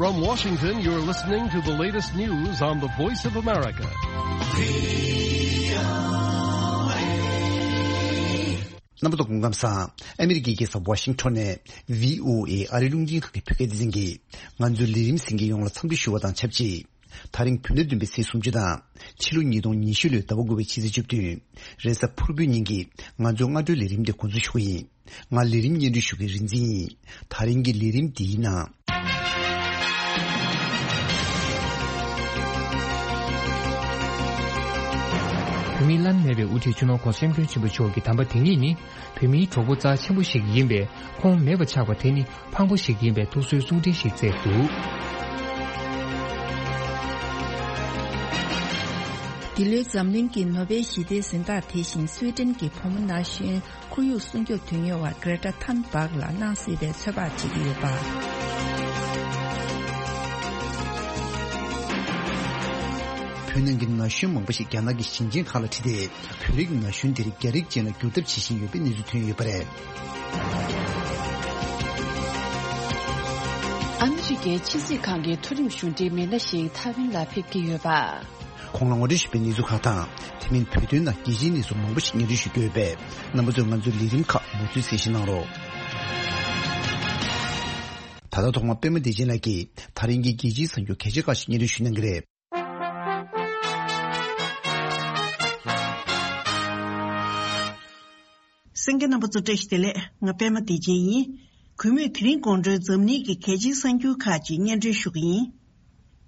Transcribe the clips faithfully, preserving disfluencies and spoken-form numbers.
From Washington, you're listening to the latest news on the Voice of America. རྣམ་པ་ཚོ་སྐུ་ཁམས་བཟང་། ཨ་མི་རི་ཀའི་རྒྱལ་ས་ཝ་ཤིང་ཊོན་ནས་བྷི་ཨོ་ཨེ་ཨ་རིའི་རླུང་འཕྲིན་ཁང་གི་བོད་སྐད་སྡེ་ཚན་གྱིས་ང་ཚོའི་ལས་རིམ་གསན་མཁན་ཡོངས་ལ་འཚམས་འདྲི་ཞུ་བ་དང་ཆབས་ཅིག་ད་རིང་བོད་ཟླ་བདུན་པའི་ཚེས་སུམ་ཅུ་དང་ཕྱི་ལོ་ཉིས་སྟོང་ཉི་ཤུ་ལོའི་ཟླ་བ་དགུ་པའི་ཕྱི་ཚེས་བཅུ་བདུན། རེས་གཟའ་ཕུར་བུའི་ཉིན་གྱི་ང་ཚོའི་སྔ་དྲོའི་ལས་རིམ་དེ་འགོ་འཛུགས་ཞུ་གི་ཡིན། ང་ལས་རིམ་སྙན་སྒྲོན་ཞུ་མཁན་རིག་འཛིན་ཡིན། ད་རིང་གི་ལས་རིམ་འདིའི་ནང་། བོད་མིའི་བླ་ན་མེད་པའི་དབུ་ཁྲིད་སྤྱི་ནོར་༧གོང་ས་༧སྐྱབས་མགོན་ཆེན་པོ་མཆོག་གི་དམ་པ་དེ་ཉིད་ནི། བོད་མིའི་གྲོགས་པོ་རྩ་ཆེན་པོ་ཞིག་ཡིན་པས། ཁོང་མེད་པ་ཆགས་པ་དེ་ནི་ཕངས་པོ་ཞིག་ཡིན་པའི་ཐུགས་གསོའི་གསུང་འཕྲིན་ཞིག་བསྩལ་འདུག་འདི་ལོའི་འཛམ་གླིང་གི་ནོ་བེལ་ཞི་བདེའི་གཟེངས་རྟགས་དེ་བཞིན་སུའེ་ཏེན་གྱི་བུ་མོ་ན་གཞོན་ཁོར་ཡུག་སྲུང་སྐྱོབ་དོན་གཉེར་བ་Greta Thunberg་ལ་གནང་སྲིད་པའི་ཚོད་དཔག་བྱེད་ཀྱི་ཡོད་པ། བོད་ནང་གི་ན་གཞོན་མང་པོ་ཞིག་རྒྱ་ནག་གི་ཞིང་ཆེན་ཁག་ལ་ཁྲིད་དེ། བོད་རིགས་ན་གཞོན་དེར་རྒྱ་རིགས་ཅན་ལ་འགྱུར་ཐབས་བྱེད་བཞིན་ཡོད་པའི་གནས་ཚུལ་ཐོན་ཡོད་པ་རེད། ཨ་མི་རི་ཀའི་ཕྱི་སྲིད་ཁང་གི་མཐོ་རིམ་གཞུང་འབྲེལ་མི་སྣ་ཞིག་ཐའེ་ཝན་ལ་ཕེབས་ཀྱི་ཡོད་པ། ཁོང་ལ་ངོ་སྤྲོད་ཞུས་པའི་གནས་ཚུལ་ཁག་དང་། དེ་མིན་བོད་དོན་ནང་རྒྱལ་སྤྱིའི་གནས་ཚུལ་མང་པོ་ཞིག་སྙན་སྒྲོན་ཞུ་རྒྱུ་ཡོད་པས། རྣམ་པ་ཚོས་ང་ཚོའི་ལས་རིམ་ཁག་མུ་མཐུད་གསན་བཞེས་གནང་རོགས། ད་ལྟ་ཐོག་མར་པད་མ་བདེ་ཆེན་ལགས་ཀྱིས་ད་རིང་གི་རྒྱལ་སྤྱིའི་གསར་འགྱུར་གལ་ཆེ་ཁག་ཞིག་སྙན་སྒྲོན་ཞུ་གནང་གི་རེད། གསན་མཁན་རྣམ་པ་ཚོ་བཀྲ་ཤིས་བདེ་ལེགས། ང་པད་མ་བདེ་ཆེན་ཡིན། གུས་མོས་དེ་རིང་དགོང་དྲོའི་འཛམ་གླིང་གི་གལ་ཆེའི་གསར་འགྱུར་ཁག་ཅིག་སྙན་སྒྲོན་ཞུ་གི་ཡིན།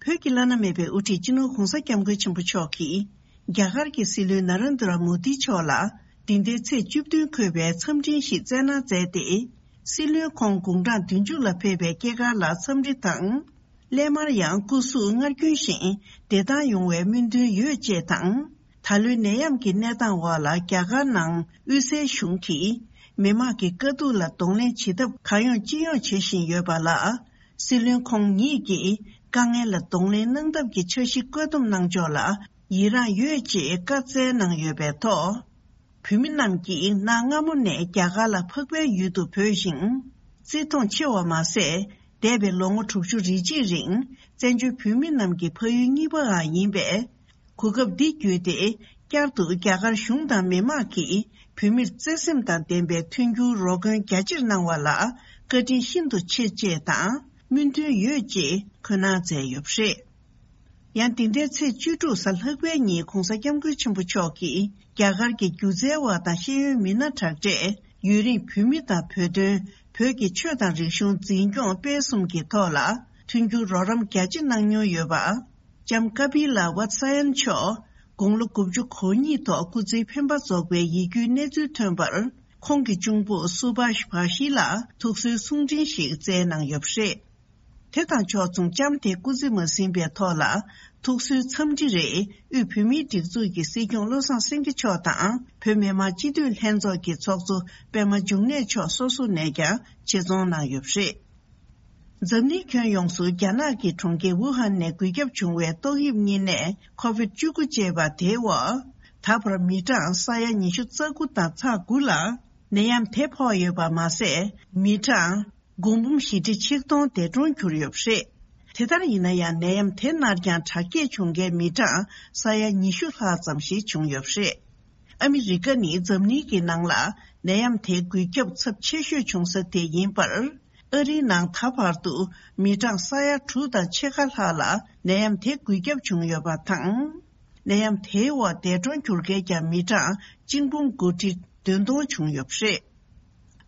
བོད་ཀྱི་བླ་ན་མེད་པའི་དབུ་ཁྲིད་སྤྱི་ནོར་༧གོང་ས་༧སྐྱབས་མགོན་ཆེན་པོ་མཆོག་གིས། རྒྱ་གར་གྱི་སྲིད་བློན་ན་རེན་དྲ་མོ་དི་མཆོག་ལ། འདི་ཟླའི་ཚེས་བཅུ་བདུན་འཁོད་པའི་འཚམས་འཕྲིན་ཞིག་བསྩལ་གནང་མཛད་དེ། སྲིད་བློན་ཁོང་དགུང་གྲངས་བདུན་ཅུ་ལ་ཕེབས་པའི་སྐྱེས་སྐར་ལ་འཚམས་འདྲི་དང་། སླད་མར་ཡང་སྐུ་གཟུགས་སྔར་རྒྱུན་བཞིན་བདེ་ཐང་ཡོང་བའི་སྨོན་འདུན་ཡོད་ཅེས་དང་། ད་ལོའི་ནད་ཡམས་ཀྱི་གནས་སྟངས་འོག་ལ་རྒྱ་གར་ནང་དབུས་སའི་གཞུང་གིས་མི་དམངས་ཀྱི་དཀའ་སྡུག་ལ་གདོང་ལེན་བྱེད་ཐབས་གང་ཡོང་ཅི་ཡོང་བྱེད་བཞིན་ཡོད་པ་ལ། སྲིད་བློན་ཁོང་ཉིད་ཀྱིས་དཀའ་ངལ་ལ་གདོང་ལེན་གནང་ཐབས་ཀྱི་འཆར་གཞི་བཀོད་འདོམས་གནང་ཕྱོགས་ལ་ཡི་རངས་ཡོད་ཅེས་བཀའ་སྩལ་གནང་ཡོད་པའི་ཐོག་བོད་མི་རྣམས་ཀྱིས་གནའ་སྔ་མོ་ནས་རྒྱ་གར་ལ་འཕགས་པའི་ཡུལ་དུ་འབོད་ཅིང་། བརྩི་མཐོང་ཆེ་བ་མ་ཟད། འདས་པའི་ལོ་ངོ་དྲུག་ཅུ་རེ་གཅིག་རིང་བཙན་བྱོལ་བོད་མི་རྣམས་ཀྱི་ཕ་ཡུལ་གཉིས་པའང་ཡིན་པས། གོ་སྐབས་འདི་བརྒྱུད་དེ། བསྐྱར་དུ་རྒྱ་གར་གཞུང་དང་མི་དམངས་ཀྱིས་བོད་མིར་བརྩེ་སེམས་དང་ལྡན་པའི་མཐུན་འགྱུར་རོགས་མགོན་རྒྱ་ཆེར་གནང་བ་ལ་བཀའ་དྲིན་ཤིན་ཏུ་ཆེ་ཅེས་དང་སྨོན་འདུན་ཡོད་ཅེས་འཁོད་གནང་མཛད་ཡོད་པ་རེད། ཡང་འདི་ཟླའི་ཚེས་བཅུ་དྲུག་གཟའ་ལྷག་པའི་ཉིན་༧གོང་ས་༧སྐྱབས་མགོན་ཆེན་པོ་མཆོག་གིས་རྒྱ་གར་གྱི་སྒྱུ་རྩལ་བ་དང་ཤེས་ཡོན་མི་སྣ་དྲག་གྲས། ཡུན་རིང་བོད་མི་དང་བོད་དོན། བོད་ཀྱི་ཆོས་དང་རིག་གཞུང་འཛིན་སྐྱོང་སྤེལ་གསུམ་གྱི་ཐོག་ལ་མཐུན་འགྱུར་རོགས་རམ་རྒྱ་ཆེ་གནང་མྱོང་ཡོད་པ། ལྕམ་ཀ་པི་ལ་ཝད་སཱ་ཡན་མཆོག་དགུང་ལོ་དགུ་བཅུ་གོ་གཉིས་ཐོག་སྐུ་ཚེའི་འཕེན་པ་རྫོགས་པའི་ཡིད་སྐྱོའི་གནས་ཚུལ་ཐོན་པར། ཁོང་གི་གཅུང་པོ་སུ་བྷཱཤ་བྷ་ཤི་ལ་ཐུགས་གསོའི་གསུང་འཕྲིན་ཞིག་བསྩལ་གནང་ཡོད་པ་རེད། དེ་དང་ཕྱོགས་མཚུངས་ལྕམ་དེ་སྐུ་ཚེ་མ་ཟིན་པའི་ཐོག་ལ་ཐུགས་གསོའི་འཚམས་འདྲི་རེ་དབུས་བོད་མིའི་སྒྲིག་འཛུགས་ཀྱི་སྲིད་སྐྱོང་བློ་བཟང་སེང་གེ་མཆོག་དང་བོད་མི་མང་སྤྱི་འཐུས་ལྷན་ཚོགས་ཀྱི་ཚོགས་གཙོ་པད་མ་འབྱུང་གནས་མཆོག་སོ་སོ་ནས་ཀྱང་ཆེད་རྫོང་གནང་ཡོད་པ་རེད། འཛམ་གླིང་ཁྱོན་ཡོངས་སུ་རྒྱ་ནག་གི་གྲོང་ཁྱེར་ཝུ་ཧན་ནས་འགོས་ཁྱབ་བྱུང་བའི་ཏོག་དབྱིབས་གཉན་ནད་ཁོ་བིད་བཅུ་དགུ་ཅེས་པ་དེའི་འོག་ད་བར་མི་གྲངས་ས་ཡ་ཉི་ཤུ་རྩ་དགུ་དང་ཚེག་དགུ་ལ་ནད་ཡམས་དེ་ཕོག་ཡོད་པ་མ་ཟད། མི་གྲངས་དགུ་འབུམ་བཞི་ཁྲི་ཆིག་སྟོང་འདས་གྲོངས་གྱུར་ཡོད་པ་རེད། དེ་ལྟར་ཡིན་ན་ཡང་ནད་ཡམས་དེ་སྔར་ཀྱང་དྲག་སྐྱེད་བྱུང་མཁན་མི་གྲངས་ས་ཡ་ཉི་ཤུ་ལྷག་ཙམ་ཞིག་བྱུང་ཡོད་པ་རེད། ཨ་མི་རི་ཀ་ནི་འཛམ་གླིང་གི་ནང་ལ་ནད་ཡམས་དེ་འགོས་ཁྱབ་ཚབས་ཆེ་ཤོས་བྱུང་ས་དེ་ཡིན་པར། ཨ་རིའི་ནང་ད་བར་དུ་མི་གྲངས་ས་ཡ་དྲུག་དང་ཕྱེད་ཀ་ལྷག་ལ་ནད་ཡམས་དེ་འགོས་ཁྱབ་བྱུང་ཡོད་པ་དང་། ནད་ཡམས་དེའི་འོག་འདས་གྲོངས་གྱུར་མཁན་ཀྱང་མི་གྲངས་གཅིག་འབུམ་དགུ་ཁྲི་བདུན་སྟོང་བྱུང་ཡོད་པ་རེད།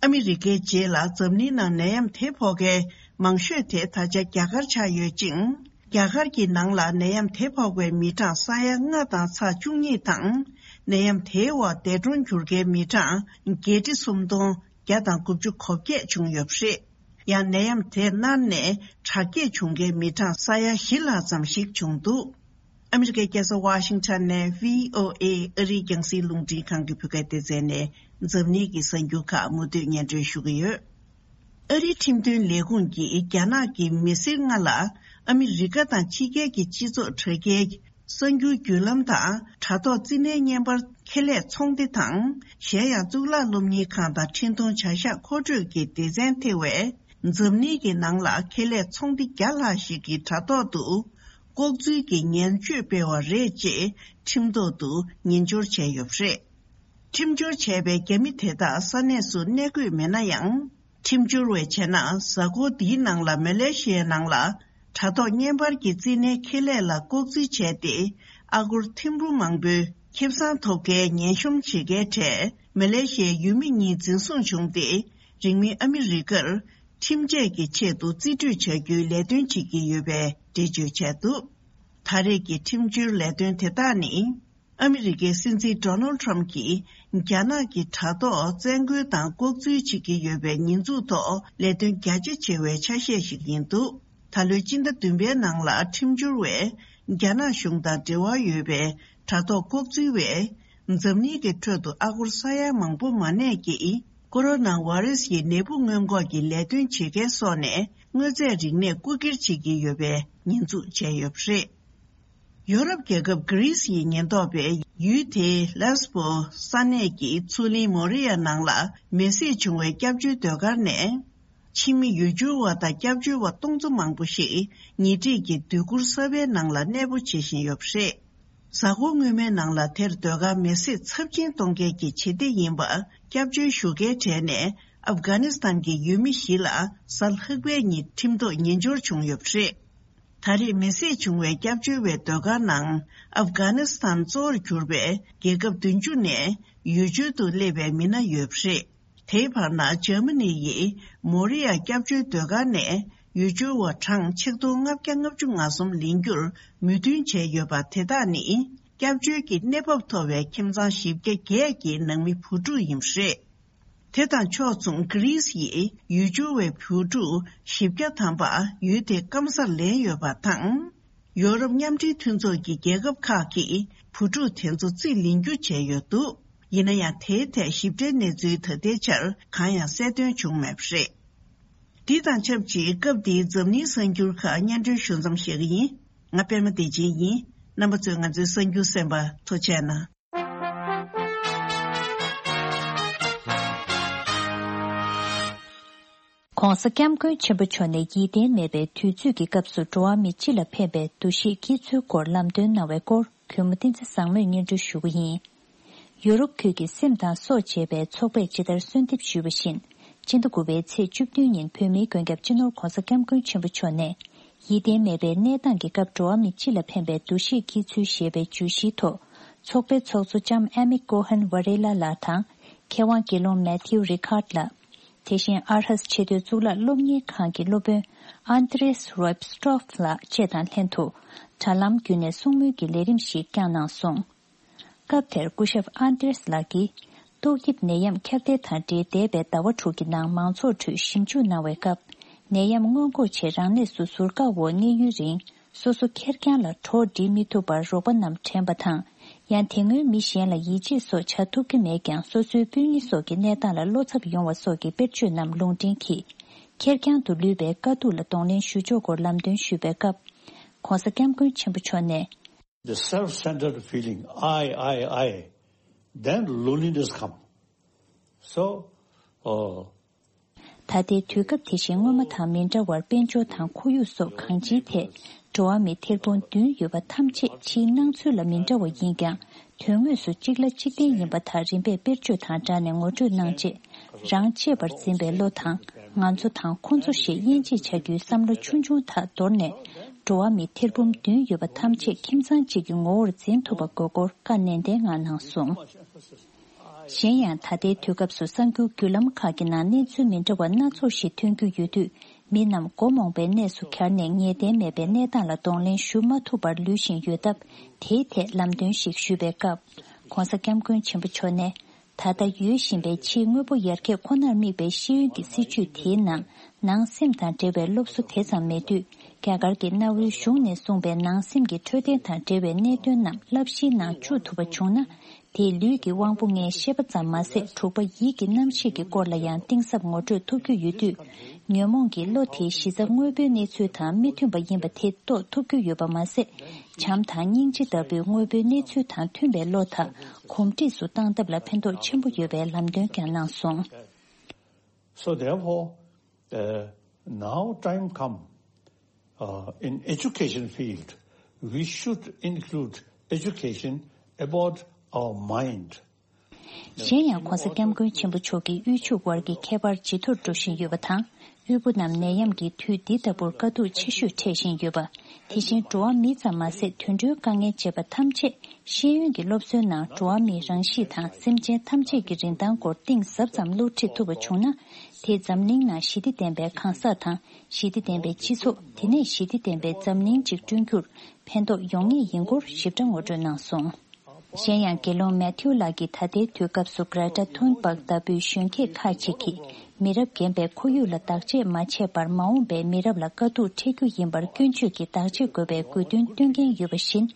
ཨ་མི་རི་ཀའི་རྗེས་ལ་འཛམ་གླིང་ནང་ནད་ཡམས་དེ་ཕོག་མཁན་མང་ཤོས་དེ་ད་ཆ་རྒྱ་གར་ཆགས་ཡོད་ཅིང་། རྒྱ་གར་གྱི་ནང་ལ་ནད་ཡམས་དེ་ཕོག་པའི་མི་གྲངས་ས་ཡ་ལྔ་དང་ཚེག་བཅུ་གཉིས་དང་། ནད་ཡམས་དེའི་འོག་འདས་གྲོངས་གྱུར་མཁན་མི་གྲངས་བརྒྱད་ཁྲི་སུམ་སྟོང་བརྒྱ་དང་དགུ་བཅུ་གོ་བརྒྱད་བྱུང་ཡོད་པ་རེད། ཡང་ནད་ཡམས་དེ་སྔར་ནས་དྲག་སྐྱེད་བྱུང་མཁན་མི་གྲངས་ས་ཡ་བཞི་ལྷག་ཙམ་ཞིག་བྱུང་འདུག་ཨ་མི་རི་ཀའི་རྒྱལ་ས་ཝ་ཤིང་ཊོན་ནས་བྷི་ཨོ་ཨེ་ཨ་རིའི་རྒྱང་སྲིང་རླུང་འཕྲིན་ཁང་གི་བོད་སྐད་སྡེ་ཚན་ནས་འཛམ་གླིང་གི་གསར་འགྱུར་ཁག་མུ་མཐུད་སྙན་སྒྲོན་ཞུ་གི་ཡོད། ཨ་རིའི་ཁྲིམས་དོན་ལས་ཁུངས་ཀྱིས་རྒྱ་ནག་གི་མི་སེར་ལྔ་ལ་ཨ་མི་རི་ཀ་དང་ཕྱི་རྒྱལ་གྱི་སྤྱི་ཚོགས་དྲ་རྒྱའི་གསར་འགྱུར་བརྒྱུད་ལམ་དང་དྲ་ཐོག་རྩིས་ལེན་བརྙན་པར་ཁེ་ལས་ཚོང་སྡེ་དང་གཞན་ཡང་གཙུག་ལག་སློབ་གཉེར་ཁང་དང་འཕྲིན་གཏོང་བྱ་གཞག་མཁོ་སྤྲོད་ཀྱི་སྡེ་ཚན་ཐེ་བའི་ འཛམ་གླིང་གི་ནང་ལ་ཁེ་ལས་ཚོང་སྡེ་བརྒྱ་ལྷག་ཞིག་གི་དྲ་ཐོག་ཏུ་ལྐོག་འཛུལ་གྱི་ངན་སྤྱོད་སྤེལ་བ་རེད་ཅེས་ཁྲིམས་ཐོག་ཏུ་ཉེས་འབྱོར་བྱས་ཡོད་པ་རེད། ཁྲིམས་སྦྱོར་བྱས་པའི་རྒྱ་མི་དེ་དག་ས་གནས་སུ་གནས་དགོས་མེད་ན་ཡང་། ཁྲིམས་སྦྱོར་བས་བྱས་ན་གཟའ་འཁོར་འདིའི་ནང་ལ་མ་ལེ་ཤི་ཡའི་ནང་ལ་དྲ་ཐོག་བརྙན་པར་གྱི་རྩིས་གནས་ཁེ་ལས་ལ་ལྐོག་འཛུལ་བྱས་ཏེ། ཨ་སྒོར་ཐེར་འབུམ་མང་པོའི་ཁེ་བཟང་ཐོབ་མཁན་ཉེན་གཤོམ་བྱེད་མཁན་གྲས་མ་ལེ་ཤི་ཡའི་ཡུལ་མི་གཉིས་འཛིན་བཟུང་བྱུང་སྟེ། རིང་མིན་ཨ་མི་རི་ཀར་ཁྲིམས་ཆད་ཀྱི་ཆེད་དུ་རྩིས་སྤྲོད་བྱ་རྒྱུའི་ལས་དོན་བྱེད་ཀྱི་ཡོད་པའི་འགྲེལ་བརྗོད་བྱས་འདུག་ད་རེས་ཀྱི་ཁྲིམས་སྦྱོར་ལས་དོན་དེ་དག་ནི། ཨ་མི་རི་ཀའི་སྲིད་འཛིན་ཌོ་ནལ་ཁྲམ་གྱིས་རྒྱ་ནག་གི་དྲ་ཐོག་བཙན་རྒོལ་དང་ལྐོག་འཛུལ་བྱེད་ཀྱི་ཡོད་པའི་ཉེས་འཛུགས་ཐོག་ལས་དོན་རྒྱ་ཆེ་ཆེ་བའི་ཆ་ཤས་ཤིག་ཡིན་འདུག་ད་ལོའི་སྤྱི་ཟླ་བདུན་པའི་ནང་ལ་ཁྲིམས་སྦྱོར་བས་རྒྱ་ནག་གཞུང་དང་འབྲེལ་བ་ཡོད་པའི་དྲ་ཐོག་ལྐོག་འཛུལ་བས། འཛམ་གླིང་གི་ཁྲོད་དུ་ཨ་སྒོར་ས་ཡ་མང་པོ་མ་གནས་ཀྱིས་ཀོ་རོ་ན་བྷ་རེ་སི་ཡི་ནད་འབུ་སྔོན་འགོག་གི་ལས་དོན་བྱེད་མཁན་སོགས་ནས་དངོས་རྫས་རིག་གནས་རྐུ་འཁྱེར་བྱེད་ཀྱི་ཡོད་པའི་ཉེས་འཛུགས་བྱས་ཡོད་པ་རེད། ཡོ་རོབ་རྒྱལ་ཁབ་གྷི་རིས་ཡི་ཉེན་རྟོག་པས་ཡུལ་དེའི་ལེས་པོ་ས་གནས་ཀྱི་མཚོ་གླིང་མོ་རི་ཡ་ནང་ལ་མེ་གསོད་བྱུང་བའི་སྐྱབས་བཅོལ་སྡོད་སྒར་ནས། ཕྱི་མི་ཡུལ་སྐྱོར་བ་དང་སྐྱབས་བཅོལ་བ་སྟོང་ཚོ་མང་པོ་ཞིག་ཉེ་འཁྲིས་ཀྱི་སྡོད་གུར་གསར་པའི་ནང་ལ་གནས་སྤོ་བྱེད་བཞིན་ཡོད་པ་རེད། གཟའ་འཁོར་སྔོན་མའི་ནང་ལ་དེར་སྡོད་སྒར་མེ་གསོད་ཚབས་ཆེན་གཏོང་མཁན་གྱི་བྱེད་གཏེ་ཡིན་པ་སྐྱབས་བཅོལ་ཞུ་མཁན་གྲས་ནས་ཨབ་གྷ་ནི་སི་ཐན་གྱི་ཡུལ་མི་བཞི་ལ་གཟའ་ལྷག་པའི་ཉིན་ཁྲིམས་ཐོག་ཉེས་འབྱོར་བྱུང་ཡོད་པ་རེད། ད་རེས་མེ་གསོད་བྱུང་བའི་སྐྱབས་བཅོལ་བའི་སྡོད་སྒར་ནང་ཨབ་གྷ་ནི་སི་ཐན་གཙོ་བོར་གྱུར་པའི་རྒྱལ་ཁབ་བདུན་ཅུ་ནས་ཡུལ་སྦྱོར་དུ་སླེབས་པའི་མི་སྣ་ཡོད་པ་རེད། དེའི་བར་ན་འཇར་མ་ནི་ཡིས་མོ་རི་ཡ་སྐྱབས་བཅོལ་སྡོད་སྒར་ནས་ཡུལ་སྦྱོར་བ་གྲངས་ཆིག་སྟོང་ལྔ་བརྒྱ་ལྔ་བཅུ་ང་གསུམ་ལེན་རྒྱུར་མོས་མཐུན་བྱས་ཡོད་པ་དེ་དག་ནི་སྐྱབས་བཅོལ་གྱི་གནས་བབ་མཐོ་བའི་ཁྱིམ་ཚང་བཞི་བརྒྱ་བརྒྱད་ཀྱི་ནང་མི་བུ་ཕྲུག་ཡིན་པ་རེད། དེ་དང་ཕྱོགས་མཚུངས་གྷི་རིས་ཡིས་ཡུལ་སྦྱོར་བའི་བུ་ཕྲུག་བཞི་བརྒྱ་ཐམ་པ་ཡུལ་དེ་སྐམ་སར་ལེན་ཡོད་པ་དང་། ཡོ་རོབ་མཉམ་འབྲེལ་མཐུན་ཚོགས་ཀྱི་རྒྱལ་ཁབ་ཁག་གིས་བུ་ཕྲུག་དེ་ཚོ་རྩིས་ལེན་རྒྱུ་བྱས་ཡོད་འདུག་ཡིན་ན་ཡང་དེའི་ཐད་ཞིབ་ཕྲའི་གནས་ཚུལ་ད་ལྟའི་ཆར་གང་ཡང་གསལ་སྟོན་བྱུང་མེད་པ་རེད། འདི་དང་ཆབས་ཅིག་སྐབས་འདིའི་འཛམ་གླིང་གསར་འགྱུར་ཁག་སྙན་སྒྲོན་ཞུ་མཚམས་བཞག་གི་ཡིན། ང་པད་མ་བདེ་ཆེན་ཡིན། རྣམ་པ་ཚོས་ང་ཚོའི་གསར་འགྱུར་གསན་པར་ཐུགས་རྗེ་གནང་། ྋགོང་ས་ྋསྐྱབས་མགོན་ཆེན་པོ་མཆོག་ནས་ཡིད་བརྟན་མེད་པའི་དུས་ཚོད་ཀྱི་སྐབས་སུ་འགྲོ་བ་མི་སྤྱི་ལ་ཕན་པའི་འདུ་ཤེས་བསྐྱེད་ཚུལ་སྐོར་ལམ་སྟོན་གནང་བའི་སྐོར་གུས་མོ་བསྟན་འཛིན་བཟང་མོས་སྙན་སྒྲོན་ཞུ་གི་ཡིན། ཡོ་རོབ་ཁུལ་གྱི་སེམས་དང་སྲོག་ཅེས་པའི་ཚོགས་པས་ཇི་ལྟར་གསོལ་འདེབས་ཞུས་པ་བཞིན། སྤྱི་ཟླ་དགུ་པའི་ཚེས་བཅུ་བདུན་ཉིན་བོད་མིའི་མགོན་སྐྱབས་སྤྱི་ནོར་ྋགོང་ས་ྋསྐྱབས་མགོན་ཆེན་པོ་མཆོག་ནས། ཡིད་བརྟན་མེད་པའི་གནས་སྟངས་ཀྱི་སྐབས་འགྲོ་བ་མི་སྤྱི་ལ་ཕན་པའི་འདུ་ཤེས་བསྐྱེད་ཚུལ་ཞེས་པའི་བརྗོད་གཞིའི་ཐོག་ཚོགས་པའི་ཚོགས་གཙོ་ལྕམ་ཨེ་མི་ཀོ་ཧན་ཝ་རེ་ལ་ལགས་དང་། མཁས་དབང་དགེ་སློང་མེ་ཐིའུ་རི་ཁཱར་ལགས། དེ་བཞིན་ཨར་ཧས་ཆེས་མཐོའི་གཙུག་ལག་སློབ་གཉེར་ཁང་གི་སློབ་དཔོན་ཨན་ཏྲེས་རོབ་སི་ཏྲོབ་ལགས་བཅས་དང་ལྷན་དུ། དྲ་ལམ་བརྒྱུད་ནས་གསུང་མོལ་གྱི་ལས་རིམ་ཞིག་བསྐྱངས་གནང་སོང་། སྐབས་དེར་སྐུ་ཞབས་ཨན་ཏྲེས་ལགས་ཀྱིས། ཏོག་དབྱིབས་ནད་ཡམས་ཁྱབ་གདལ་དང་འབྲེལ་འདས་པའི་ཟླ་བ་དྲུག་གི་ནང་མང་ཚོགས་ཁྲོད་ཞིབ་འཇུག་གནང་བའི་སྐབས། ནད་ཡམས་སྔོན་འགོག་ཆེད་རང་གནས་སུ་ཟུར་བཀག་འོག་གནས་ཡུན་རིང་སོ་སོ་ཁེར་རྐྱང་ལ་གྲོགས་སྒྲིག་མི་ཐུབ་པར་རོགས་པ་རྣམས་དྲན་པ་དང་། ཡང་དེ་སྔོན་མི་གཞན་ལ་ཡིད་ཆེས་སོགས་བྱ་ཐུབ་ཀྱི་མེད་ཀྱང་སོ་སོའི་སྤུན་ཉེ་སོགས་ཀྱི་གནས་སྟངས་ལ་བློ་འཚབ་ཡོང་བ་སོགས་ཀྱི་དཔེར་བརྗོད་རྣམས་ལུང་འདྲེན་གྱིས། ཁེར་རྐྱང་དུ་ལུས་པའི་དཀའ་སྡུག་ལ་གདོང་ལེན་ཞུ་ཕྱོགས་སྐོར་ལམ་སྟོན་ཞུས་པའི་སྐབས། ྋགོང་ས་ྋསྐྱབས་མགོན་ཆེན་པོ་མཆོག་ནས། The self-centered feeling, I, I, I, then loneliness come. So, uh, ད་ལྟའི་དུས་སྐབས་དེ་བཞིན་སྔོན་མ་དང་མི་འདྲ་བར་དཔལ་འབྱོར་དང་ཁོར་ཡུག་སོགས་གང་ཅིའི་ཐད། འགྲོ་བ་མི་ཐེར་འབུམ་བདུན་ཡོད་པ་ཐམས་ཅད་ཕྱིའི་སྣང་ཚུལ་ལ་མི་འདྲ་བ་ཡིན་ཀྱང་། དོན་དངོས་སུ་གཅིག་ལ་གཅིག་བརྟེན་ཡིན་པ་དག་རིམ་པས་དཔེར་བརྗོད་དང་སྦྲགས་ནས་ངོ་སྤྲོད་གནང་རྗེས། རང་གཅེས་པར་འཛིན་པའི་བློ་དང་། ང་ཚོ་དང་ཁོ་ཚོ་ཞེས་དབྱེ་འབྱེད་བྱ་རྒྱུའི་བསམ་བློ་ཆུང་ཆུང་དག་དོར་ནས། འགྲོ་བ་མི་ཐེར་འབུམ་བདུན་ཡོད་པ་ཐམས་ཅད་ཁྱིམ་ཚང་གཅིག་གི་ངོ་བོར་འཛིན་ཐུབ་པ་དགོས་སྐོར་བཀའ་ནན་ཏན་ངང་གནང་སོང་། གཞན་ཡང་ད་ལྟའི་དུས་སྐབས་སུ་གསར་འགྱུར་བརྒྱུད་ལམ་ཁག་གི་ནང་གནས་ཚུལ་མི་འདྲ་བ་སྣ་ཚོགས་ཤིག་ཐོན་རྒྱུ་ཡོད་དུས། མི་རྣམས་མགོ་རྨོངས་པའི་གནས་སུ་གྱར་ནས་ངེས་གཏན་མེད་པའི་གནས་སྟངས་ལ་གདོང་ལེན་ཞུ་མ་ཐུབ་པར་ལུས་བཞིན་ཡོད་སྟབས། དེའི་ཐད་ལམ་སྟོན་ཞིག་ཞུས་པའི་སྐབས། ྋགོང་ས་ྋསྐྱབས་མགོན་ཆེན་པོ་མཆོག་ནས། ད་ལྟ་ཡོད་བཞིན་པའི་ཕྱིའི་དངོས་པོ་ཡར་རྒྱས་ཁོ་ནར་དམིགས་པའི་ཤེས་ཡོན་གྱི་སྲིད་བྱུས་དེའི་ནང་། ནང་སེམས་དང་འབྲེལ་བའི་སློབ་གསོ་དེ་ཙམ་མེད་དུས། རྒྱ་གར་གྱི་གནའ་བོའི་གཞུང་ནས་གསུངས་པའི་ནང་སེམས་ཀྱི་འཕྲོད་བསྟེན་དང་འབྲེལ་བའི་གནད་དོན་རྣམས་བསླབ་གཞིའི་ནང་བཅུག་ཐུབ་པ་བྱུང་ན། དེས་ལུས་ཀྱི་དབང་པོ་ལྔའི་ཤེས་པ་ཙམ་མ་ཟད། དྲུག་པ་ཡིད་ཀྱི་རྣམ་ཤེས་ཀྱི་སྐོར་ལ་ཡང་གཏིང་ཟབ་ངོ་སྤྲོད་ཐུབ་རྒྱུ་ཡོད་དུས། ཉོན་མོངས་ཀྱི་བློ་དེའི་གཞི་རྩ་དངོས་པོའི་གནས་ཚུལ་དང་མི་མཐུན་པ་ཡིན་པ་དེ་རྟོགས་ཐུབ་རྒྱུ་ཡོད་པ་མ་ཟད། བྱམས་དང་སྙིང་རྗེ་ལྟ་བུའི་དངོས་པོའི་གནས་ཚུལ་དང་མཐུན་པའི་བློ་དག་གོམས་འདྲིས་སུ་བཏང་ཐབས་ལ་ཕན་ཐོགས་ཆེན་པོ་ཡོད་པའི་ལམ་སྟོན་ཀྱང་གནང་སོང་། So therefore, uh, Now time come, uh, in education field, we should include education about our mind. གཞན་ཡང་༧གོང་ས་༧སྐྱབས་མགོན་ཆེན་པོ་མཆོག་གིས་དབུལ་ཕྱུག་དབར་གྱི་ཁྱད་པར་ཇེ་མཐོར་འགྲོ་བཞིན་ཡོད་པ་དང་། དབུལ་པོ་རྣམས་ནད་ཡམས་ཀྱི་དུས་འདི་ལྟ་བུར་དཀའ་སྡུག་ཆེ་ཤོས་འཕྲད་བཞིན་ཡོད་པ། དེ་བཞིན་འགྲོ་བ་མི་ཙམ་མ་ཟད་དུད་འགྲོའི་དཀའ་ངལ་བཅས་པ་ཐམས་ཅད་ཤེས་ཡོན་གྱི་སློབ་གསོའི་ནང་འགྲོ་བ་མིའི་རང་གཤིས་དང་སེམས་ཅན་ཐམས་ཅད་ཀྱི་རིན་ཐང་སྐོར་གཏིང་ཟབ་ཙམ་སློབ་ཁྲིད་ཐུབ་པ་བྱུང་ན། དེས་འཛམ་གླིང་ནང་ཞི་བདེ་ལྡན་པའི་གང་ཟག་དང་ཞི་བདེ་ལྡན་པའི་སྤྱི་ཚོགས། དེ་ནས་ཞི་བདེ་ལྡན་པའི་འཛམ་གླིང་ཅིག་བསྐྲུན་རྒྱུར་ཕན་ཐོགས་ཡོང་ངེས་ཡིན་སྐོར་ཞིབ་ཕྲ་ངོ་སྤྲོད་གནང་སོང་། གཞན་ཡང་དགེ་སློང་མེ་ཐིའུ་ལགས་ཀྱིས་ད་ལྟའི་དུས་སྐབས་སུ་Greta Thunberg་ལྟ་བུའི་གཞོན་སྐྱེས་ཁག་ཅིག་གིས་མི་རབས་རྒན་པའི་ཁོར་ཡུག་ལ་བདག་གཅེས་མ་བྱས་པར་མ་འོངས་པའི་མི་རབས་ལ་དཀའ་སྡུག་འཕྲད་རྒྱུ་ཡིན་པར་སྐྱོན་བརྗོད་ཀྱིས་བདག་གཅེས་དགོས་པའི་དགོས་འདུན་བཏོན་མཁན་ཡོད་པ་བཞིན།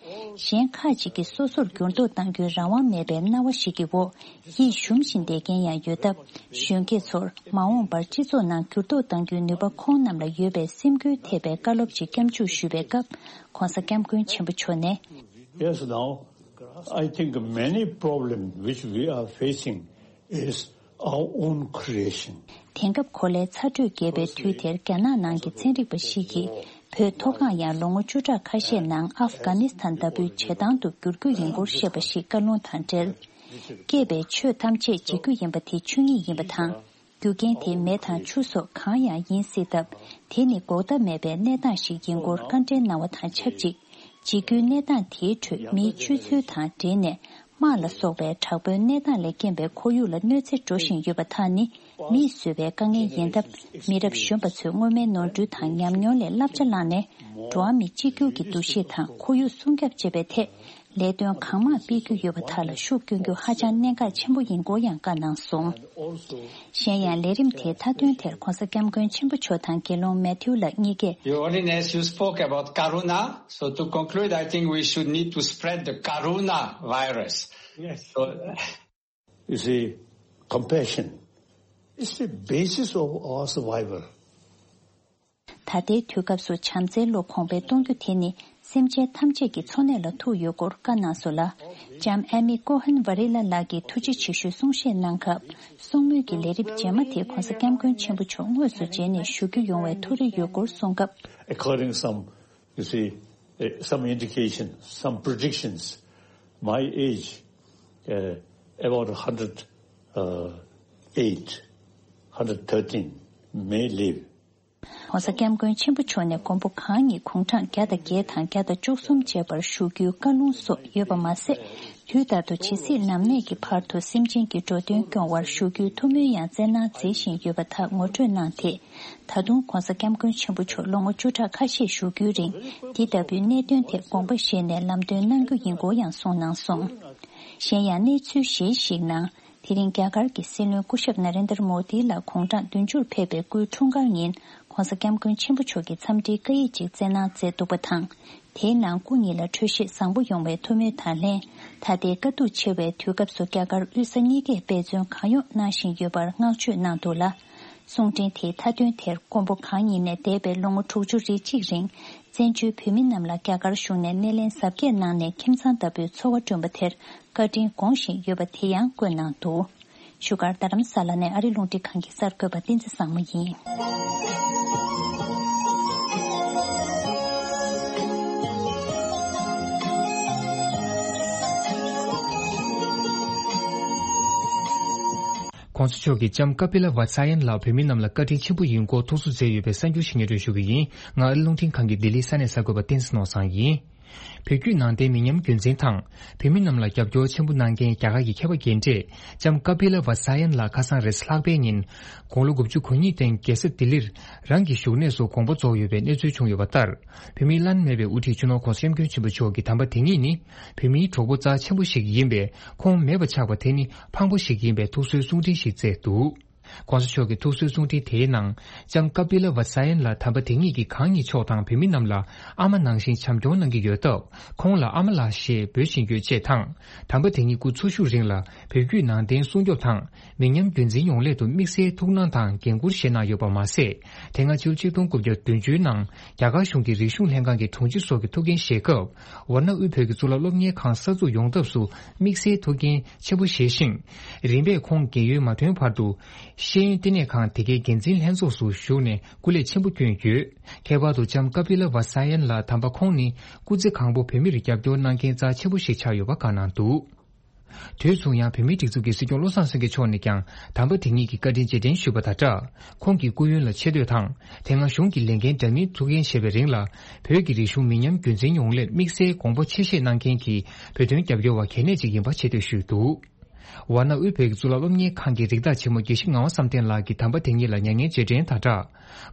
གཞན་ཁག་ཅིག་གིས་སོ་སོར་འགྱུར་ལྡོག་གཏང་རྒྱུའི་རང་དབང་མེད་པའི་སྣང་བ་ཞིག་གི་འོག་ཡིད་ཞུམ་བཞིན་བསྡད་མཁན་ཡང་ཡོད་སྟབས། གཞོན་སྐྱེས་ཚོར་མ་འོངས་པར་སྤྱི་ཚོགས་ནང་འགྱུར་ལྡོག་གཏང་རྒྱུའི་ནུས་པ་ཁོང་རྣམས་ལ་ཡོད་པའི་སེམས་འགུལ་ཐེབས་པའི་བཀའ་སློབ་ཅིག་སྐྱབས་འཇུག་ཞུས་པའི་སྐབས། ྋགོང་ས་ྋསྐྱབས་མགོན་ཆེན་པོ་མཆོག་ནས། Yes, now, I think many problems which we are facing is our own creation. དེང་སྐབས་གོ་ལའི་ཚ་དྲོད་རྒྱས་པའི་དུས་དེར་རྒྱ་ནག་ནང་གི་ཚན་རིག་པ་ཞིག་གིས་བོད་མཐོ་སྒང་ཡང་ལོ་ངོ་བཅུ་ཕྲག་ཁ་ཤས་ནང་ཨབ་གྷ་ནི་སི་ཐན་ལྟ་བུའི་བྱེ་ཐང་དུ་འགྱུར་རྒྱུ་ཡིན་སྐོར་བཤད་པ་ཞིག་བཀའ་ལུང་དང་འབྲེལ། སྐྱེས་པའི་ཆོས་ཐམས་ཅད་འཇིག་རྒྱུ་ཡིན་པ་དེ་ཆོས་ཉིད་ཡིན་པ་དང་། རྒྱུ་རྐྱེན་དེ་མེ་དང་ཆུ་སོགས་གང་ཡང་ཡིན་སྲིད་སྟབས། དེ་ནི་འགོག་ཐབས་མེད་པའི་གནས་སྟངས་ཤིག་ཡིན་སྐོར་བཀའ་འདྲི་གནང་བ་དང་ཆབས་ཅིག་འཇིག་རྒྱུའི་གནས་སྟངས་དེའི་ཁྲོད་མིའི་སྤྱོད་ཚུལ་དང་འབྲེལ་ནས། དམག་ལ་སོགས་པའི་དྲག་པོའི་གནས་སྟངས་ལས་རྐྱེན་པས་ཁོར་ཡུག་ལ་གནོད་འཚེ་འགྲོ་བཞིན་ཡོད་པ་དག་ནི་མིས་བཟོས་པའི་དཀའ་ངལ་ཡིན་སྟབས། མི་རབས་གཞོན་པ་ཚོས་སྔོན་མའི་ནོར་འཁྲུལ་དང་ཉམས་མྱོང་ལས་བསླབ་བྱ་བླངས་ནས། འགྲོ་བ་མི་གཅིག་གྱུར་གྱི་འདུ་ཤེས་དང་ཁོར་ཡུག་སྲུང་སྐྱོབ་བྱེད་པའི་ཐད། ལས་དོན་གང་མང་སྤེལ་རྒྱུ་ཡོད་པ་དག་ལ་ཤུགས་སྐྱོན་རྒྱུ་ཧ་ཅང་གནད་འགག་ཆེན་པོ་ཡིན་སྐོར་ཡང་བཀའ་གནང་སོང་། གཞན་ཡང་ལས་རིམ་དེའི་མཐའ་དོན་དེར་ྋགོང་ས་ྋསྐྱབས་མགོན་ཆེན་པོ་མཆོག་དང་དགེ་སློང་མེ་ཐིའུ་ལགས་གཉིས་ཀས། Your Holiness, you spoke about Karuna. So to conclude, I think we should need to spread the Karuna virus. Yes. So, you see, compassion is the basis of our survival. ད་ལྟའི་དུས་སྐབས་སུ་བྱམས་བརྩེའི་བློ་གོང་འཕེལ་གཏོང་རྒྱུ་དེ་ནི་སེམས་ཅན་ཐམས་ཅད་ཀྱི་འཚོ་གནས་ལ་ཐུག་ཡོད་སྐོར་བཀའ་གནང་སོང་ལ། ལྕམ་ཨེ་མི་ཀོ་ཧན་ཝ་རི་ལ་ལགས་ཀྱིས་ཐུགས་རྗེ་ཆེ་ཞུའི་གསུང་བཤད་གནང་སྐབས། གསུང་མོལ་གྱི་ལས་རིམ་རྗེས་མ་དེ་ྋགོང་ས་ྋསྐྱབས་མགོན་ཆེན་པོ་མཆོག་དངོས་སུ་མཇལ་ནས་ཞུ་རྒྱུ་ཡོང་བའི་ཐུགས་རེ་ཡོད་སྐོར་གསུངས་སྐབས། According some, you see, eh, some indication, some predictions, my age, eh, about hundred eight, hundred thirteen may live. ྋགོང་ས་ྋསྐྱབས་མགོན་ཆེན་པོ་མཆོག་ནས་མགོན་པོ་གང་ཉིད་དགུང་གྲངས་བརྒྱ་དང་བརྒྱད་དང་བརྒྱ་དང་བཅུ་གསུམ་བཅས་པར་བཞུགས་རྒྱུའི་བཀའ་ལུང་སོགས་ཡོད་པ་མ་ཟད། དུས་ལྟར་དུ་ཇི་སྲིད་ནམ་གནས་ཀྱི་བར་དུ་སེམས་ཅན་གྱི་འགྲོ་དོན་སྐྱོང་བར་བཞུགས་རྒྱུའི་ཐུགས་སྨོན་ཡང་སྩལ་གནང་མཛད་བཞིན་ཡོད་པ་དག་ངོ་སྤྲོད་གནང་སྟེ། ད་དུང་ྋགོང་ས་ྋསྐྱབས་མགོན་ཆེན་པོ་མཆོག་ལོ་ངོ་བཅུ་ཕྲག་ཁ་ཤས་བཞུགས་རྒྱུའི་རིང་འདི་ལྟ་བུའི་གནད་དོན་ཐད་དགོངས་པ་བཞེས་ནས་ལམ་སྟོན་གནང་རྒྱུ་ཡིན་སྐོར་ཡང་གསུངས་གནང་སོང་། གཞན་ཡང་གནས་ཚུལ་གཞན་ཞིག་ནང་། དེ་རིང་རྒྱ་གར་གྱི་སྲིད་བློན་སྐུ་ཞབས་ན་རེན་དར་མོ་དི་ལ་དགུང་གྲངས་བདུན་ཅུར་ཕེབས་པའི་སྐུའི་འཁྲུངས་སྐར་ཉིན་ྋགོང་ས་ྋསྐྱབས་མགོན་ཆེན་པོ་མཆོག་གིས་འཚམས་འདྲིའི་བཀའ་ཡིག་ཅིག་བསྩལ་གནང་མཛད་འདུག་པ་དང་། དེའི་ནང་སྐུ་ཉིད་ལ་འཕྲོད་བཞེས་བཟང་པོ་ཡོང་བའི་ཐུགས་སྨོན་དང་ལྷན། ད་ལྟའི་དཀའ་སྡུག་ཆེ་བའི་དུས་སྐབས་སུ་རྒྱ་གར་དབུས་ས་གཉིས་ཀས་འབད་བརྩོན་གང་ཡོང་གནང་བཞིན་ཡོད་པར་བསྔགས་བརྗོད་གནང་འདུག་ལ། གསུང་འཕྲིན་དེའི་མཐའ་དོན་དེར་མགོན་པོ་གང་ཉིད་ནས་འདས་པའི་ལོ་ངོ་དྲུག་ཅུ་རེ་གཅིག་རིང་བཙན་བྱོལ་བོད་མི་རྣམས་ལ་རྒྱ་གར་གཞུང་ནས་སྣེ་ལེན་གཟབ་རྒྱས་གནང་ནས་ཁྱིམ་ཚང་ལྟ་བུའི་འཚོ་བ་བསྐྲུན་པ་དེར་བཀའ་དྲིན་དགོངས་བཞིན་ཡོད་པ་དེ་ཡང་བཀོད་གནང་འདུག་བཞུགས་སྒར་རྡ་རམ་ས་ལ་ནས་ཨ་རི་རླུང་འཕྲིན་ཁང་གི་གསར་འགོད་པ་བསྟན་འཛིན་བཟང་མོ་ཡིན། ྋགོང་ས་མཆོག་གིས་ལྕམ་ཀ་པི་ལ་ཝ་ཚ་ཡན་ལགས་བོད་མི་རྣམས་ལ་བཀའ་དྲིན་ཆེན་པོ་ཡིན་སྐོར་ཐུགས་གསོ་མཛད་ཡོད་པའི་གསར་འགྱུར་ཞིག་སྙན་སྒྲོན་ཞུ་གི་ཡིན། ང་ཨ་རི་རླུང་འཕྲིན་ཁང་གི་ལྡི་ལི་ས་གནས་གསར་འགོད་པ་བསྟན་འཛིན་ནོར་བཟང་ཡིན། བོད་བརྒྱུད་ནང་བསྟན་མི་ཉམས་རྒྱུན་འཛིན་དང་། བོད་མི་རྣམས་ལ་རྒྱབ་སྐྱོར་ཆེན་པོ་གནང་མཁན་རྒྱ་གར་གྱི་མཁས་པ་རྒན་གྲས་ལྕམ་ཀ་པི་ལ་ཝ་ཚ་ཡན་ལགས་ཁ་སང་རེས་གཟའ་ལྷག་པའི་ཉིན། དགུང་ལོ་དགུ་བཅུ་གོ་གཉིས་སྟེང་རྒྱལ་ས་ལྡི་ལིར་རང་གི་བཞུགས་གནས་སུ་དགོངས་པ་རྫོགས་ཡོད་པའི་གནས་ཚུལ་བྱུང་ཡོད་པ་ལྟར། བོད་མིའི་བླ་ན་མེད་པའི་དབུ་ཁྲིད་སྤྱི་ནོར་ྋགོང་ས་ྋསྐྱབས་མགོན་ཆེན་པོ་མཆོག་གི་དམ་པ་དེ་ཉིད་ནི། བོད་མིའི་གྲོགས་པོ་རྩ་ཆེན་པོ་ཞིག་ཡིན་པས། ཁོང་མེད་པ་ཆགས་པ་དེ་ནི་ཕངས་པོ་ཞིག་ཡིན་པའི་ཐུགས་གསོའི་གསུང་འཕྲིན་ཞིག་བསྩལ་འདུག ྋགོང་ས་མཆོག་གི་ཐུགས་གསོའི་གསུང་འཕྲིན་དེའི་ནང་། ལྕམ་ཀ་པི་ལ་ཝ་ཚ་ཡན་ལགས་དམ་པ་དེ་ཉིད་ཀྱིས་གང་ཉིད་མཆོག་དང་བོད་མི་རྣམས་ལ་ཨ་མ་ནང་བཞིན་བྱམས་སྐྱོང་གནང་གི་ཡོད་སྟབས། ཁོང་ལ་ཨ་མ་ལགས་ཞེས་འབོད་བཞིན་ཡོད་ཅེས་དང་། དམ་པ་དེ་ཉིད་སྐུ་འཚོ་བཞུགས་རིང་ལ་བོད་བརྒྱུད་ནང་བསྟན་སྲུང་སྐྱོབ་དང་། མི་ཉམས་རྒྱུན་འཛིན་ཡོང་སླད་དུ་དམིགས་བསལ་ཐུགས་སྣང་དང་འགན་འཁུར་བཞེས་གནང་ཡོད་པ་མ་ཟད། དེ་སྔ་ཕྱི་ལོ་ཆིག་སྟོང་དགུ་བརྒྱ་བདུན་ཅུ་ནང་རྒྱ་གར་གཞུང་གི་རིག་གཞུང་ལྷན་ཁང་གི་དྲུང་ཆེ་སོགས་ཀྱི་ཐུགས་འགན་བཞེས་སྐབས། ཝཱ་ཎ་དབུས་བོད་ཀྱི་གཙུག་ལག་སློབ་གཉེར་ཁང་གསར་འཛུགས་ཡོང་ཐབས་སུ་དམིགས་བསལ་ཐུགས་འགན་ཆེན་པོ་བཞེས་ཤིང་། རིམ་པས་ཁོང་རྒས་ཡོལ་མ་ཐོན་བར་དུ། ཤེས་ཡོན་བསྟི་གནས་ཁང་དེ་གའི་འགན་འཛིན་ལྷན་ཚོགས་སུ་ཞུགས་ནས་སྐུ་ལས་ཆེན་པོ་བསྐྱོན་ཡོད། ཁྱད་པར་དུ་ལྕམ་ཀ་པི་ལ་ཝ་ས་ཡན་ལགས། དམ་པ་ཁོང་ནི་སྐུ་ཚེ་གང་པོ་བོད་མིར་རྒྱབ་སྐྱོར་གནང་མཁན་རྩ་ཆེན་པོ་ཞིག་ཆགས་ཡོད་པ་བཀའ་གནང་འདུག། དུས་མཚུངས་ཡང་བོད་མིའི་སྒྲིག་འཛུགས་ཀྱི་སྲིད་སྐྱོང་བློ་བཟང་སེང་གེ་མཆོག་ནས་ཀྱང་དམ་པ་དེ་ཉིད་ཀྱི་བཀའ་དྲིན་རྗེས་དྲན་ཞུས་པ་དང་སྦྲགས། ཁོང་གི་སྐུ་ཡོན་ལ་ཆེ་བསྟོད་དང་། དེ་སྔ་གཞུང་གི་ལས་འགན་འདྲ་མིན་ཐུགས་འགན་བཞེས་པའི་རིང་ལ། བོད་ཀྱི་རིག་གཞུང་མི་ཉམས་རྒྱུན་འཛིན་ཡོང་སླད་དམིགས་བསལ་དགོངས་པ་ཆེ་བཞེས་གནང་མཁན་གྱི་བོད་དོན་རྒྱབ་སྐྱོར་བ་གལ་གནད་ཅིག་ཡིན་པ་ཆེ་བསྟོད་ཞུས་འདུག། ཝཱ་ཎ་དབུས་བོད་ཀྱི་གཙུག་ལག་སློབ་གཉེར་ཁང་གི་རིགས་བདག་ཆེན་མོ་དགེ་བཤེས་ངག་དབང་བསམ་གཏན་ལགས་ཀྱིས་དམ་པ་དེ་ཉིད་ལ་མྱ་ངན་རྗེས་དྲན་དང་སྦྲགས།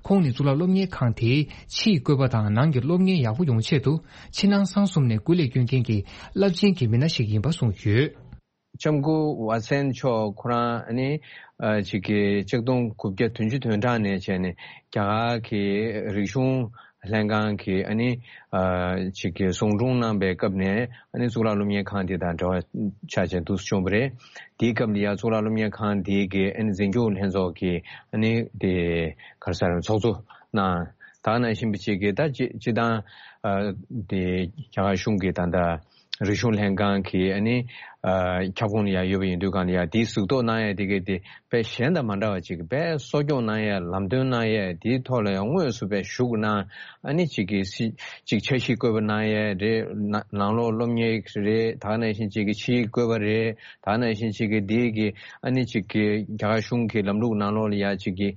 ཁོང་ནི་གཙུག་ལག་སློབ་གཉེར་ཁང་དེའི་ཕྱིའི་བཀོད་པ་དང་ནང་གི་སློབ་གཉེར་ཡག་པོ་ཡོང་ཆེད་དུ་ཕྱི་ནང་གསང་གསུམ་ནས་སྐུ་ལས་བསྐྱོན་མཁན་གྱི་རླབས་ཆེན་གྱི་མི་སྣ་ཞིག་ཡིན་པ་གསུངས་ཡོད། ལྕམ་སྐུ་ཝ་སན་མཆོག་ཁོ་རང་ནི་ཨ་ཅིག་གི་ཆིག་སྟོང་དགུ་བརྒྱ་བདུན་ཅུ་དོན་གྲངས་ནས་བྱས་ནས་རྒྱ་གར་གྱི་རིག་གཞུང་ལྷན་ཁང་གི་ཨ་ནི་ཨ་ཅིག་གི་ཟུང་དྲུང་གནང་པའི་སྐབས་ནས་ཨ་ནི་གཙུག་ལག་སློབ་གཉེར་ཁང་དེ་དང་འབྲེལ་བ་ཆགས་བྱས་འདུག་སེ་བྱུང་བ་རེད། དེའི་སྐབས་ལ་ཡང་གཙུག་ལག་སློབ་གཉེར་ཁང་དེའི་གི་ཨ་ནི་འཛིན་སྐྱོང་ལྷན་ཚོགས་ཀྱི་ཨ་ནི་དེ་ག་རེ་ཟེར་ཚོགས་གཙོ་གནང་། ད་ག་ནང་བཞིན་པ་ཅིག་གི་ད་སྤྱི་སྤྱི་བཏང་ཨ་དེ་རྒྱ་གར་གཞུང་གི་ད་ལྟ་རིག་གཞུང་ལྷན་ཁང་གི་ཨ་ནི་ཨ་ཁྱབ་ཁོངས་ལ་ཡང་ཡོད་པ་ཡིན་དུས་གང་ལ་ཡང་དེའི་གཟིགས་རྟོག་གནང་ཡ་དེ་གི་དེ་དཔེ་གཞན་དང་མ་འདྲ་བ་ཅིག་དཔེ་གསོ་སྐྱོང་གནང་ཡ་ལམ་སྟོན་གནང་ཡ་དེའི་ཐོག་ལ་ཡང་དངོས་སུ་དཔེ་ཞུགས་གནང་ཨ་ནི་ཅིག་གི་སི་ཅིག་འཆར་གཞི་བཀོད་པ་གནང་ཡ་རེད། ནང་ནང་ལོགས་སློབ་གཉེར་རེད། ད་ག་ནང་བཞིན་ཅིག་གི་ཕྱིའི་བཀོད་པ་རེད། ད་ག་ནང་བཞིན་ཅིག་གི་དེའི་གི་ཨ་ནི་ཅིག་གི་རྒྱ་གར་གཞུང་གི་ལམ་ལུགས་ནང་ལོགས་ལ་ཡ་ཅིག་གི་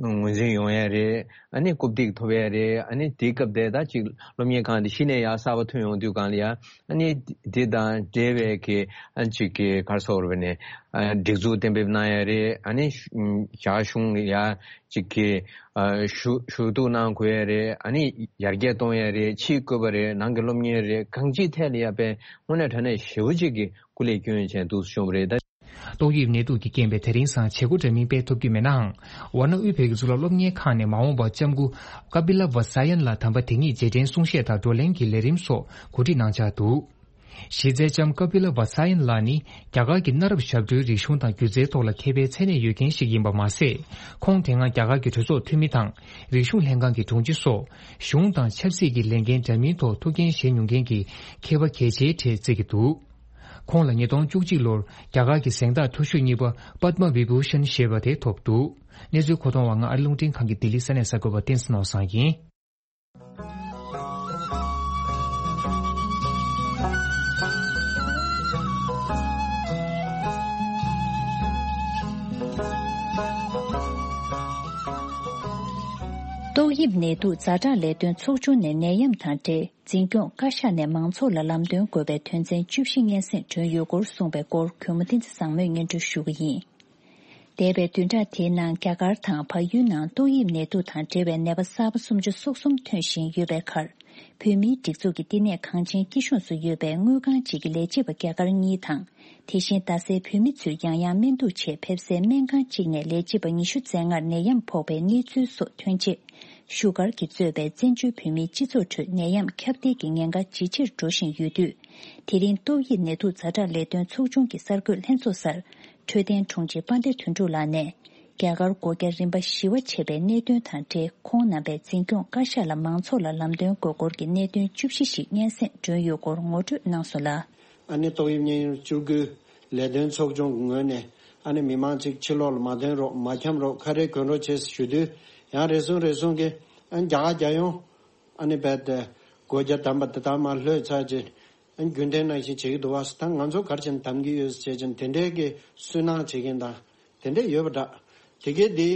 ངོས་འཛིན་ཡོང་ཡ་རེད། ཨ་ནི་རྐུབ་སྟེགས་ཐོབ་ཡ་རེད། ཨ་ནི་དེའི་སྐབས་དེ་ད་ཅིག་སློབ་གཉེར་ཁང་དེ་གཞི་ནས་ཡར་གསར་པ་ཐོན་ཡོང་དུས་གང་ལ་ཡ་ཨ་ནི་དེ་དང་འབྲེལ་བའི་གི་ཨ་ཅིག་གི་ག་རེ་ཟེར་དགོས་རེད་པ་ནས་ཨ་སྒྲིག་འཛུགས་གཏན་འབེབས་གནང་ཡ་རེད། ཨ་ནི་ཞུ་ཨམ་རྒྱ་གཞུང་ལ་ཡ་ཅིག་གི་ཨ་ཞུ་ཞུ་གཏུག་གནང་དགོས་ཡ་རེད། ཨ་ནི་ཡར་རྒྱས་གཏོང་ཡ་རེད། ཕྱིའི་བཀོད་པ་རེད། ནང་གི་སློབ་གཉེར་རེད། གང་ཅིའི་ཐད་ལ་ཡ་དཔེ་དངོས་གནས་དྲང་གནས་ཞེ་པོ་ཅིག་གི་སྐུ་ལས་བསྐྱོན་བྱས་འདུག་སེ་བྱུང་བ་རེད་ད། ཏོག་དབྱིབས་ནད་དུག་གི་རྐྱེན་པས་དེ་རིང་སང་བྱེད་སྒོ་འདྲ་མིན་སྤེལ་ཐུབ་ཀྱི་མེད་ནའང་། ཝཱ་ཎ་དབུས་བོད་ཀྱི་གཙུག་ལག་སློབ་གཉེར་ཁང་ནས་མ་འོངས་པར་ལྕམ་སྐུ་ཀ་པི་ལ་ཝ་ས་ཡན་ལགས་དམ་པ་དེ་ཉིད་རྗེས་དྲན་གསུང་བཤད་དང་བགྲོ་གླེང་གི་ལས་རིམ་སོགས་གོ་སྒྲིག་གནང་འཆར་འདུག། གཞི་རྩའི་ལྕམ་ཀ་པི་ལ་ཝ་ས་ཡན་ལགས་ནི་རྒྱ་གར་གྱི་གནའ་རབས་ཞབས་བྲོའི་རིག་གཞུང་དང་སྒྱུ་རྩལ་ཐོག་ལ་མཁས་པའི་མཚན་གནས་ཡོད་མཁན་ཞིག་ཡིན་པ་མ་ཟད། ཁོང་དེ་སྔ་རྒྱ་གར་གྱི་གྲོས་ཚོགས་འཐུས་མི་དང་། རིག་གཞུང་ལྷན་ཁང་གི་དྲུང་ཆེ་སོགས་གཞུང་དང་ཆབ་སྲིད་ཀྱི་ལས་འགན་འདྲ་མིན་ཐོག་ཐུགས་འགན་བཞེས་མྱོང་མཁན་གྱི་མཁས་པ་གལ་ཆེའི་གྲས་བརྩི་གི་འདུག། ཁོང་ལ་ཉིས་སྟོང་བཅུ་གཅིག་ལོར་རྒྱ་གར་གྱི་གཟེངས་རྟགས་མཐོ་ཤོས་གཉིས་པ་པདྨ་བི་བྷུ་ཤན་ཞེས་པ་དེ་ཐོབ་འདུག། གནས་ཚུལ་མཁོ་གཏོང་བ་ང་ཨ་རི་རླུང་འཕྲིན་ཁང་གི་ལྡི་ལི་ས་གནས་གསར་འགོད་པ་བསྟན་འཛིན་ནོར་བཟང་ཡིན། ཏོག་དབྱིབས་ནད་དུག་ཛ་དྲག་ལས་དོན་ཚོགས་ཆུང་ནས་ནད་ཡམས་དང་འབྲེལ། འཛིན་སྐྱོང་བཀའ་ཤག་ནས་མང་ཚོགས་ལ་ལམ་སྟོན་དགོས་པའི་དོན་ཚན་བཅུ་བཞི་སྙན་སེང་བསྒྲོན་ཡོད་སྐོར་གསུངས་པའི་སྐོར་གུས་མོ་བསྟན་འཛིན་བཟང་མོས་སྙན་སྒྲོན་ཞུ་གི་ཡིན། འདས་པའི་བདུན་ཕྲག་དེའི་ནང་རྒྱ་གར་དང་བལ་ཡུལ་ནང་ཏོག་དབྱིབས་ནད་དུག་དང་འབྲེལ་བའི་ནད་པ་གསར་པ་སུམ་ཅུ་སོ་གསུམ་ཐོན་བཞིན་ཡོད་པའི་ཁར། བོད་མིའི་སྒྲིག་འཛུགས་ཀྱི་བསྟི་གནས་གངས་ཅན་སྐྱིད་གཤོངས་སུ་ཡོད་པའི་དངུལ་ཁང་ཅིག་གི་ལས་བྱེད་པ་རྒྱ་གར་གཉིས་དང་། དེ་བཞིན་རྡ་སའི་བོད་མི་ཚོས་ཡང་ཡང་སྨན་གཏུག་ཆེད་ཕེབས་སའི་སྨན་ཁང་གཅིག་ནས་ལས་བྱེད་པ་ཉི་ཤུ་རྩ་ལྔར་ནད་ཡམས་ཕོག་པའི་གནས་ཚུལ་སོགས་ཐོན་རྗེས། བཞུགས་སྒར་གྱིས་གཙོས་པའི་བཙན་བྱོལ་བོད་མིའི་སྤྱི་ཚོགས་ཁྲོད་ནད་ཡམས་ཁྱབ་གདལ་གྱི་ཉེན་ཁ་ཇེ་ཆེར་འགྲོ་བཞིན་ཡོད་དུས། དེ་རིང་ཏོག་དབྱིབས་ནད་དུག་ཛ་དྲག་ལས་དོན་ཚོགས་ཆུང་གི་གསར་འགོད་ལྷན་ཚོགས་སར། འཕྲོད་བསྟེན་དྲུང་ཆེ་དཔལ་ལྡན་དོན་གྲུབ་ལགས་ནས། རྒྱ་གར་སྒོ་བརྒྱ་རིམ་པ་བཞི་པ་ཆད་པའི་གནད་དོན་དང་འབྲེལ། ཁོང་རྣམ་པས་འཛིན་སྐྱོང་བཀའ་ཤག་ལ་མང་ཚོགས་ལ་ལམ་སྟོན་དགོས་སྐོར་གྱི་གནད་དོན་བཅུ་བཞི་ཞིག་སྙན་སེང་བསྒྲོན་ཡོད་སྐོར་ངོ་སྤྲོད་གནང་སོང་ལ། ཨ་ནི་ཏོག་དབྱིབས་གཉན་ཉེ་བཅུ་དགུ་ལས་དོན་ཚོགས་ཆུང་གི་ངོས་ནས་ཨ་ནི་མི་མང་ཅིག་ཕྱི་ལོགས་ལ་མ་ཐོན་རོགས། མ་འཁྱམ་རོགས། ཁ་རས་གོན་རོགས་བྱས་ཞུ་དུས། ཡང་རེ་ཟུང་རེ་ཟུང་གིས་ཨ་ནི་རྒྱ་གར་རྒྱལ་ཡོངས་ཨ་ནི་རྦད་དེ་སྒོ་བརྒྱ་བསྡམས་པ་དེ་ལྟར་མར་ལྷོད་ཚར་རྗེས། ཨ་ནི་རྒྱུན་ལྡན་ནང་བཞིན་བྱེད་ཀྱི་འདུག་བ། ད་ང་ཚོ་ག་རེ་བྱས་ནས་བསྡམ་གྱི་ཡོད་ཟེར་བྱས་ནས་དེ་འདྲའི་གི་སུན་སྣང་བྱེད་མཁན་དང་དེ་འདྲ་ཡོད་པ་འདྲ། དེ་གས་དེ་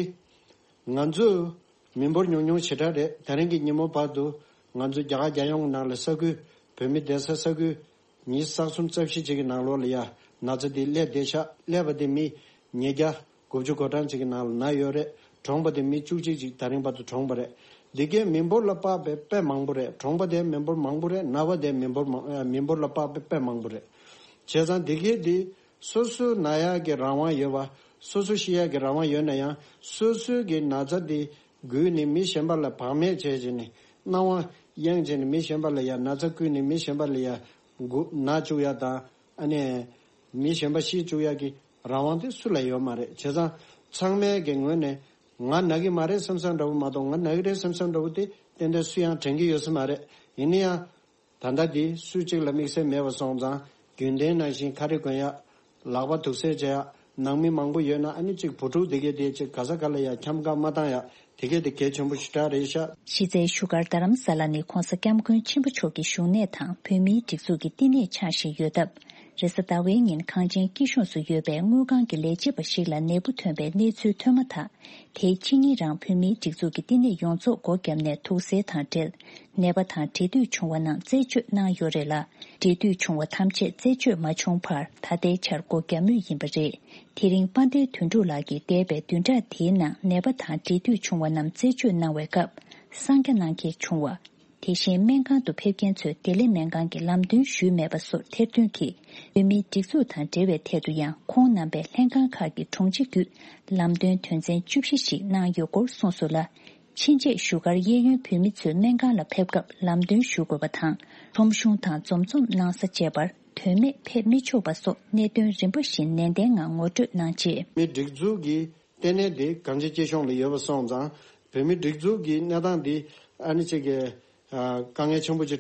ང་ཚོ་མི་འབོར་ཉུང་ཉུང་ཞེ་དྲག་རེད། དེ་རིང་གི་ཉིན་མོ་བར་དུ་ང་ཚོ་རྒྱ་གར་རྒྱལ་ཡོངས་ནང་ལ་ས་ཁུལ་བོད་མི་བསྡད་ས་ས་ཁུལ་ཉི་ཤུ་རྩ་གསུམ་རྩ་བཞི་ཅིག་གི་ནང་ལོགས་ལ་ཡ་ན་ཚ་འདི་སླེབས་བསྡད་ཤག་སླེབས་པ་དེ་མི་ཉིས་བརྒྱ་དགུ་བཅུ་གོ་གྲངས་ཅིག་གི་ནང་ལ་ན་ཡོད་རེད། གྲོངས་པ་དེ་མི་བཅུ་གཅིག་ཅིག་ད་རིང་བར་དུ་གྲོངས་པ་རེད། འདི་གའི་མི་འབོར་ལ་དཔག་པའི་དཔེ་མང་པོ་རེད། གྲོངས་པ་དེ་མི་འབོར་མང་པོ་རེད། ན་བ་དེ་མི་འབོར་མང་ཨ་མི་འབོར་ལ་དཔག་པའི་དཔེ་མང་པོ་རེད། བྱས་ཙང་འདི་གའི་འདི་སོ་སོ་ན་ཡག་གི་རང་དབང་ཡོད་པ། སོ་སོ་ཤི་ཡག་གི་རང་དབང་ཡོད་ན་ཡང་སོ་སོའི་གི་ན་ཚ་དེ་བརྒུས་ནས་མི་གཞན་པ་ལ་བག་མེད་བྱས་བྱས་ནས་སྣང་བ་གཡེང་བྱས་ནས་མི་གཞན་པ་ལ་ཡ་ན་ཚ་བསྐུས་ནས་མི་གཞན་པ་ལ་ཡ་འགོ་ན་བཅུག་ཡ་དང་། ཨ་ནི་མི་གཞན་པ་ཤི་བཅུག་ཡག་གི་རང་དབང་དེ་སུ་ལ་ཡོད་མ་རེད། བྱས་ཙང་ཚང་མའི་གི་ངོས་ནས་ང་ན་གི་མ་རེད་བསམ་བསམ་འདྲ་བོ་མ་གཏོགས་ང་ན་གི་རེད་བསམ་བསམ་འདྲ་བོ་དེ་ཏན་ཏན་སུ་ཡང་དྲན་གི་ཡོད་ས་མ་རེད། ཡིན་ན་ཡང་ད་ལྟ་དེ་སུ་གཅིག་ལ་དམིགས་བསལ་མེད་པ་སོང་ཙང་རྒྱུན་ལྡན་ནང་བཞིན་ཁ་རས་གོན་ཡག་ལག་པ་དུག་སེལ་བྱེད་ཡག་ནང་མི་མང་པོ་ཡོད་ན་ཨ་ནི་གཅིག་བུ་ཕྲུག་དེ་གས་དེ་གཅིག་ག་ས་ག་ལ་ཡ་འཁྱམ་ག་མ་བཏང་ཡ་དེ་གས་དེ་གལ་ཆེན་པོ་ཞེ་དྲག་རེད་ཤག་གཞི་རྩའི་བཞུགས་སྒར་རྡ་རམ་ས་ལ་ནི་ྋགོང་ས་ྋསྐྱབས་མགོན་ཆེན་པོ་མཆོག་གི་བཞུགས་གནས་དང་བོད་མིའི་སྒྲིག་འཛུགས་ཀྱི་བསྟི་གནས་འཆར་བཞིན་ཡོད་སྟབས། རེས་གཟའ་ཟླ་བའི་ཉིན་གངས་ཅན་སྐྱིད་གཤོངས་སུ་ཡོད་པའི་དངུལ་ཁང་གི་ལས་བྱེད་པ་ཞིག་ལ་ནད་འབུ་ཐོན་པའི་གནས་ཚུལ་ཐོན་མ་ཐག་དེའི་ཕྱི་ཉིན་རང་བོད་མིའི་སྒྲིག་འཛུགས་ཀྱི་བསྟི་གནས་ཡོངས་རྫོགས་སྒོ་བརྒྱབ་ནས་དུག་སེལ་དང་འབྲེལ། ནད་པ་དང་འབྲེལ་མཐུད་བྱུང་བ་རྣམས་རྩད་གཅོད་གནང་ཡོད་རེད་ལ། འབྲེལ་མཐུད་བྱུང་བ་ཐམས་ཅད་རྩད་གཅོད་མ་བྱུང་བར་ད་ལྟའི་ཆར་སྒོ་བརྒྱབ་མུས་ཡིན་པ་རེད། དེ་རིང་དཔལ་ལྡན་དོན་གྲུབ་ལགས་ཀྱིས་འདས་པའི་བདུན་ཕྲག་འདིའི་ནང་ནད་པ་དང་འབྲེལ་མཐུད་བྱུང་བ་རྣམས་རྩད་གཅོད་གནང་བའི་སྐབས་གསང་རྒྱ་གནང་མཁན་བྱུང་བ། དེ་བཞིན་སྨན་ཁང་དུ་ཕེབས་མཁན་ཚོས་བདེ་ལེགས་སྨན་ཁང་གི་ལམ་སྟོན་ཞུས་མེད་པ་སོགས་ཐེར་འདོན་གྱིས་བོད་མིའི་སྒྲིག་འཛུགས་དང་འབྲེལ་བའི་ཐད་དུ་ཡང་ཁོང་རྣམ་པས་ལྷན་ཁང་ཁག་གི་དྲུང་ཆེ་བརྒྱུད་ལམ་སྟོན་དོན་ཚན་བཅུ་བཞི་ཞིག་གནང་ཡོད་སྐོར་གསུངས་སོང་ལ། ཕྱིན་ཆད་བཞུགས་སྒར་གཡས་གཡོན་བོད་མི་ཚོས་སྨན་ཁང་ལ་ཕེབས་སྐབས་ལམ་སྟོན་ཞུ་དགོས་པ་དང་། ཁྲོམ་གཞུང་དང་འཛོམས་འཛོམས་གནང་ས་བཅས་པར་དོན་མེད་ཕེབས་མི་ཆོག་པ་སོགས་གནད་དོན་རིམ་པ་བཞིན་ནན་ཏན་ངང་ངོ་སྤྲོད་གནང་རྗེས། མི་སྒྲིག་འཛུགས་ཀྱི་ལྟེ་གནས་དེ་གངས་ཅན་སྐྱིད་གཤོངས་ལ་ཡོད་པ་སོང་ཙང་བོད་མི་སྒྲིག་འཛུགས་ཀྱི་གནས་སྟངས་འདི་ཨ་ནི་ཅིག་གི་ཨ་དཀའ་ངལ་ཆེན་པོ་ཅིག་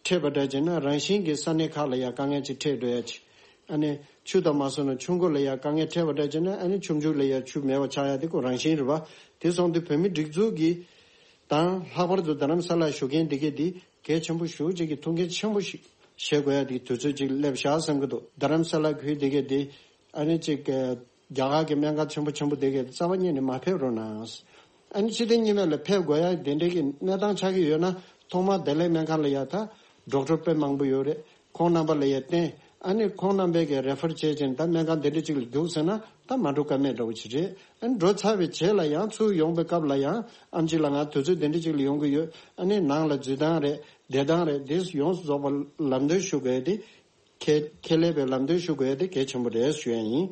འཕྲད་པ་འདྲ་བྱས་ན་རང་བཞིན་གྱི་ས་གནས་ཁག་ལ་ཡང་དཀའ་ངལ་ཅིག་འཕྲད་འགྲོ་ཡ་ཅིག་ཨ་ནི་ཆུ་དང་མ་སོང་ན་ཆུ་མགོ་ལ་ཡང་དཀའ་ངལ་འཕྲད་པ་འདྲ་བྱས་ན་ཨ་ནི་ཆུ་མཇུག་ལ་ཡང་ཆུ་མེད་པ་ཆགས་ཡ་དེ་ཁོ་རང་བཞིན་རེད་པ། དེ་སོང་དུས་བོད་མི་སྒྲིག་འཛུགས་ཀྱི་དང་ལྷག་པར་དུ་རྡ་རམ་ས་ལ་བཞུགས་མཁན་དེ་གས་དེ་གལ་ཆེན་པོ་ཞེ་པོ་ཅིག་གི་ཐུགས་འགན་ཆེན་པོ་ཞིག་བཞེས་དགོས་ཡ་དེ་གི་དུས་ཚོད་ཅིག་སླེབས་ཤག་བསམ་གྱི་འདུག་རྡ་རམ་ས་ལ་ཁུལ་དེ་གས་དེ་ཨ་ནི་ཅིག་རྒྱ་གར་གྱི་སྨན་ཁང་ཆེན་པོ་ཆེན་པོ་དེ་གས་རྩ་བ་ཉིད་ནས་མ་ཕེབས་རོགས་གནང་། ཨ་ནི་སྤྱི་བདེ་ཉི་མ་ལ་ཕེབས་དགོས་ཡ་དེ་འདྲའི་གི་གནས་སྟངས་ཆགས་ཀྱི་ཡོད་ན་ཐོག་མར་བདེ་ལེགས་སྨན་ཁང་ལ་ཡ་ད་ཌོག་ཊར་དཔེ་མང་པོ་ཡོད་རེད། ཁོང་རྣམ་པ་ལ་ཡ་བསྟན། ཨ་ནི་ཁོང་རྣམ་པས་གི་རེ་ཕར་བྱས་ཅིང་ད་སྨན་ཁང་དེ་འདྲ་ཅིག་ལ་རྒྱུགས་ཟེར་ན་ད་མ་འགྲོ་ཀ་མེད་འདྲ་བོ་ཅིག་རེད། ཨ་ནི་འགྲོ་ཚར་བའི་རྗེས་ལ་ཡང་ཚུར་ཡོང་པའི་སྐབས་ལ་ཡང་ཨམ་ཆི་ལགས་ང་དུས་ཚོད་དེ་འདྲ་ཅིག་ལ་ཡོང་གི་ཡོད། ཨ་ནི་ནང་ལ་འཛུལ་སྟངས་རེད་བསྡད་སྟངས་རེད་དེ་ཡོངས་སུ་རྫོགས་པ་ལམ་སྟོན་ཞུ་དགོས་ཡ་དེ་ཁས་ཁས་ལེན་པའི་ལམ་སྟོན་ཞུ་དགོས་ཡ་དེ་གལ་ཆེན་པོ་རེད་ཞུ་ཡ་ཡིན།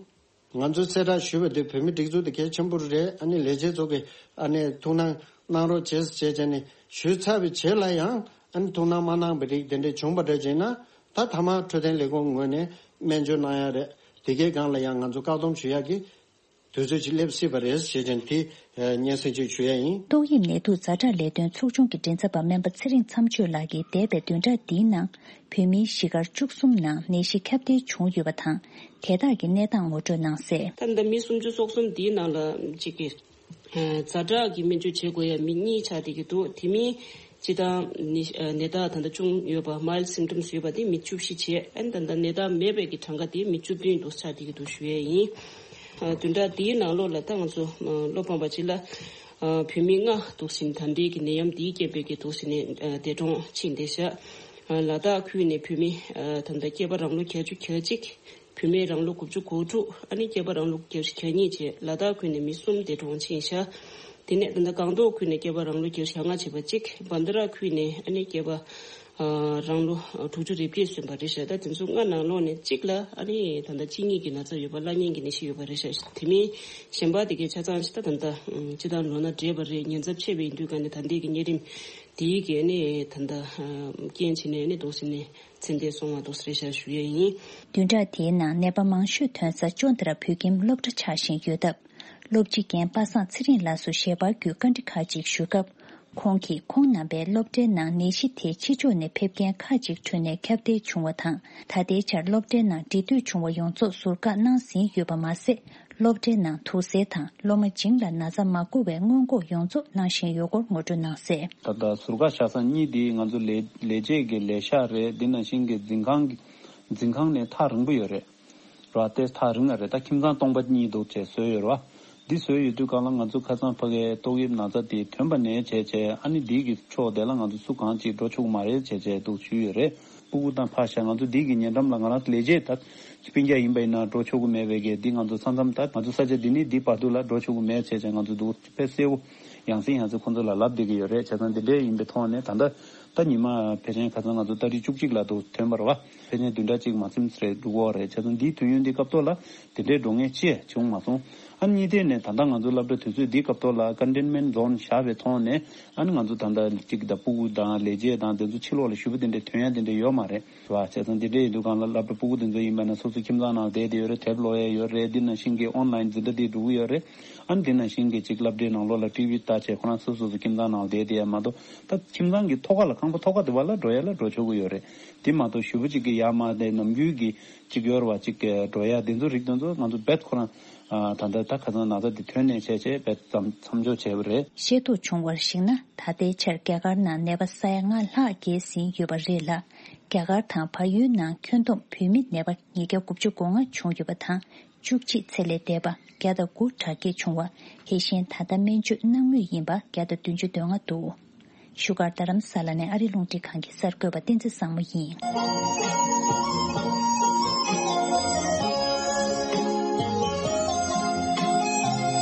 ང་ཚོས་གསལ་བསྒྲགས་ཞུས་པ་དེ་བོད་མི་སྒྲིག་འཛུགས་དེ་གལ་ཆེན་པོ་རེད། ཨ་ནི་ལས་བྱེད་ཚོ་གིས་ཨ་ནི་ཐུགས་སྣང་གནང་རོགས་བྱེད་ཟེར་བྱས་བྱས་ནས་ཞུས་ཚར་བའི་རྗེས་ལ་ཡང་ཨ་ནི་ཐུགས་སྣང་མ་གནང་བའི་རིགས་དེ་འདྲས་བྱུང་བ་འདྲ་བྱས་ན་ད་མཐའ་མ་འཕྲོད་བསྟེན་ལས་ཁུངས་ངོས་ནས་སྨན་བཅོས་གནང་ཡ་རེད། དེ་གའི་སྒང་ལ་ཡང་ང་ཚོ་བཀག་སྡོམ་ཞུ་ཡ་གི་དུས་ཚོད་ཅིག་སླེབས་སྲིད་པ་རེད་ཞེས་བྱས་ནས་དེ་སྙན་སེང་ཅིག་ཞུ་ཡ་ཡིན། ཏོག་དབྱིབས་ནད་དུག་ཛ་དྲག་ལས་དོན་ཚོགས་ཆུང་གི་མགྲིན་ཚབ་པ་སྨན་པ་ཚེ་རིང་མཚམས་གཅོད་ལགས་ཀྱིས་འདས་པའི་བདུན་ཕྲག་འདིའི་ནང་བོད་མིའི་གཞིས་སྒར་བཅུ་གསུམ་ནང་ནད་གཞི་ཁྱབ་གདལ་བྱུང་ཡོད་པ་དང་། དེ་དག་གི་གནས་སྟངས་ངོ་སྤྲོད་གནང་གསལ། ད་ལྟ་མི་སུམ་ཅུ་སོ་གསུམ་འདིའི་ནང་ལ་གཅིག་གིས་ཛ་དྲག་གི་སྨན་བཅོས་བྱེད་དགོས་ཡ་མི་གཉིས་ཆགས་བསྡད་ཀྱི་འདུག་དེ་མིན་སྤྱི་བཏང་ནད་ནད་རྟགས་ད་ལྟ་བྱུང་ཡོད་པ་mild symptoms ཡོད་པ་དེ་མི་བཅུ་བཞི་བྱས། ཨ་ནི་ད་ལྟ་ནད་རྟགས་མེད་པའི་གི་གྲངས་ཀ་དེ་མི་བཅུ་བདུན་འདུག་ཆགས་བསྡད་ཀྱི་འདུག་ཞུ་ཡས་ཡིན། བདུན་ཕྲག་འདིའི་ནང་ལོགས་ལ་ད་ང་ཚོ་བློ་ཕམ་པ་ཅིག་ལ་བོད་མི་ལྔ་འདུག་ཟིན་ད་ལྟའི་གི་ནད་ཡམས་འདིའི་རྐྱེན་པས་ཀྱི་འདུག་ཟིན་ནས་འདས་གྲོངས་ཕྱིན་བསྡད་ཤག་ལ་དྭགས་ཁུལ་ནས་བོད་མི་ད་ལྟ་སྐྱེས་པ་རང་ལོ་བརྒྱད་ཅུ་གྱ་གཅིག་བུད་མེད་རང་ལོ་དགུ་བཅུ་གོ་དྲུག་ཨ་ནི་སྐྱེས་པ་རང་ལོ་བརྒྱད་ཅུ་གྱ་གཉིས་བྱས། ལ་དྭགས་ཁུལ་ནས་མི་གསུམ་འདས་གྲོངས་ཕྱིན་ཤག་དེ་ནས་ད་ལྟ་སྒང་ཏོག་ཁུལ་ནས་སྐྱེས་པ་རང་ལོ་བརྒྱད་ཅུ་གྱ་ལྔ་བྱས་པ་གཅིག་བན་དྷ་ར་ཁུལ་ནས་ཨ་ནི་སྐྱེས་པ་ཨ་རང་ལོ་དྲུག་ཅུ་རེ་བརྒྱད་སོན་པ་རེད་ཤག་ད་དེ་ཚོ་ལྔ་ནང་ལོགས་ནས་གཅིག་ལ་ཨ་ནི་ད་ལྟ་གཅིན་སྙི་གི་ན་ཚ་ཡོད་པ་བླ་གཉན་གྱི་ནད་གཞི་ཡོད་པ་རེད་ཤག་དེ་མིན་གཞན་པ་དེ་གའི་ཆ་ཚང་ཅིག་ད་ད་ལྟ་སྤྱི་བཏང་ལོ་ན་བགྲེས་པ་རེད། ཉེན་ཚབས་ཆེ་བའི་དུས་ག་ནས་ད་ལྟའི་གི་གཉན་རིམས་དེའི་གི་ཨ་ནི་ད་ལྟ་རྐྱེན་བྱས་ནས་ཨ་ནི་འདུག་ཟིན་ནས། ཚེ་འདས་སོང་བ་འདུག་སེ་རེད་ཤག་ཞུ་ཡས་ཡིན། བདུན་ཕྲག་དེའི་ནང་ནད་པ་མང་ཤོས་ཐོན་ས་ཅོ་འདི་ར་བོད་ཁྱིམ་སློབ་གྲྭ་ཆགས་བཞིན་ཡོད་སྟབས། སློབ་སྤྱི་རྒན་པ་སངས་ཚེ་རིང་ལགས་སུ་ཞལ་པར་བརྒྱུད་བཀའ་འདྲི་ཁག་ཅིག་ཞུས་སྐབས། ཁོང་གིས་ཁོང་རྣམ་པའི་སློབ་གྲྭའི་ནང་ནད་གཞི་དེ་ཕྱི་ཕྱོགས་ནས་ཕེབས་མཁན་ཁག་ཅིག་ཁྲོད་ནས་ཁྱབ་གདལ་བྱུང་བ་དང་། ད་ལྟའི་ཆར་སློབ་གྲྭའི་ནང་འབྲེལ་མཐུད་བྱུང་བ་ཡོངས་རྫོགས་ཟུར་བཀག་གནང་ཟིན་ཡོད་པ་མ་ཟད། སློབ་གྲྭའི་ནང་དུག་སེལ་དང་སློབ་མ་བྱིངས་ལ་ན་ཚ་མ་འགོ་བའི་སྔོན་འགོག་ཡོངས་རྫོགས་གནང་བཞིན་ཡོད་སྐོར་ངོ་སྤྲོད་གནང་གསལ། ད་ལྟ་ཟུར་བཀག་བཞག་ས་གཉིས་དེ་ང་ཚོ་ལས་ལས་བྱེད་ཀྱི་ལས་ཤག་རེད། འདི་ནང་བཞིན་གྱི་འཛིན་ཁང་གི་འཛིན་ཁང་ནས་ཐག་རིང་པོ་ཡོད་རེད། ར་ཏེ་ཐག་རིང་ང་རེད། ད་ཁྱིམ་ཚང་སྟོང་པ་གཉིས་འདུག་བྱས་བཟོས་ཡོད་རེད་བ། འདི་བཟོས་ཡོད་དུས་གང་ལ་ང་ཚོ་ཁ་སང་ཕ་གའི་ཏོག་དབྱིབས་ན་ཚ་དེ་ཐོན་པ་ནས་བྱས་བྱས་ཨ་ནི་འདི་གི་ཕྱོགས་དེ་ལ་ང་ཚོ་སུ་གང་ཅིག་འགྲོ་ཆོག་གི་མ་རེད་བྱས་བྱས་འདུག་ཞུས་ཡོད་རེད། སྤུ་གུ་དང་ཕ་ཤ་ང་ཚོ་འདི་གི་ཉེ་འགྲམ་ལ་ང་རང་ལས་བྱེད་ད་སྤུན་ཀྱག་ཡིན་པ་ཡིན་ན་འགྲོ་ཆོག་གི་མེད་པའི་གི་འདི་ང་ཚོ་མཚམས་མཚམས་ད་ང་ཚོ་ས་ཆ་འདི་ནས་འདི་བར་དུ་ལ་འགྲོ་ཆོག་གི་མེད་བྱས་བྱས་ང་ཚོ་འདུག་དཔེ་གསལ་པོ་ཡང་སེ་ཡང་སེ་ཁོང་ཚོ་ལ་ལབ་བསྡད་ཀྱི་ཡོད་རེད། བྱས་ཙང་འདི་འདྲས་ཡིན་པའི་ཐོག་ནས་ད་ལྟ་ད་ཉི་མ་ཕལ་ཆེར་ཁ་སང་ང་ཚོ་ཏ་རིག་བཅུ་གཅིག་ལ་འདུག་ཐོན་པ་རེད་བ། ཕལ་ཆེར་བདུན་ཕྲག་གཅིག་མ་ཚིམས་རེད་འདུག་གོ་རེད། བྱས་ཙང་འདིའི་དུས་ཡུན་འདི་སྐབས་ཐོག་ལ་དེ་འདྲའི་འགྲོ་ངེས་ཅི་བྱུང་མ་སོང་། ཨ་ནི་གཉིས་ཐད་ནས་ད་ལྟ་ང་ཚོ་སློབ་གྲྭ་དུས་ཚོད་འདིའི་སྐབས་ཐོག་ལ་containment zone བཞག་པའི་ཐོག་ནས་ཨ་ནི་ང་ཚོ་ད་ལྟ་གཅིག་ད་སྤུ་གུ་དང་ལས་བྱེད་དང་དེ་ཚོ་ཕྱི་ལོགས་ལ་ཞུ་བ་དེ་འདྲ་ཐོན་ཡ་དེ་འདྲ་ཡོད་མ་རེད་བ། བྱས་ཙང་དེ་འདྲ་ཡིན་དུས་གང་ལ་སློབ་གྲྭ་སྤུ་གུ་དེ་ཚོ་ཡིན་པ་ན་སོ་སོ་ཁྱིམ་ཚང་ནང་བསྡད་དེ་ཡོད་རེད། དེབ་ཀློག་ཡ་ཡོད་རེད། འདི་ནང་བཞིན་གྱི་online འཛིན་གྲྭ་དེ་འགྲོ་གི་ཡོད་རེད། ཨ་ནི་འདི་ནང་བཞིན་གྱི་གཅིག་སློབ་གྲྭའི་ནང་ལོགས་ལ་ཊི་ཝི་ལྟ་བྱས་ཁོ་རང་སོ་སོ་སོ་ཁྱིམ་ཚང་ནང་བསྡད་དེ་ཡ་མ་གཏོགས་ད་ཁྱིམ་ཚང་གི་ཐོག་ཁ་ལ་ཁང་པ་ཐོག་ཁ་དེ་བ་ལ་འགྲོ་ཡ་ལ་འགྲོ་ཆོག་གི་ཡོད་རེད། དེ་མ་གཏོགས་ཞུ་བ་གཅིག་གི་ཡ་མ་དེ་ནམ་རྒྱུན་གྱི་གཅིག་ཡོར་བ་གཅིག་གི་འགྲོ་ཡ་དེ་ཚོ་རིགས་དེ་ཚོ་ང་ཚོ་རྦད་ཁོ་རང་ད་ལྟ་ད་ཁ་སང་ན་ཚ་དེ་ཐོན་ནས་བྱས་བྱས་རྦད་ཙམ་མཚམས་འཇོག་བྱས་པ་རེད། ཤེས་རྟོགས་བྱུང་བར་གཞིགས་ན། ད་ལྟའི་ཆར་རྒྱ་གར་ནང་ནད་པ་ས་ཡ་ལྔ་ལྷག་བརྒལ་ཟིན་ཡོད་པ་རེད་ལ། རྒྱ་གར་དང་བལ་ཡུལ་ནང་ཁྱོན་བསྡོམས་བོད་མི་ནད་པ་ཉིས་བརྒྱ་དགུ་བཅུ་གོ་ལྔ་བྱུང་ཡོད་པ་དང་། བཅུ་གཅིག་ཚེ་ལས་འདས་པ་བརྒྱ་དང་དགུ་དྲག་སྐྱེད་བྱུང་བ། དེ་བཞིན་ད་ལྟ་སྨན་བཅོས་གནང་མུས་ཡིན་པ་བརྒྱ་དང་བདུན་ཅུ་དོན་ལྔ་འདུག་བཞུགས་སྒར་རྡ་རམ་ས་ལ་ནས་ཨ་རི་རླུང་འཕྲིན་ཁང་གི་གསར་འགོད་པ་བསྟན་འཛིན་བཟང་མོ་ཡིན།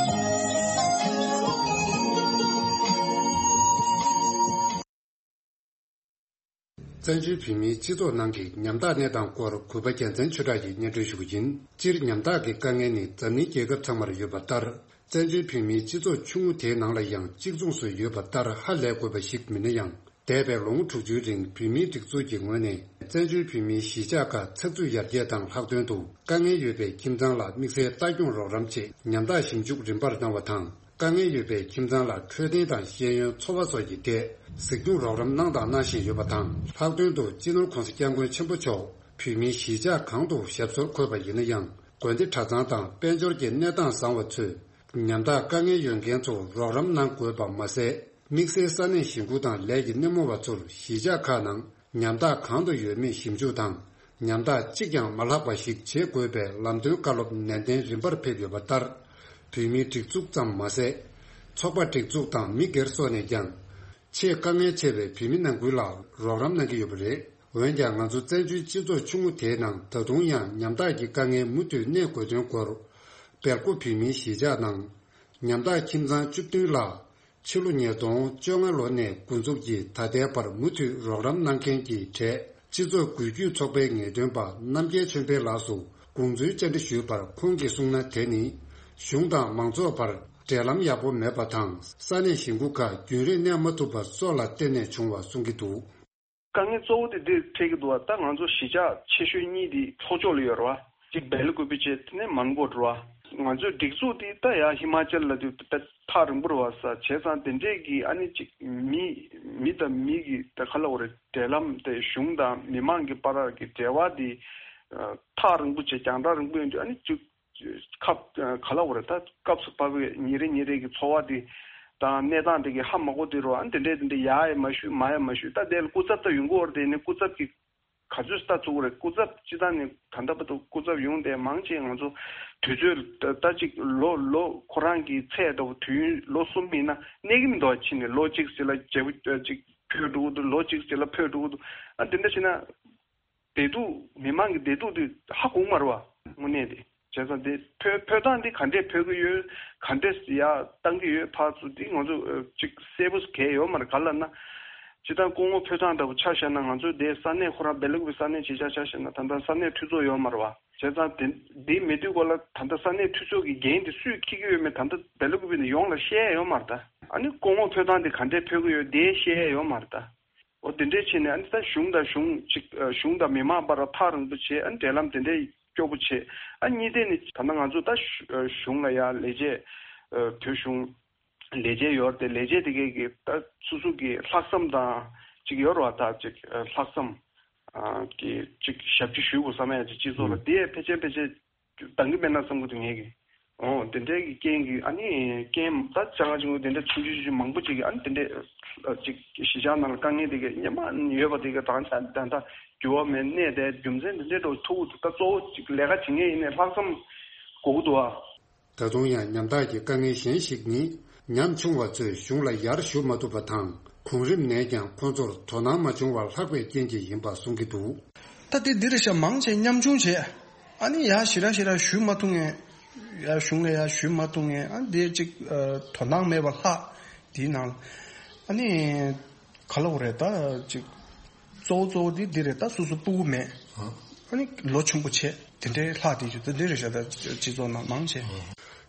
བཙན་བྱོལ་བོད་མིའི་སྤྱི་ཚོགས་ནང་གི་ཉམ་ཐག་གནས་སྟངས་སྐོར་གུས་པ་རྒྱལ་མཚན་ཆོས་གྲགས་ཀྱིས་སྙན་སྒྲོན་ཞུ་གི་ཡིན། སྤྱིར་ཉམ་ཐག་གི་དཀའ་ངལ་ནི་འཛམ་གླིང་རྒྱལ་ཁབ་ཚང་མར་ཡོད་པ་ལྟར། བཙན་བྱོལ་བོད་མིའི་སྤྱི་ཚོགས་ཆུང་ངུ་དེའི་ནང་ལ་ཡང་གཅིག་མཚུངས་སུ་ཡོད་པ་ལྟར་ཧ་ལས་དགོས་པ་ཞིག་མིན་ན་ཡང་། འདས་པའི་ལོ་ངོ་དྲུག་ཅུའི་རིང་བོད་མིའི་སྒྲིག་འཛུགས་ཀྱི་ངོས་ནས་བཙན་བྱོལ་བོད་མིའི་གཞིས་ཆགས་ཁག་ཚགས་ཚུད་ཡར་རྒྱས་དང་ལྷག་དོན་དུ་དཀའ་ངལ་ཡོད་པའི་ཁྱིམ་ཚང་ལ་དམིགས་བསལ་ལྟ་སྐྱོང་རོགས་རམ་ཆེད་ཉམ་ཐག་ཞིབ་འཇུག་རིམ་པར་གནང་བ་དང་། དཀའ་ངལ་ཡོད་པའི་ཁྱིམ་ཚང་ལ་འཕྲོད་བསྟེན་དང་ཤེས་ཡོན་འཚོ་བ་སོགས་ཀྱི་ཐད་གཟིགས་སྐྱོང་རོགས་རམ་གནང་དང་གནང་བཞིན་ཡོད་པ་དང་། ལྷག་དོན་དུ་སྤྱི་ནོར་༸གོང་ས་༸སྐྱབས་མགོན་ཆེན་པོ་མཆོག་བོད་མིའི་གཞིས་ཆགས་གང་དུ་ཞབས་སོར་འཁོད་པ་ཡིན་ན་ཡང་། དགོན་སྡེ་གྲྭ་ཚང་དང་དཔལ་འབྱོར་གྱི་གནས་སྟངས་བཟང་བ་ཚོས་ཉམ་ཐག་དཀའ་ངལ་ཡོད་མཁན་ཚོར་རོགས་རམ་གནང་དགོས་པ་མ་ཟད། དམིགས་བསལ་ས་གནས་གཞིས་ཁུལ་དང་ལས་ཀྱི་སྣེ་མོ་བ་ཚོར་གཞིས་ཆགས་ཁག་ནང་ཉམ་ཐག་གང་དུ་ཡོད་མེད་ཞིབ་འཇུག་དང་། ཉམ་ཐག་གཅིག་ཀྱང་མ་ལྷག་པ་ཞིག་བྱེད་དགོས་པའི་ལམ་སྟོན་བཀའ་སློབ་ནན་ཏན་རིམ་པར་ཕེབས་ཡོད་པ་ལྟར། བོད་མིའི་སྒྲིག་འཛུགས་ཙམ་མ་ཟད། ཚོགས་པ་སྒྲིག་འཛུགས་དང་མི་སྒེར་སོགས་ནས་ཀྱང་། ཆེས་དཀའ་ངལ་ཆེ་བའི་བོད་མི་ནང་ཁུལ་ལ་རོགས་རམ་གནང་གི་ཡོད་པ་རེད། འོན་ཀྱང་ང་ཚོ་བཙན་བྱོལ་སྤྱི་ཚོགས་ཆུང་ངུ་དེའི་ནང་ད་དུང་ཡང་ཉམ་ཐག་གི་དཀའ་ངལ་མུ་མཐུད་གནས་དགོས་དོན་སྐོར། སྦེལ་ཀོབ་བོད་མིའི་གཞིས་ཆགས་ནང་། ཉམ་ཐག་ཁྱིམ་ཚང་བཅུ་བདུན་ལ། ཕྱི་ལོ་ཉིས་སྟོང་བཅོ་ལྔ་ལོ་ནས་འགོ་འཛུགས་ཀྱིས་ད་ལྟའི་བར་མུ་མཐུད་རོགས་རམ་གནང་མཁན་གྱི་གྲས་སྤྱི་ཚོགས་འགུལ་སྐྱོད་ཚོགས་པའི་ངེས་སྟོན་པ་རྣམ་རྒྱལ་ཆོས་འཕེལ་ལགས་སུ་དགོངས་ཚུལ་བཅར་འདྲི་ཞུས་པར། ཁོང་གིས་གསུངས་ན། དེ་ནི་གཞུང་དང་མང་ཚོགས་བར་འབྲེལ་ལམ་ཡག་པོ་མེད་པ་དང་། ས་གནས་གཞིས་ཁུལ་ཁག་རྒྱུན་རིང་གནས་མ་ཐུབ་པ་སོགས་ལ་བརྟེན་ནས་བྱུང་བ་གསུང་གི་འདུག། དཀའ་ངལ་གཙོ་བོ་དེ་འདིར་འཕྲད་ཀྱི་འདུག་བ། ད་ང་ཚོ་གཞིས་ཆགས་ཆེ་ཤོས་གཉིས་དེ་ལྷོ་ཕྱོགས་ལ་ཡོད་རེད་བ། གཅིག་སྦེལ་ཀོབ་བྱས། དེ་ནས་མོན་གྷོ་རེད་བ། ང་ཚོའི་སྒྲིག་འཛུགས་དེ་ད་ཡ་ཧི་མ་ཅལ་ལ་དེ་ད་ཐག་རིང་པོ་རེད་བ། ས་བྱས་ཙང་དེ་འདྲས་ཀྱི་ཨ་ནི་གཅིག་མི་མི་དང་མི་གི་ད་ག་ལབ་དགོས་རེད། འབྲེལ་ལམ་དེ་གཞུང་དང་མི་མང་གི་བར་གྱི་འབྲེལ་བ་དེ་ཐག་རིང་པོ་བྱས། རྒྱང་ཐག་རིང་པོ་ཡིན་དུས་ཨ་ནི་གཅིག་ཁ་ག་ལབ་དགོས་རེད། ད་སྐབས་སུ་བབས་པའི་ཉིན་རེ་ཉིན་རེ་གི་འཚོ་བ་དེ་དང་གནས་སྟངས་དེ་གི་ཧ་མ་གོ་དུས་རེད་བ། ཨ་ནི་དེ་འདྲས་དེ་འདྲས་ཡ་ཡ་མ་ཞུས་མ་ཡ་མ་ཞུས། ད་དེ་ལ་སྐུ་ཚབ་ད་ཡོང་གི་ཡོད་རེད། དེ་ནི་སྐུ་ཚབ་ཀྱི་ག་ཚོད་ལྟ་ཚུགས་རེད། སྐུ་ཚབ་སྤྱི་བཏང་ནས་ད་ལྟ་བར་དུ་སྐུ་ཚབ་ཡོང་དེ་མང་ཆེ་ང་ཚོ་དུས་ཚོད་ད་ད་ཅིག་ལོ་ལོ་ཁོ་རང་གི་ཚད་འདྲ་བོ་དུས་ཡུན་ལོ་གསུམ་ཡིན་ན་གནས་ཀྱི་མི་འདུག་བ། ཕྱིན་ནས་ལོ་གཅིག་ཟེར་ལ་བརྗེ་པོ་ཅིག་འཕོས་འགྲོ་གི་འདུག། ལོ་གཅིག་ཟེར་ལ་འཕོས་འགྲོ་གི་འདུག། ཨ་དེ་འདྲ་བྱས་ན་བདེ་སྡུག་མི་མང་གི་བདེ་སྡུག་དེ་ཧ་གོ་མ་རེད་བ། དངོས་གནས་དེ། བྱས་ཙང་དེ་འཕོས་འཕོས་སྟངས་འདི་ག་འདྲས་འཕོས་ཀྱི་ཡོད། ག་འདྲས་ཡར་བཏང་གི་ཡོད། ཕར་ཚུར་འདི་ང་ཚོ་ཨ་ཅིག་གསལ་པོ་གང་ཡང་ཡོད་མ་རེད། ག་ལབ་ན། སྤྱིར་བཏང་སྐུ་ངོ་འཕོས་སྟངས་འདྲ་པོ་ཆ་བཞག་ན། ང་ཚོའི་དེ་ས་གནས་ཁོ་རང་སྦེལ་ཀོབ་ས་གནས་གཞིས་ཆགས་ཆ་བཞག་ན་ད་ལྟ་ས་གནས་འཐུས་ཚོགས་ཡོད་མ་རེད་བ། བྱས་ཙང་དེ་འདི་མེད་དུས་སྐོར་ལ་ད་ལྟ་ས་གནས་འཐུས་ཚོགས་ཀྱི་འགན་དེ་སུས་འཁྱེར་གྱི་ཡོད་མེད་ད་ལྟ་སྦེལ་ཀོབ་ནས་ཡོངས་ལ་བཤད་ཡ་ཡོད་མ་རེད་ད། ཨ་ནི་སྐུ་ངོ་འཕོས་སྟངས་དེ་ག་འདྲས་འཕོས་ཀྱི་ཡོད་དེ་བཤད་ཡ་ཡོད་མ་རེད་ད། འོ་དེ་འདྲས་བྱས་ནས་ཨ་ནི་ད་གཞུང་དང་གཞུང་གཅིག་ཨ་གཞུང་དང་མི་མང་བར་ཐག་རིང་པོ་བྱས། ཨ་ནི་འབྲེལ་ལམ་དེ་འདྲས་སྐྱོ་པོ་བྱས། ཨ་གཉིས་ནས་ད་ལྟ་ང་ཚོ་ད་གཞུ་ཨ་གཞུང་ལ་ཡ་ལས་བྱེད་ཨ་བོད་གཞུང་ལས་བྱེད་ཡོད་རེད་དེ། ལས་བྱེད་དེ་གས་ཀྱི་ད་སོ་སོ་གི་ལྷག་བསམ་དང་གཅིག་ཡོད་རེད་བ། ད་གཅིག་ཨ་ལྷག་བསམ་ཨ་གི་གཅིག་ཞབས་ཕྱི་ཞུ་དགོས་བསམ་ཡ་གཅིག་སྤྱི་ཚོགས་ལ་དེ་ཕལ་ཆེར་ཕལ་ཆེར་འདང་གི་མེད་ན་བསམ་གི་འདུག་ངས་ཀྱི། འོ་དེ་འདྲའི་གི་རྐྱེན་གྱིས་ཨ་ནི་རྐྱེན་ད་ཅང་ཅིག་དེ་འདྲ་ཆུང་ཆུང་ཆུང་མང་པོ་ཅིག་གིས་ཨ་ནི་དེ་འདྲའི་ཅིག་གཞིས་ཆགས་ནང་ལ་དཀའ་ངལ་དེ་གི་སྙན་མ་ཡོད་པ་དེ་གི་ད་ད་ད་འགྱུར་བ་མེད་གནས་དེ་རྒྱུ་མཚན་དེ་འདྲའི་འགྲོ་ཐུག་ད་གཙོ་བོ་ཅིག་ལས་ཀ་བྱེད་མཁན་ཡིན་ནའི་ལྷག་བསམ་དགོས་ཀྱི་འདུག་ཨ། ད་དུང་ཡང་ཉམ་ཐག་གི་དཀའ་ངལ་གཞན་ཞིག་ནི། ཉམ་ཆུང་བ་ཚོས་གཞུང་ལ་ཡར་ཞུ་མ་ཐུབ་པ་དང་། གོང་རིམ་ནས་ཀྱང་ཁོང་ཚོར་དོ་སྣང་མ་བྱུང་བར་ལྷག་པའི་རྐྱེན་གྱིས་ཡིན་པ་གསུང་གི་འདུག། ད་དེ་འདི་རེད་ཤག། མང་ཆེ་ཉམ་ཆུང་བྱས། ཨ་ནི་ཡར་ཞེ་དྲག་ཞེ་དྲག་ཞུ་མ་ཐུབ་མཁན། ཡར་གཞུང་ལ་ཡར་ཞུ་མ་ཐུབ་མཁན། ཨ་ནི་དེ་ཅིག་ཨ་དོ་སྣང་མེད་པ་ལྷག། དེའི་ནང་ཨ་ནི་ག་ལབ་དགོས་རེད། ད་ཅིག་གཙོ་བོ་གཙོ་བོ་དེ་འདི་རེད། ད་སོ་སོ་སྤུ་གུ་མེད། ཨ་ནི་ལོ་ཆུང་པོ་བྱས། དེ་འདྲའི་ལྷག་དེ་ཅིག་ད་འདི་རེད་ཤག། ད་སྤྱི་ཚོགས་ནང་མང་ཆེ།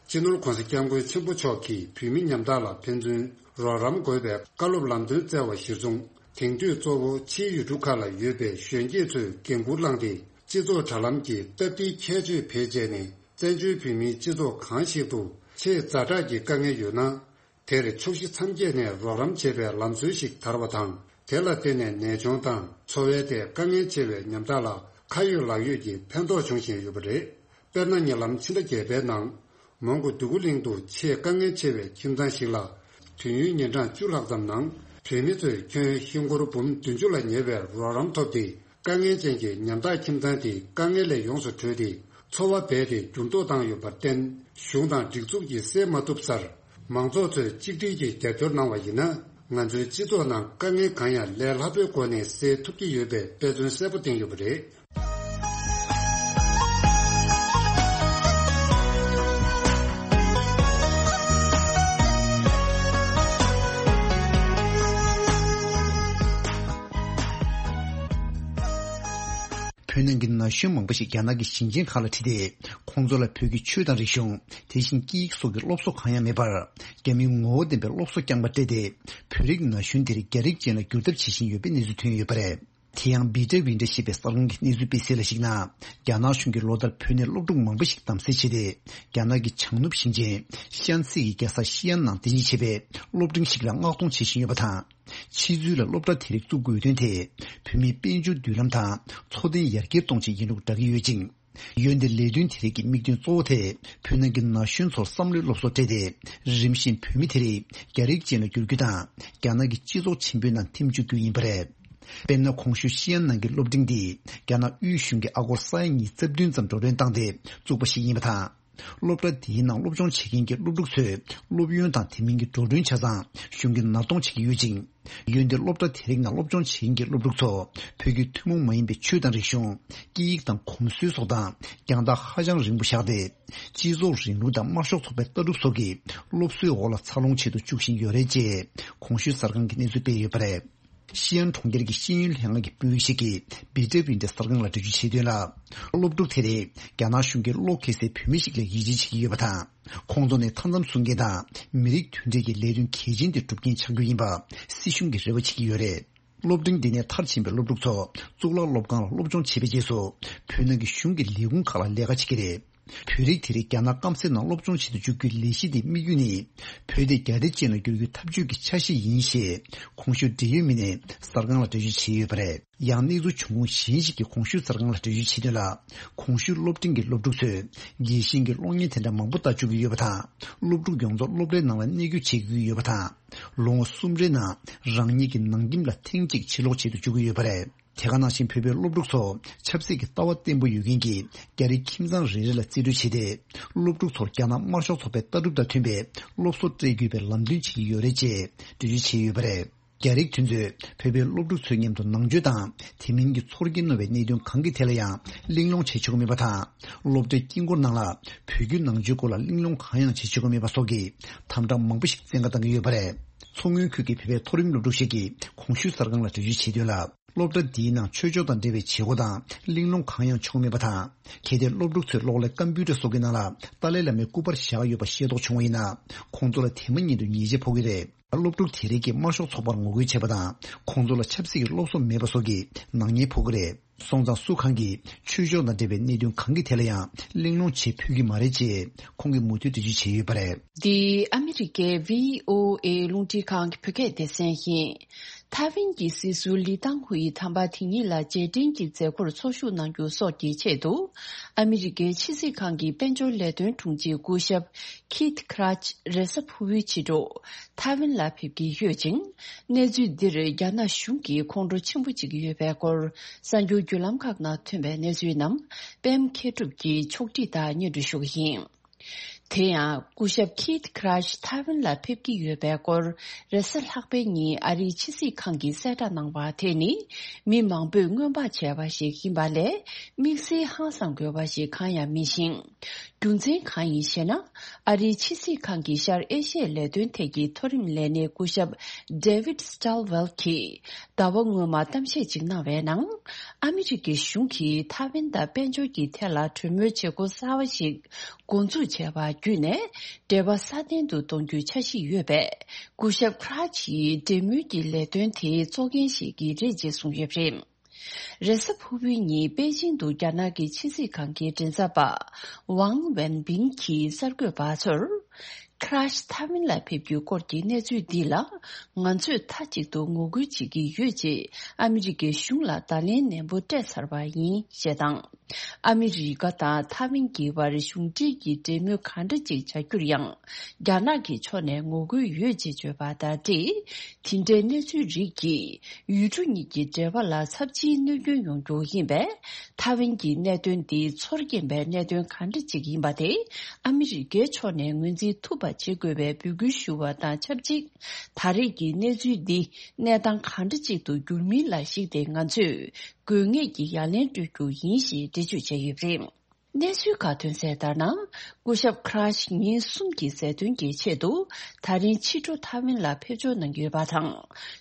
སྤྱི་ནོར་༸གོང་ས་༸སྐྱབས་མགོན་ཆེན་པོ་མཆོག་གིས་བོད་མི་ཉམ་ཐག་ལ་ཕན་ཚུན་རོགས་རམ་དགོས་པའི་བཀའ་སློབ་ལམ་སྟོན་སྩལ་བ་གཞིར་བཟུང་། དེང་དུས་གཙོ་བོ་ཕྱིའི་ཡུལ་གྲུ་ཁག་ལ་ཡོད་པའི་གཞོན་སྐྱེས་ཚོས་འགན་འཁུར་བླངས་ཏེ། སྤྱི་ཚོགས་དྲ་ལམ་གྱི་སྟབས་བདེའི་ཁྱད་ཆོས་བེད་སྤྱད་ནས། བཙན་བྱོལ་བོད་མིའི་སྤྱི་ཚོགས་གང་ཞིག་ཏུ་ཆེས་ཛ་དྲག་གི་དཀའ་ངལ་ཡོད་ན། དེར་ཕྱོགས་བཞི་མཚམས་བརྒྱད་ནས་རོགས་རམ་བྱེད་པའི་ལམ་སྲོལ་ཞིག་དར་བ་དང་། དེ་ལ་བརྟེན་ནས་ནད་གཅོང་དང་འཚོ་བའི་ཐད་དཀའ་ངལ་ཆེ་བའི་ཉམ་ཐག་ལ་ཁ་ཡོད་ལག་ཡོད་ཀྱི་ཕན་ཐོགས་འབྱུང་བཞིན་ཡོད་པ་རེད། དཔེར་ན། ཉེ་ལམ་ཕྱི་ཟླ་བརྒྱད་པའི་ནང་། མོན་གྷོ་འདོད་རྒུ་གླིང་དུ་ཆེས་དཀའ་ངལ་ཆེ་བའི་ཁྱིམ་ཚང་ཞིག་ལ། དུས་ཡུན་ཉིན་གྲངས་བཅུ་ལྷག་ཙམ་ནང་བུད་མེད་ཚོས་ཁྱོན་ཧིན་སྒོར་འབུམ་བདུན་ཅུ་ལ་ཉེ་བའི་རོགས་རམ་ཐོབ་སྟེ། དཀའ་ངལ་ཅན་གྱི་ཉམ་ཐག་ཁྱིམ་ཚང་དེའི་དཀའ་ངལ་ལས་ཡོངས་སུ་གྲོལ་ཏེ། འཚོ་བ་རྦད་དེ་འགྱུར་ལྡོག་བཏང་ཡོད་པར་བརྟེན། གཞུང་དང་སྒྲིག་འཛུགས་ཀྱིས་སེལ་མ་ཐུབ་སར། མང་ཚོགས་ཚོས་གཅིག་སྒྲིལ་གྱིས་རྒྱབ་སྐྱོར་གནང་བ་ཡིན་ན། ང་ཚོའི་སྤྱི་ཚོགས་ནང་དཀའ་ངལ་གང་ཡང་ལས་སླ་པོའི་སྒོ་ནས་སེལ་ཐུབ་ཀྱི་ཡོད་པའི་དཔེ་མཚོན་གསལ་པོ་བསྟན་ཡོད་པ་རེད། བོད་ནང་གི་ན་གཞོན་མང་པོ་ཞིག་རྒྱ་ནག་གི་ཞིང་ཆེན་ཁག་ལ་ཁྲིད་དེ། ཁོང་ཚོ་ལ་བོད་ཀྱི་ཆོས་དང་རིག་གཞུང་། དེ་བཞིན་སྐད་ཡིག་སོགས་ཀྱི་སློབ་གསོ་གང་ཡང་མེད་པར། རྒྱ་མིའི་ངོ་བོ་ལྡན་པའི་སློབ་གསོ་རྐྱང་པ་སྤྲད་དེ། བོད་རིགས་ན་གཞོན་དེར་རྒྱ་རིགས་ཅན་ལ་བསྒྱུར་ཐབས་བྱེད་བཞིན་ཡོད་པའི་གནས་ཚུལ་ཐོན་ཡོད་པ་རེད། དེ་ཡང་བི་ཏྲ་ཝིན་ཏྲ་ཞེས་པའི་གསར་ཁང་གི་གནས་ཚུལ་སྤེལ་གསལ་ལ་གཞིགས་ན། རྒྱ་ནག་གཞུང་གིས་ལོ་ལྟར་བོད་ནས་སློབ་ཕྲུག་མང་པོ་ཞིག་བདམས་གསེས་བྱས་ཏེ། རྒྱ་ནག་གི་བྱང་ནུབ་ཞིང་ཆེན་ཤན་སི་ཡི་རྒྱལ་ས་ཤི་ཨན་ནང་རྟེན་གཞི་བྱས་པའི་སློབ་འབྲིང་ཞིག་ལ་མངགས་གཏོང་བྱེད་བཞིན་ཡོད་པ་དང་། ཕྱི་ཚུལ་ལ་སློབ་གྲྭ་དེ་རིགས་བཙུགས་དགོས་དོན་དེ། བོད་མིའི་དཔལ་འབྱོར་མདུན་ལམ་དང་འཚོ་རྟེན་ཡར་རྒྱས་གཏོང་ཆེད་ཡིན་ལུགས་བསྒྲགས་ཀྱི་ཡོད་ཅིང་། འོན་ཏེ་ལས་དོན་དེ་རིགས་ཀྱི་དམིགས་དོན་གཙོ་བོ་དེ། བོད་ནང་གི་ན་གཞོན་ཚོར་བསམ་བློའི་སློབ་གསོ་སྤྲད་དེ། རིམ་བཞིན་བོད་མི་དེ་རིགས་རྒྱ་རིགས་ཅན་ལ་བསྒྱུར་རྒྱུ་དང་། རྒྱ་ནག་གི་སྤྱི་ཚོགས་ཆེན་པོའི་ནང་འཐིམ་བཅུག་རྒྱུ་ཡིན་པ་རེད། དཔེར་ན། གོང་ཞུས་ཤི་ཨན་ནང་གི་སློབ་འབྲིང་འདི། རྒྱ་ནག་དབུས་གཞུང་གིས་ཨ་སྒོར་ས་ཡ་ཉིས་རྩ་བདུན་ཙམ་འགྲོ་གྲོན་བཏང་སྟེ་བཙུགས་པ་ཞིག་ཡིན་པ་དང་། སློབ་གྲྭ་འདིའི་ནང་སློབ་སྦྱོང་བྱེད་མཁན་གྱི་སློབ་ཕྲུག་ཚོས་སློབ་ཡོན་དང་དེ་མིན་གྱི་འགྲོ་གྲོན་ཆ་ཚང་གཞུང་གིས་ནར་གཏོང་བྱེད་ཀྱི་ཡོད་ཅིང་། འོན་ཏེ་སློབ་གྲྭ་དེ་རིགས་ནང་སློབ་སྦྱོང་བྱེད་མཁན་གྱི་སློབ་ཕྲུག་ཚོ་བོད་ཀྱི་ཐུན་མོང་མ་ཡིན་པའི་ཆོས་དང་རིག་གཞུང་། སྐད་ཡིག་དང་གོམས་སྲོལ་སོགས་དང་རྒྱང་ཐག་ཧ་ཅང་རིང་པོ་བཞག་སྟེ། སྤྱི་ཚོགས་རིང་ལུགས་དང་དམར་ཤོག་ཚོགས་པའི་ལྟ་གྲུབ་སོགས་ཀྱི་སློབ་གསོའི་འོག་ལ་འཚར་ལོངས་བྱེད་དུ་བཅུག་བཞིན་ཡོད་རེད་ཅེས་གོང་ཞུས་གསར་ཁང་གིས་གནས་ཚུལ་སྤེལ་ཡོད་པ་རེད། ཤི་ཨན་གྲོང་ཁྱེར་གྱི་ཤེས་ཡོན་ལྷན་ཁང་གི་དཔོན་རིགས་ཤིག་གིས་བི་ཏྲ་ཝིན་ཏྲ་གསར་ཁང་ལ་འགྲེལ་བརྗོད་བྱས་དོན་ལ། སློབ་ཕྲུག་དེ་རེད། རྒྱ་ནག་གཞུང་གིས་བློ་འགེལ་སའི་བོད་མི་ཞིག་ལ་ཡིད་ཆེས་བྱེད་ཀྱི་ཡོད་པ་དང་། ཁོང་ཚོ་ནི་མཐའ་མཚམས་སྲུང་མཁན་དང་མི་རིགས་མཐུན་སྒྲིལ་གྱི་ལས་དོན་གལ་ཆེན་དེ་སྒྲུབ་མཁན་ཆགས་རྒྱུ་ཡིན་པ་སྲིད་གཞུང་གིས་རེ་བ་བྱེད་ཀྱི་ཡོད་རེད། སློབ་འབྲིང་འདི་ནས་མཐར་ཕྱིན་པའི་སློབ་ཕྲུག་ཚོ་གཙུག་ལག་སློབ་ཁང་ལ་སློབ་སྦྱོང་བྱེད་པའི་རྗེས་སུ། བོད་ནང་གི་གཞུང་གི་ལས་ཁུངས་ཁག་ལ་ལས་ཀ་བྱེད་ཀྱི་རེད། བོད་རིགས་དེ་རིགས་རྒྱ་ནག་སྐམ་སའི་ནང་སློབ་སྦྱོང་བྱེད་དུ་འཇུག་རྒྱུའི་ལས་གཞི་དེའི་དམིགས་ཡུལ་ནི། བོད་དེ་རྒྱ་རིགས་ཅན་ལ་བསྒྱུར་རྒྱུའི་འཐབ་ཇུས་ཀྱི་འཆར་གཞི་ཡིན་ཞེས། གོང་ཞུས་འབྲེལ་ཡོད་མི་སྣས་གསར་ཁང་ལ་འགྲེལ་བརྗོད་བྱས་ཡོད་པ་རེད། ཡང་གནས་ཚུལ་བྱུང་ཁུངས་གཞན་ཞིག་གིས་གོང་ཞུས་གསར་ཁང་ལ་འགྲེལ་བརྗོད་བྱས་དོན་ལ། གོང་ཞུས་སློབ་འབྲིང་གི་སློབ་ཕྲུག་ཚོས་རྒྱལ་ཞེན་གྱི་གློག་བརྙན་དེ་འདྲ་མང་པོ་ལྟ་བཅུག་གི་ཡོད་པ་དང་། སློབ་ཕྲུག་ཡོངས་རྫོགས་སློབ་གྲྭའི་ནང་ལ་གནས་སྐྱོད་བྱེད་དགོས་ཀྱི་ཡོད་པ་དང་། ལོ་ངོ་གསུམ་རེའི་ནང་རང་ཉིད་ཀྱི་ནང་ཁྱིམ་ལ་ཐེངས་གཅིག་ཕྱིར་ལོག་བྱེད་དུ་འཇུག་གི་ཡོད་པ་རེད། དེ་ག་ནང་བཞིན་བོད་པའི་སློབ་ཕྲུག་ཚོ་ཆབ་སྲིད་ཀྱི་ལྟ་བ་བརྟན་པོ་ཡོད་མཁན་གྱི་རྒྱ་རིགས་ཁྱིམ་ཚང་རེ་རེ་ལ་རྩིས་སྤྲོད་བྱས་ཏེ། སློབ་ཕྲུག་ཚོར་རྒྱ་ནག་དམར་ཤོག་ཚོགས་པའི་ལྟ་གྲུབ་དང་མཐུན་པའི་སློབ་གསོ་སྤྲད་དགོས་པའི་ལམ་སྟོན་བྱེད་ཀྱི་ཡོད་རེད་ཅེས་འགྲེལ་བརྗོད་བྱས་ཡོད་པ་རེད། རྒྱ་རིགས་དེ་ཚོས་བོད་པའི་སློབ་ཕྲུག་ཚོའི་མཉམ་དུ་ནང་ཆོས་དང་དེ་མིན་གྱི་ཚོར་གྱིས་རྣོ་བའི་གནད་དོན་གང་གི་ཐད་ལ་ཡང་གླེང་སློང་བྱེད་ཆོག་གི་མེད་པ་དང་། སློབ་གྲྭའི་དཀྱིལ་འཁོར་ནང་ལ་བོད་བརྒྱུད་ནང་ཆོས་སྐོར་ལ་གླེང་སློང་གང་ཡང་བྱེད་ཆོག་གི་མེད་པ་སོགས་ཀྱི་དམ་བསྒྲགས་མང་པོ་ཞིག་བཙན་བཀའ་བཏང་གི་ཡོད་པ་རེད། མཚོ་སྔོན་ཁུལ་གྱི་བོད་པའི་མཐོ་རིམ་སློབ་ཕྲུག་ཞིག་གིས་གོང་ཞུས་གསར་ཁང་ལ་འགྲེལ་བརྗོད་བྱས་དོན་ལ། སློབ་གྲྭ་འདིའི་ནང་ཆོས་ཕྱོགས་དང་འབྲེལ་བའི་བྱེད་སྒོ་དང་གླེང་སློང་གང་ཡང་ཆོག་མེད་པ་དང་། གལ་ཏེ་སློབ་ཕྲུག་ཚོས་གློག་ཀླད་ཀམ་པུ་ཊར་སོགས་ཀྱི་ནང་ལ་ཏཱ་ལའི་བླ་མའི་སྐུ་པར་བཞག་ཡོད་པ་ཤེས་རྟོགས་བྱུང་བ་ཡིན་ན། ཁོང་ཚོ་ལ་དེ་མ་ཉིད་དུ་ཉེས་ཆད་ཕོག་གི་རེད། སློབ་ཕྲུག་དེ་རིགས་ཀྱིས་དམར་ཤོག་ཚོགས་པར་ངོ་རྒོལ་བྱས་པ་དང་། ཁོང་ཚོ་ལ་ཆབ་སྲིད་ཀྱི་སློབ་གསོ་མེད་པ་སོགས་ཀྱི་ནག་ཉེས་ཕོག་གི་རེད། སོང་ཙང་སུ་གང་གིས་ཆོས་ཕྱོགས་དང་འབྲེལ་བའི་གནད་དོན་གང་གི་ཐད་ལ་ཡང་གླེང་སློང་བྱེད་ཕོད་ཀྱི་མ་རེད་ཅེས་ཁོང་གིས་མུ་མཐུད་འགྲེལ་བརྗོད་བྱས་ཡོད་པ་རེད། འདི་ཨ་མི་རི་ཀའི་བྷི་ཨོ་ཨེ་རླུང་འཕྲིན་ཁང་གི་བོད་སྐད་སྡེ་ཚན་ཡིན། ཐའེ་ཝན་གྱི་སྲིད་ཟུར་ལི་ཏང་ཧུའེ་དམ་པ་དེ་ཉིད་ལ་རྗེས་དྲན་གྱི་མཛད་སྒོར་འཚོ་བཞུགས་གནང་རྒྱུ་སོགས་ཀྱི་ཆེད་དུ། ཨ་མི་རི་ཀའི་ཕྱི་སྲིད་ཁང་གི་དཔལ་འབྱོར་ལས་དོན་དྲུང་ཆེ་སྐུ་ཞབས་ཁིད་ཁྲ་ཆི་རེས་གཟའ་ཕུར་བུའི་ཕྱི་དྲོ་ཐའེ་ཝན་ལ་ཕེབས་ཀྱི་ཡོད་ཅིང་། གནས་ཚུལ་འདིར་རྒྱ་ནག་གཞུང་གིས་ཁོང་ཁྲོ་ཆེན་པོ་བྱེད་ཀྱི་ཡོད་པའི་སྐོར་གསར་འགྱུར་བརྒྱུད་ལམ་ཁག་ནང་ཐོན་པའི་གནས་ཚུལ་རྣམས་པད་མ་མཁས་གྲུབ་ཀྱིས་ཕྱོགས་སྒྲིག་དང་སྙན་སྒྲོན་ཞུ་གི་ཡིན། དེ་ཡང་སྐུ་ཞབས་ཁིད་ཁྲ་ཆི་ཐའེ་ཝན་ལ་ཕེབས་ཀྱི་ཡོད་པའི་སྐོར་རེས་གཟའ་ལྷག་པའི་ཉིན་ཨ་རིའི་ཕྱི་སྲིད་ཁང་གིས་གསལ་བསྒྲགས་གནང་བ་དེ་ནི་མི་མང་པོས་སྔོན་དཔག་བྱས་པ་ཞིག་ཡིན་པ་ལས་དམིགས་བསལ་ཧང་སང་དགོས་པ་ཞིག་གང་ཡང་མིན་ཞིང་། རྒྱུ་མཚན་གང་ཡིན་ཞེ་ན། ཨ་རིའི་ཕྱི་སྲིད་ཁང་གི་ཤར་ཨེ་ཤི་ཡའི་ལས་དོན་ཐད་ཀྱི་མཐོ་རིམ་ལས་སྣེ་སྐུ་ཞབས་David Stilwell གྱིས་ཟླ་བ་སྔོན་མ་གཏམ་བཤད་ཅིག་གནང་བའི་ནང་། ཨ་མི་རི་ཀའི་གཞུང་གིས་ཐའེ་ཝན་དང་དཔལ་འབྱོར་གྱི་ཐད་ལ་གྲོས་མོལ་བྱེད་སྒོ་གསར་བ་ཞིག་འགོ་འཛུགས་བྱས་པ་བརྒྱུད་ནས། འབྲེལ་བ་སྲ་བརྟན་དུ་གཏོང་རྒྱུའི་འཆར་གཞི་ཡོད་པས། སྐུ་ཞབས་ཁྲ་ཆི་ཡིས་འབྲེལ་མོལ་གྱི་ལས་དོན་དེའི་གཙོ་འགན་བཞེས་ཀྱི་རེད་ཅེས་གསུངས་ཡོད་པ་རེད། རེས་གཟའ་ཕུར་བུའི་ཉིན་པེ་ཅིང་དུ་རྒྱ་ནག་གི་ཕྱི་སྲིད་ཁང་གི་མགྲིན་ཚབ་པ་ཝང་ཝེན་པིན་གྱིས་གསར་འགོད་པ་ཚོར། ཁྲ་ཤི་ཐའེ་ཝན་ལ་ཕེབས་རྒྱུའི་སྐོར་གྱི་གནས་ཚུལ་འདི་ལ། ང་ཚོས་མཐའ་གཅིག་ཏུ་ངོ་རྒོལ་བྱེད་ཀྱི་ཡོད་ཅེས་ཨ་མི་རི་ཀའི་གཞུང་ལ་བརྡ་ལན་ནན་པོ་སྤྲད་ཚར་བ་ཡིན་ཞེས་དང་། ཨ་མི་རི་ཀ་དང་ཐའེ་ཝན་གྱི་བར་གཞུང་འབྲེལ་གྱི་འབྲེལ་མོལ་གང་འདྲ་ཅིག་བྱ་རྒྱུར་ཡང་། རྒྱ་ནག་གི་ཕྱོགས་ནས་ངོ་རྒོལ་ཡོད་ཅེས་བརྗོད་པ་དང་འབྲེལ། དེ་འདྲའི་གནས་ཚུལ་རིགས་ཀྱིས་ཡུལ་གྲུ་གཉིས་ཀྱི་འབྲེལ་བ་ལ་ཚབས་ཆེའི་གནོད་སྐྱོན་ཡོང་རྒྱུ་ཡིན་པས། ཐའེ་ཝན་གྱི་གནད་དོན་འདི་ཚོར་སྐྱེན་པའི་གནད་དོན་གང་འདྲ་ཅིག་ཡིན་པ་དེ་ཨ་མི་རི་ཀའི་ཕྱོགས་ནས་ངོས་འཛིན་ཐུབ་པ་བྱེད་དགོས་པའི་འབོད་སྐུལ་ཞུ་བ་དང་ཆབས་ཅིག་ད་རེས་ཀྱི་གནས་ཚུལ་འདི་གནས་སྟངས་གང་འདྲ་ཅིག་ཏུ་འགྱུར་མིན་ལ་གཞིགས་ཏེ་ང་ཚོས་དགོས་ངེས་ཀྱི་ཡ་ལན་སྤྲོད་རྒྱུ་ཡིན་ཞེས་འགྲེལ་བརྗོད་བྱས་ཡོད་པ་རེད། གནས་ཚུལ་ཁག་ཐོན་གསལ་ལྟར་ན། སྐུ་ཞབས་ཁྲ་ཤི་ཉིན་གསུམ་གྱི་ཟས་ཐོན་གྱི་ཆེད་དུ་ད་རིང་ཕྱི་དྲོ་ཐའེ་ཝན་ལ་ཕེབས་འབྱོར་གནང་ཡོད་པ་དང་།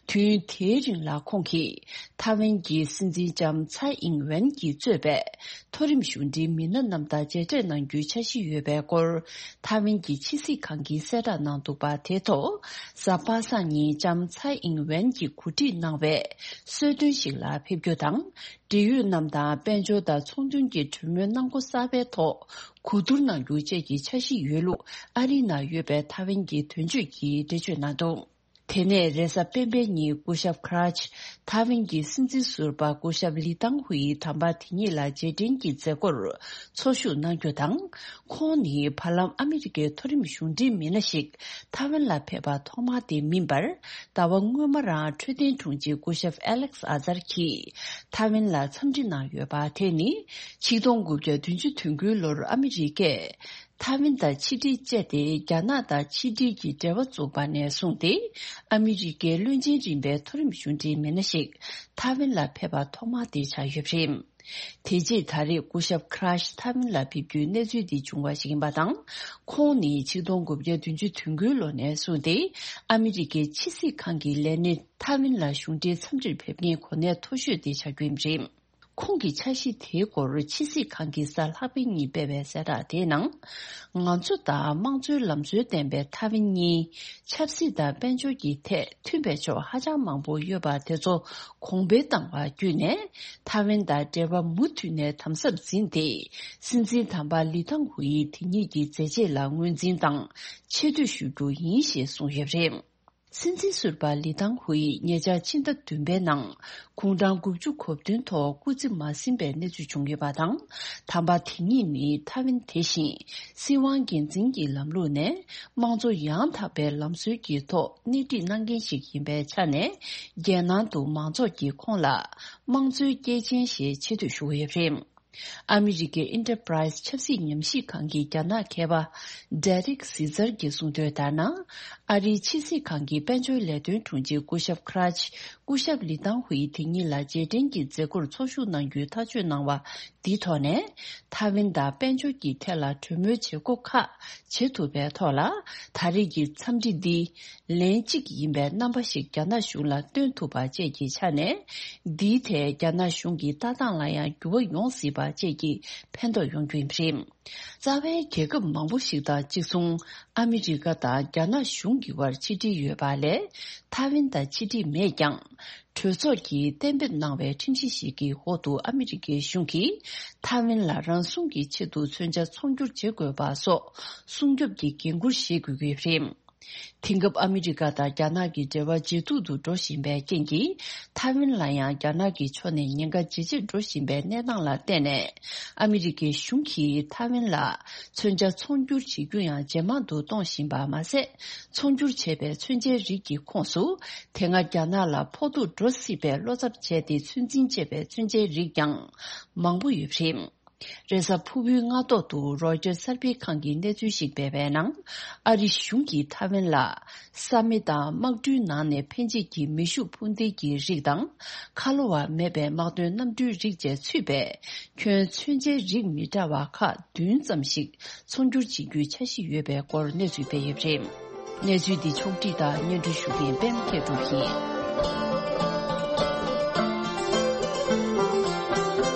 དུས་ཡུན་དེའི་རིང་ལ་ཁོང་གིས་ཐའེ་ཝན་གྱི་སྲིད་འཛིན་ལྕམ་ཚའེ་ཨིང་ཝེན་གྱིས་གཙོས་པའི་མཐོ་རིམ་གཞུང་འབྲེལ་མི་སྣ་རྣམས་དང་མཇལ་འཕྲད་གནང་རྒྱུའི་འཆར་གཞི་ཡོད་པའི་སྐོར། ཐའེ་ཝན་གྱི་ཕྱི་སྲིད་ཁང་གིས་གསལ་བསྒྲགས་གནང་འདུག་པ། དེ་ཐོག་གཟའ་པ་སངས་ཉིན་ལྕམ་ཚའེ་ཨིང་ཝེན་གྱིས་གོ་སྒྲིག་གནང་བའི་གསོལ་སྟོན་ཞིག་ལ་ཕེབས་རྒྱུ་དང་། འབྲེལ་ཡོད་རྣམས་དང་དཔལ་འབྱོར་དང་ཚོང་དོན་གྱི་གྲོས་མོལ་གནང་སྒོ་གསར་པའི་ཐོག་གོ་བསྡུར་གནང་རྒྱུ་བཅས་ཀྱི་འཆར་གཞི་ཡོད་ལུགས་ཨ་རིའི་ནང་ཡོད་པའི་ཐའེ་ཝན་གྱི་དོན་གཅོད་ཀྱིས་འགྲེལ་བརྗོད་གནང་འདུག་དེ་ནས་རེས་གཟའ་སྤེན་པའི་ཉིན་སྐུ་ཞབས་ཁྲ་ཆི་ཐའེ་ཝན་གྱི་སྲིད་འཛིན་ཟུར་པ་སྐུ་ཞབས་ལི་ཏང་ཧུའེ་དམ་པ་དེ་ཉིད་ལ་རྗེས་དྲན་གྱི་མཛད་སྒོར་འཚོ་བཞུགས་གནང་རྒྱུ་དང་། ཁོང་ནི་བར་ལམ་ཨ་མི་རི་ཀའི་མཐོ་རིམ་གཞུང་འབྲེལ་མི་སྣ་ཞིག་ཐའེ་ཝན་ལ་ཕེབས་པ་ཐོག་མ་དེ་མིན་པར། ཟླ་བ་སྔོན་མ་རང་འཕྲོད་བསྟེན་དྲུང་ཆེ་སྐུ་ཞབས་ཨ་ལེག་ཨ་ཛར་གྱིས་ཐའེ་ཝན་ལ་འཚམས་འདྲི་གནང་ཡོད་པ། དེ་ནི་ཆིག་སྟོང་དགུ་བརྒྱ་བདུན་ཅུ་དོན་དགུའི་ལོར་ཨ་མི་རི་ཀས་ཐའེ་ཝན་དང་ཕྱི་འབྲེལ་བཅད་དེ་རྒྱ་ནག་དང་ཕྱི་འབྲེལ་གྱི་འབྲེལ་བ་བཙུགས་པ་ནས་བཟུང་སྟེ། ཨ་མི་རི་ཀའི་བློན་ཆེན་རིམ་པའི་མཐོ་རིམ་གཞུང་འབྲེལ་མི་སྣ་ཞིག་ཐའེ་ཝན་ལ་ཕེབས་པ་ཐོག་མ་དེ་ཆགས་ཡོད་པ་རེད། དེ་རྗེས་ད་རེས་སྐུ་ཞབས་ཁྲ་ཤི་ཐའེ་ཝན་ལ་ཕེབས་རྒྱུའི་གནས་ཚུལ་འདི་བྱུང་བ་ཞིག་ཡིན་པ་དང་། ཁོང་ནི་ཆིག་སྟོང་དགུ་བརྒྱ་བདུན་ཅུ་དོན་དགུའི་ལོ་ནས་བཟུང་སྟེ་ཨ་མི་རི་ཀའི་ཕྱི་སྲིད་ཁང་གི་ལས་སྣེ་ཐའེ་ཝན་ལ་གཞུང་འབྲེལ་འཚམས་འདྲིར་ཕེབས་མཁན་གོ་གནས་མཐོ་ཤོས་དེ་ཆགས་རྒྱུ་ཡིན་པ་རེད། ཁོང་གི་འཆར་གཞི་དེའི་སྐོར་ཕྱི་སྲིད་ཁང་གིས་གཟའ་ལྷག་པའི་ཉིན་སྤེལ་བའི་གསལ་བསྒྲགས་དེའི་ནང་། ང་ཚོ་དང་དམངས་གཙོའི་ལམ་སྲོལ་ལྡན་པའི་ཐའེ་ཝན་གཉིས་ཆབ་སྲིད་དང་དཔལ་འབྱོར་གྱི་ཐད་མཐུན་པའི་ཕྱོགས་ཧ་ཅང་མང་པོ་ཡོད་པ་དེ་ཚོ་གོང་འཕེལ་བཏང་བ་བརྒྱུད་ནས། ཐའེ་ཝན་དང་འབྲེལ་བ་མུ་མཐུད་ནས་དམ་ཟབ་འཛིན་ཏེ། སྲིད་འཛིན་དམ་པ་ལི་ཐང་ཧུའེ་དེ་ཉིད་ཀྱི་མཛད་རྗེས་ལ་ངོས་འཛིན་དང་ཆེ་བསྟོད་ཞུ་རྒྱུ་ཡིན་ཞེས་གསུངས་ཡོད་པ་རེད། སྲིད་འཛིན་ཟུར་པ་ལི་ཐང་ཧུའེ་ཉེ་ཆར་ཕྱི་ཟླ་བདུན་པའི་ནང་དགུང་གྲངས་དགུ་བཅུ་གོ་བདུན་ཐོག་སྐུ་ཚེ་མ་ཟིན་པའི་གནས་ཚུལ་བྱུང་ཡོད་པ་དང་། དམ་པ་དེ་ཉིད་ནི་ཐའེ་ཝན་དེ་བཞིན་སྲིད་དབང་སྒེར་འཛིན་གྱི་ལམ་ལུགས་ནས་དམངས་གཙོ་ཡང་དག་པའི་ལམ་སྲོལ་གྱི་ཐོག་སྣེ་ཁྲིད་གནང་མཁན་ཞིག་ཡིན་པའི་ཆ་ནས། རྒྱལ་ནང་དུ་མང་ཚོགས་ཀྱིས་ཁོང་ལ་དམངས་གཙོའི་སྐྱེས་ཆེན་ཞེས་ཆེ་བསྟོད་ཞུ་གི་ཡོད་པ་རེད། ཨ་མི་རི་ཀའི་ཨིན་ཊར་པ་རའི་སི་ཆབ་སྲིད་ཉམས་ཞིབ་ཁང་གི་རྒྱ་ནག་མཁས་པ་ཌེ་རིག་སི་ཛར་གྱིས་གསུངས་དོན་ལྟར་ན། ཨ་རིའི་ཕྱི་སྲིད་ཁང་གི་དཔལ་འབྱོར་ལས་དོན་དྲུང་ཆེ་སྐུ་ཞབས་ཁྲ་ཆི་སྐུ་ཞབས་ལི་ཐང་ཧུའེ་དེ་ཉིད་ལ་རྗེས་དྲན་གྱི་མཛད་སྒོར་འཚོ་བཞུགས་གནང་རྒྱུའི་ཐག་གཅོད་གནང་བ་འདི་ཐོག་ནས། ཐའེ་ཝན་དང་དཔལ་འབྱོར་གྱི་ཐད་ལ་གྲོས་མོལ་བྱེད་སྒོ་ཁག་བྱེད་ཐུབ་པའི་ཐོག་ལ། ད་རེས་ཀྱི་འཚམས་འདྲི་འདི། ལན་གཅིག་ཡིན་པའི་རྣམ་པ་ཞིག་རྒྱ་ནག་གཞུང་ལ་སྟོན་ཐུབ་པ་བཅས་ཀྱི་ཆ་ནས། འདིའི་ཐད་རྒྱ་ནག་གཞུང་གི་ལྟ་སྟངས་ལ་ཡང་འགྱུར་བ་ཡོང་སྲིད་པ་བཅས་ཀྱི་ཕན་ཐོགས་ཡོང་རྒྱུ་ཡིན་པ་རེད། རྩ་བའི་རྒྱལ་ཁབ་མང་པོ་ཞིག་དང་གཅིག་མཚུངས། ཨ་མི་རི་ཀ་དང་རྒྱ་ནག་གཞུང་གི་དབར་ཕྱི་འབྲེལ་ཡོད་པ་ལས། ཐའེ་ཝན་དང་ཕྱི་འབྲེལ་མེད་ཀྱང་། གྲོས་ཚོགས་ཀྱིས་གཏན་འབེབས་གནང་བའི་ཁྲིམས་གཞི་ཞིག་གི་འོག་ཏུ་ཨ་མི་རི་ཀའི་གཞུང་གིས་ཐའེ་ཝན་ལ་རང་སྲུང་གི་ཆེད་དུ་མཚོན་ཆ་ཚོང་སྒྱུར་བྱེད་དགོས་པ་སོགས་སྲུང་སྐྱོབ་ཀྱི་འགན་འཁུར་བཞེས་དགོས་ཀྱི་ཡོད་པ་རེད། དེང་སྐབས་ཨ་མི་རི་ཀ་དང་རྒྱ་ནག་གི་འབྲེལ་བ་ཇེ་སྡུག་ཏུ་འགྲོ་བཞིན་པའི་རྐྱེན་གྱིས། ཐའེ་ཝན་ལ་ཡང་རྒྱ་ནག་གི་ཕྱོགས་ནས་ཉེན་ཁ་ཇེ་ཆེར་འགྲོ་བཞིན་པའི་གནས་སྟངས་ལ་བརྟེན་ནས། ཨ་མི་རི་ཀའི་གཞུང་གིས་ཐའེ་ཝན་ལ་མཚོན་ཆ་ཚོང་སྒྱུར་བྱེད་རྒྱུ་ཡང་ཇེ་མང་དུ་གཏོང་བཞིན་པ་མ་ཟད། ཚོང་སྒྱུར་བྱས་པའི་མཚོན་ཆའི་རིགས་ཀྱི་ཁོངས་སུ། དེ་སྔ་རྒྱ་ནག་ལ་ཕོག་ཐུག་འགྲོ་སྲིད་པའི་བློ་འཚབ་བྱས་ཏེ་ཚོད་འཛིན་བྱས་པའི་མཚོན་ཆའི་རིགས་ཀྱང་མང་པོ་ཡོད་པ་རེད། རེས་གཟའ་ཕུར་བུའི་སྔ་ཐོག་ཏུ་རོའི་ཊར་གསར་སྤེལ་ཁང་གིས་གནས་ཚུལ་ཞིག་སྤེལ་བའི་ནང་། ཨ་རི་གཞུང་གིས་ཐའེ་ཝན་ལ། ས་མེ་དང་དམག་གྲུའི་ནང་ནས་འཕེན་བྱེད་ཀྱི་མེ་ཤུགས་འཕུར་མདེལ་གྱི་རིགས་དང་། ཁ་ལོ་བ་མེད་པའི་དམག་དོན་གནམ་གྲུའི་རིགས་བཅས་ཚུད་པའི་ཁྱོན་མཚོན་ཆའི་རིགས་མི་འདྲ་བ་ཁག་བདུན་ཙམ་ཞིག་ཚོང་སྒྱུར་བྱེད་རྒྱུའི་འཆར་གཞི་ཡོད་པའི་སྐོར་གནས་ཚུལ་སྤེལ་ཡོད་པ་རེད། གནས་ཚུལ་འདི་ཕྱོགས་བསྒྲིགས་དང་སྙན་སྒྲོན་ཞུ་མཁན་པད་མ་མཁས་གྲུབ་ཡིན།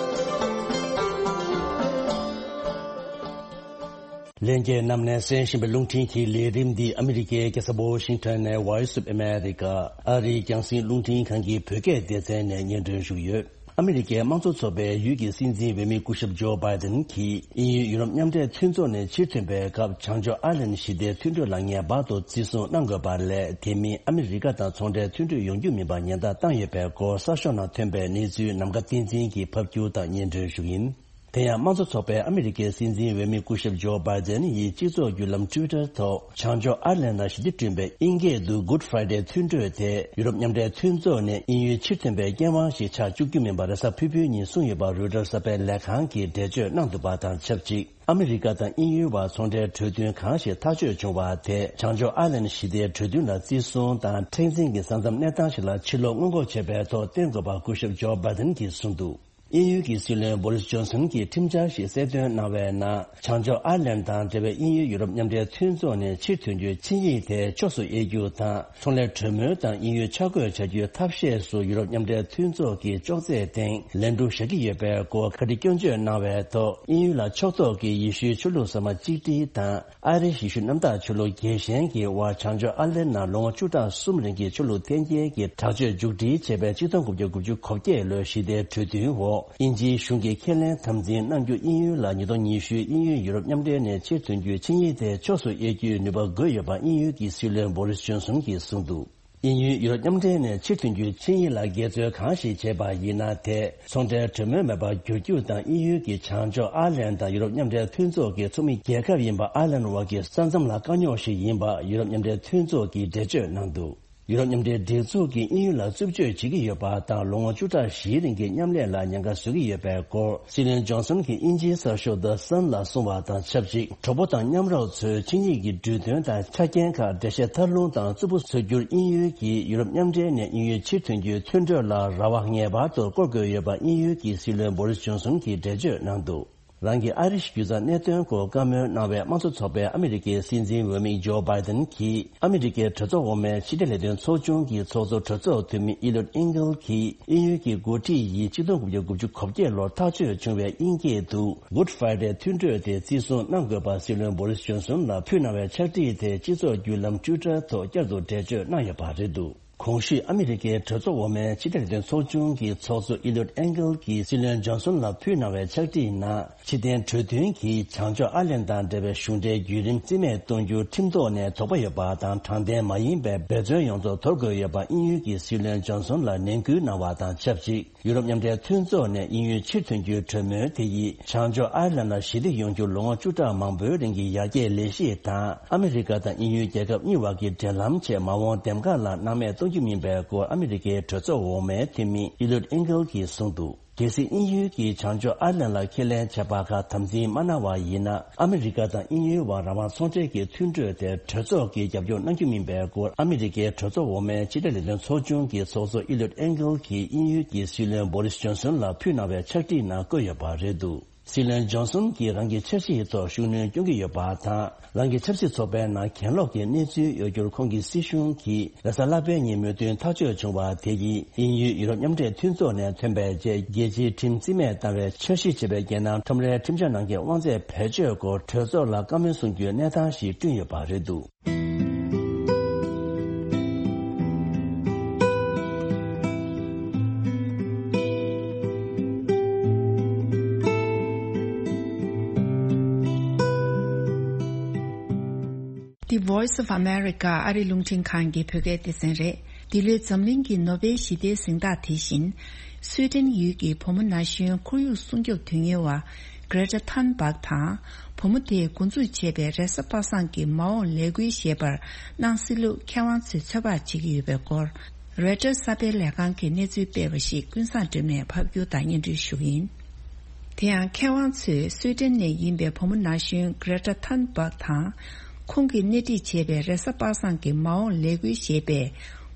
ལྷན་རྒྱས་རྣམས་ནས་གསན་བཞིན་པའི་རླུང་འཕྲིན་གྱི་ལས་རིམ་འདི་ཨ་མི་རི་ཀའི་རྒྱལ་ས་ཝ་ཤིང་ཊོན་ནས་Voice of America ཨ་རིའི་རྒྱང་སྲིང་རླུང་འཕྲིན་ཁང་གི་བོད་སྐད་སྡེ་ཚན་ནས་སྙན་སྒྲོན་ཞུ་གི་ཡོད། ཨ་མི་རི་ཀའི་དམངས་གཙོ་ཚོགས་པའི་ཡུལ་གྱི་སྲིད་འཛིན་འོས་མི་སྐུ་ཞབས་ཇོ་བྷའི་ཏན་གྱིས་དབྱིན་ཡུལ་ཡུ་རོབ་མཉམ་འབྲེལ་མཐུན་ཚོགས་ནས་ཕྱིར་ཐོན་པའི་སྐབས་བྱང་ཕྱོགས་ཨར་ལན་ཞི་བདེའི་མཐུན་གྲོས་ལ་ངེས་པར་དུ་བརྩི་སྲུང་གནང་དགོས་པ་ལས། དེ་མིན་ཨ་མི་རི་ཀ་དང་ཚོང་འབྲེལ་མཐུན་གྲོས་ཡོང་རྒྱུ་མིན་པ་ཉེན་བརྡ་བཏང་ཡོད་པའི་སྐོར་གསར་ཤོག་ནང་ཐོན་པའི་གནས་ཚུལ་ནམ་མཁའ་བསྟན་འཛིན་གྱིས་ཕབ་སྒྱུར་དང་སྙན་སྒྲོན་ཞུ་གི་ཡིན། དེ་ཡང་དམངས་གཙོ་ཚོགས་པའི་ཨ་མི་རི་ཀའི་སྲིད་འཛིན་འོས་མི་སྐུ་ཞབས་ཇོ་བྷའི་ཏན་ཡིས་སྤྱི་ཚོགས་བརྒྱུད་ལམ་ཊུའི་ཊར་ཐོག་བྱང་ཕྱོགས་ཨར་ལན་ལ་ཞི་བདེ་བསྐྲུན་པའི་དབྱིན་སྐད་དུ་Good Friday མཐུན་གྲོས་དེ་ཡུ་རོབ་མཉམ་འབྲེལ་མཐུན་ཚོགས་ནས་དབྱིན་ཡུལ་ཕྱིར་ཐོན་པའི་སྐྱོན་དབང་ཞིག་ཆགས་བཅུག་རྒྱུ་མིན་པ་རེས་གཟའ་ཕུར་བུའི་ཉིན་གསུངས་ཡོད་པ་རོའི་ཊར་གསར་པའི་ལས་ཁང་གིས་འགྲེལ་བརྗོད་གནང་འདུག་པ་དང་ཆབས་ཅིག་ཨ་མི་རི་ཀ་དང་དབྱིན་ཡུལ་བར་ཚོང་འབྲེལ་གྲོས་མཐུན་གང་ཞིག་ཐག་གཅོད་བྱུང་བ་དེ་བྱང་ཕྱོགས་ཨར་ལན་ཞི་བདེའི་གྲོས་མཐུན་ལ་བརྩི་སྲུང་དང་མཁྲེགས་འཛིན་གྱི་ས་མཚམས་གནས་སྟངས་ཤིག་ལ་ཕྱིར་ལོག་སྔོན་འགོག་བྱེད་པའི་ཐོག་བརྟེན་དགོས་པ་སྐུ་ཞབས་ཇོ་བྷའི་ཏན་གྱིས་གསུངས་འདུག་དབྱིན་ཡུལ་གྱི་སྲིད་བློན་བོ་རིས་ཇོན་སན་གྱིས་ཁྲིམས་འཆར་ཞིག་གསལ་སྟོན་གནང་བའི་ནང་བྱང་ཕྱོགས་ཨར་ལན་དང་འབྲེལ་བའི་དབྱིན་ཡུལ་ཡུ་རོབ་མཉམ་འབྲེལ་མཐུན་ཚོགས་ནས་ཕྱིར་ཐོན་རྒྱུའི་ཆིངས་ཡིག་དེ་ཕྱོགས་སུ་དབྱེ་རྒྱུ་དང་ཚོང་ལས་གྲོས་མོལ་དང་དབྱིན་ཡུལ་ཆ་བགོས་བྱ་རྒྱུའི་ཐབས་ཤེས་སུ་ཡུ་རོབ་མཉམ་འབྲེལ་མཐུན་ཚོགས་ཀྱི་ཅོག་ཙེའི་སྟེང་ལན་གྲུ་བཞག་གི་ཡོད་པའི་སྐོར་བཀའ་འདྲི་སྐྱོན་བརྗོད་གནང་བའི་ཐོག་དབྱིན་ཡུལ་ལ་ཕྱོགས་གཏོགས་ཀྱི་ཡེ་ཤུའི་ཆོས་ལུགས་ཟབ་མ་གཅིག་སྒྲིལ་དང་། ཨ་རིའི་ཡེ་ཤུ་གནམ་བདག་ཆོས་ལུགས་རྒྱལ་ཞེན་གྱི་དབར་བྱང་ཕྱོགས་ཨར་ལན་ནང་ལོ་ངོ་བཅུ་ཕྲག་གསུམ་རིང་གི་ཆོས་ལུགས་འཐེན་འཁྱེར་གྱི་དྲག་སྤྱོད་མཇུག་སྒྲིལ་བྱས་པའི་ཆིག་སྟོང་དགུ་བརྒྱ་དགུ་བཅུ་གོ་བརྒྱད་ལོའི་ཞི་བདེའི་གྲོས་མཐུན་འོག་དབྱིན་ཇིའི་གཞུང་གིས་ཁས་ལེན་དམ་འཛིན་གནང་རྒྱུ་དབྱིན་ཡུལ་ལ་ཉིས་སྟོང་ཉི་ཤུའི་དབྱིན་ཡུལ་ཡུ་རོབ་མཉམ་འབྲེལ་ནས་ཕྱིར་ཐོན་རྒྱུའི་ཆིངས་ཡིག་དེ་ཕྱོགས་སུ་དབྱེ་རྒྱུའི་ནུས་པ་དགོས་ཡོད་པ་དབྱིན་ཡུལ་གྱི་སྲིད་བློན་བོ་རིས་ཇོན་སོན་གྱིས་གསུངས་འདུག་དབྱིན་ཡུལ་ཡུ་རོབ་མཉམ་འབྲེལ་ནས་ཕྱིར་ཐོན་རྒྱུའི་ཆིངས་ཡིག་ལ་འགལ་འཛོལ་གང་ཞིག་བྱས་པ་ཡིན་ན། དེ་ཚོང་འབྲེལ་གྲོས་མོལ་མེད་པར་འགྱུར་རྒྱུ་དང་། དབྱིན་ཡུལ་གྱི་བྱང་ཕྱོགས་ཨར་ལན་དང་ཡུ་རོབ་མཉམ་འབྲེལ་མཐུན་ཚོགས་ཀྱི་ཚོགས་མི་རྒྱལ་ཁབ་ཡིན་པ་ཨར་ལན་དབར་གྱི་ས་མཚམས་ལ་དཀའ་རྙོག་ཞིག་ཡིན་པ་ཡུ་རོབ་མཉམ་འབྲེལ་མཐུན་ཚོགས་ཀྱིས་འགྲེལ་བརྗོད་གནང་འདུག་ཡུ་རོབ་མཉམ་འབྲེལ་སྒྲིག་འཛུགས་ཀྱིས་དབྱིན་ཡུལ་ལ་རྩུབ་སྤྱོད་བྱེད་ཀྱི་ཡོད་པ་དང་། ལོ་ངོ་བཅུ་ཕྲག་བཞིའི་རིང་གི་མཉམ་ལས་ལ་ཉེན་ཁ་བཟོ་གི་ཡོད་པའི་སྐོར་སྲིད་བློན་ཇོན་སོན་གྱིས་དབྱིན་ཇིའི་གསར་ཤོག་The Sun ལ་གསུངས་པ་དང་ཆབས་ཅིག་གྲོགས་པོ་དང་མཉམ་རོགས་ཚོས་ཆིངས་ཡིག་གི་འབྲུ་དོན་དང་ཆ་རྐྱེན་ཁག་འགྲེལ་བཤད་ཐབས་ལུང་དང་རྩུབ་པོ་བཟོ་རྒྱུར་དབྱིན་ཡུལ་གྱིས་ཡུ་རོབ་མཉམ་འབྲེལ་ནས་དབྱིན་ཡུལ་ཕྱིར་ཐོན་རྒྱུའི་མཐུན་གྲོས་ལ་ར་བ་ངེས་པར་དུ་བསྐོར་དགོས་ཡོད་པ་དབྱིན་ཡུལ་གྱི་སྲིད་བློན་བོ་རིས་ཇོན་སོན་གྱིས་འགྲེལ་བརྗོད་གནང་འདུག་རང་གི་ཨ་རིའི་རྒྱུ་རྩ་གནད་དོན་སྐོར་བཀའ་མོལ་གནང་བའི་དམངས་གཙོ་ཚོགས་པའི་ཨ་མི་རི་ཀའི་སྲིད་འཛིན་འོས་མི་ཇོ་བྷའི་ཏན་གྱིས་ཨ་མི་རི་ཀའི་གྲོས་ཚོགས་འོག་མའི་ཕྱི་འབྲེལ་ལས་དོན་ཚོགས་ཆུང་གི་ཚོགས་གཙོ་གྲོས་ཚོགས་འཐུས་མི་ཨི་ལུད་ཨིན་གལ་གྱིས་དབྱིན་ཡུལ་གྱི་འགོ་ཁྲིད་ཡིས་ཆིག་སྟོང་དགུ་བརྒྱ་དགུ་བཅུ་གོ་བརྒྱད་ལོར་ཐག་གཅོད་བྱུང་བའི་དབྱིན་སྐད་དུ་Good Friday མཐུན་གྲོས་དེ་བརྩི་སྲུང་གནང་དགོས་པ་སྲིད་བློན་བོ་རིས་ཇོན་སོན་ལ་ཕུལ་གནང་བའི་ཕྱག་བྲིས་དེ་སྤྱི་ཚོགས་བརྒྱུད་ལམ་ཊུའི་ཊར་ཐོག་བསྐྱར་དུ་འགྲེལ་བརྗོད་གནང་ཡོད་པ་རེད་འདུག་གོང་ཞུས་ཨ་མི་རི་ཀའི་གྲོས་ཚོགས་འོག་མའི་ཕྱི་འབྲེལ་ལས་དོན་ཚོགས་ཆུང་གི་ཚོགས་གཙོ་ཨི་ལུད་ཨེན་གལ་གྱིས་སྲིད་བློན་ཇོན་སོན་ལ་ཕུལ་གནང་བའི་ཕྱག་བྲིས་ནང་། ཕྱི་རྟེན་གྲོས་མཐུན་གྱིས་བྱང་ཕྱོགས་ཨར་ལན་དང་འབྲེལ་བའི་གཞུང་འབྲེལ་བརྒྱུད་རིམ་རྩིས་མེད་གཏོང་རྒྱུར་ཁྲིམས་ཐོག་ནས་དོགས་པ་ཡོད་པ་དང་། དྲང་བདེན་མ་ཡིན་པའི་འབད་བརྩོན་ཡོངས་རྫོགས་དོར་དགོས་ཡོད་པ་དབྱིན་ཡུལ་གྱི་སྲིད་བློན་ཇོན་སོན་ལ་ནན་སྐུལ་གནང་བ་དང་ཆབས་ཅིག་ཡུ་རོབ་མཉམ་འབྲེལ་མཐུན་ཚོགས་ནས་དབྱིན་ཡུལ་ཕྱིར་ཐོན་རྒྱུའི་གྲོས་མོལ་དེ་ཡིས་བྱང་ཕྱོགས་ཨར་ལན་ལ་ཞི་བདེ་ཡོང་རྒྱུར་ལོ་ངོ་བཅུ་ཕྲག་མང་པོའི་རིང་གི་ཡར་རྒྱས་ལས་གཞི་དང་། ཨ་མི་རི་ཀ་དང་དབྱིན་ཡུལ་རྒྱལ་ཁབ་གཉིས་བར་གྱི་འབྲེལ་ལམ་ཆེད་མ་འོངས་འདེམས་ཀ་ལ་སྣང་མེད་གཏོང་རྒྱུ་མིན་པའི་སྐོར་ཨ་མི་རི་ཀའི་གྲོས་ཚོགས་འོག་མའི་འཐུས་མི་ཨི་ལུད་ཨིན་གལ་གྱིས་གསུངས་འདུག་གལ་སྲིད་དབྱིན་ཡུལ་གྱིས་བྱང་ཕྱོགས་ཨར་ལན་ལ་ཁས་ལེན་བྱས་པ་ཁག་དམ་འཛིན་མ་གནང་བ་ཡིན་ན། ཨ་མི་རི་ཀ་དང་དབྱིན་ཡུལ་བར་རང་དབང་ཚོང་འབྲེལ་གྱི་མཐུན་གྲོས་དེར་གྲོས་ཚོགས་ཀྱིས་རྒྱབ་སྐྱོར་གནང་རྒྱུ་མིན་པའི་སྐོར་ཨ་མི་རི་ཀའི་གྲོས་ཚོགས་འོག་མའི་ཕྱི་འབྲེལ་ལས་དོན་ཚོགས་ཆུང་གི་ཚོགས་གཙོ་ཨི་ལུད་ཨེན་གལ་གྱིས་དབྱིན་ཡུལ་གྱི་སྲིད་བློན་བོ་རིས་ཇོན་སོན་ལ་ཕུལ་གནང་བའི་ཕྱག་བྲིས་ནང་བཀོད་ཡོད་པ་རེད་འདུག་སྲིད་བློན་ཇོན་སོན་གྱིས་རང་གི་འཆར་གཞིའི་ཐོག་ཤུགས་སྣོན་སྐྱོན་གྱི་ཡོད་པ་དང་། རང་གི་ཆབ་སྲིད་ཚོགས་པའི་ནང་གྱེན་ལོག་གི་གནས་ཚུལ་ཡོད་རྒྱུར་ཁོང་གི་སྲིད་གཞུང་གིས་རེས་གཟའ་ལྷག་པའི་ཉིན་མོས་མཐུན་ཐག་གཅོད་བྱུང་བ་དེ་ཡིས་དབྱིན་ཡུལ་ཡུ་རོབ་མཉམ་འབྲེལ་མཐུན་ཚོགས་ནས་ཐོན་པའི་རྗེས་རྒྱལ་སྤྱིའི་ཁྲིམས་རྩིས་མེད་བཏང་བའི་འཆར་གཞི་བྱས་པའི་རྒྱལ་ནང་ཁྲོམ་རའི་ཁྲིམས་འཆར་ནང་གི་དབང་ཚད་བེད་སྤྱོད་སྐོར་གྲོས་ཚོགས་ལ་བཀའ་མོལ་གསུང་རྒྱུའི་གནས་སྟངས་ཤིག་བསྐྲུན་ཡོད་པ་རེད་འདུག The Voice of America ཨ་རི་རླུང་འཕྲིན་ཁང་གི་བོད་སྐད་སྡེ་ཚན་རེད། འདི་ལོའི་འཛམ་གླིང་གི་ནོ་བེལ་ཞི་བདེའི་གཟེངས་རྟགས་དེ་བཞིན། སུའེ་ཏེན་ཡུལ་གྱི་བུ་མོ་ན་གཞོན་ཁོར་ཡུག་སྲུང་སྐྱོབ་དོན་གཉེར་བ་Greta Thunberg དང་། བུ་མོ་དེས་འགོ་འཛུགས་བྱས་པའི་རེས་གཟའ་པ་སངས་ཀྱི་མ་འོངས་ལས་འགུལ་ཞེས་པར་གནང་སྲིད་ལུགས་མཁས་དབང་ཚོས་ཚོད་དཔག་བྱེད་ཀྱི་ཡོད་པའི་སྐོར། Reuters གསར་སྤེལ་ལས་ཁང་གིས་གནས་ཚུལ་སྤེལ་བ་ཞིག་ཀུན་བཟང་སྒྲོལ་མས་ཕབ་སྒྱུར་དང་སྙན་སྒྲོན་ཞུ་གི་ཡིན། དེ་ཡང་མཁས་དབང་ཚོས་སུའེ་ཏེན་ནས་ཡིན་པའི་བུ་མོ་ན་གཞོན་Greta Thunberg དང་། ཁོང་གིས་སྣེ་ཁྲིད་བྱས་པའི་རེས་གཟའ་པ་སངས་ཀྱི་མ་འོངས་ལས་འགུལ་ཞེས་པས།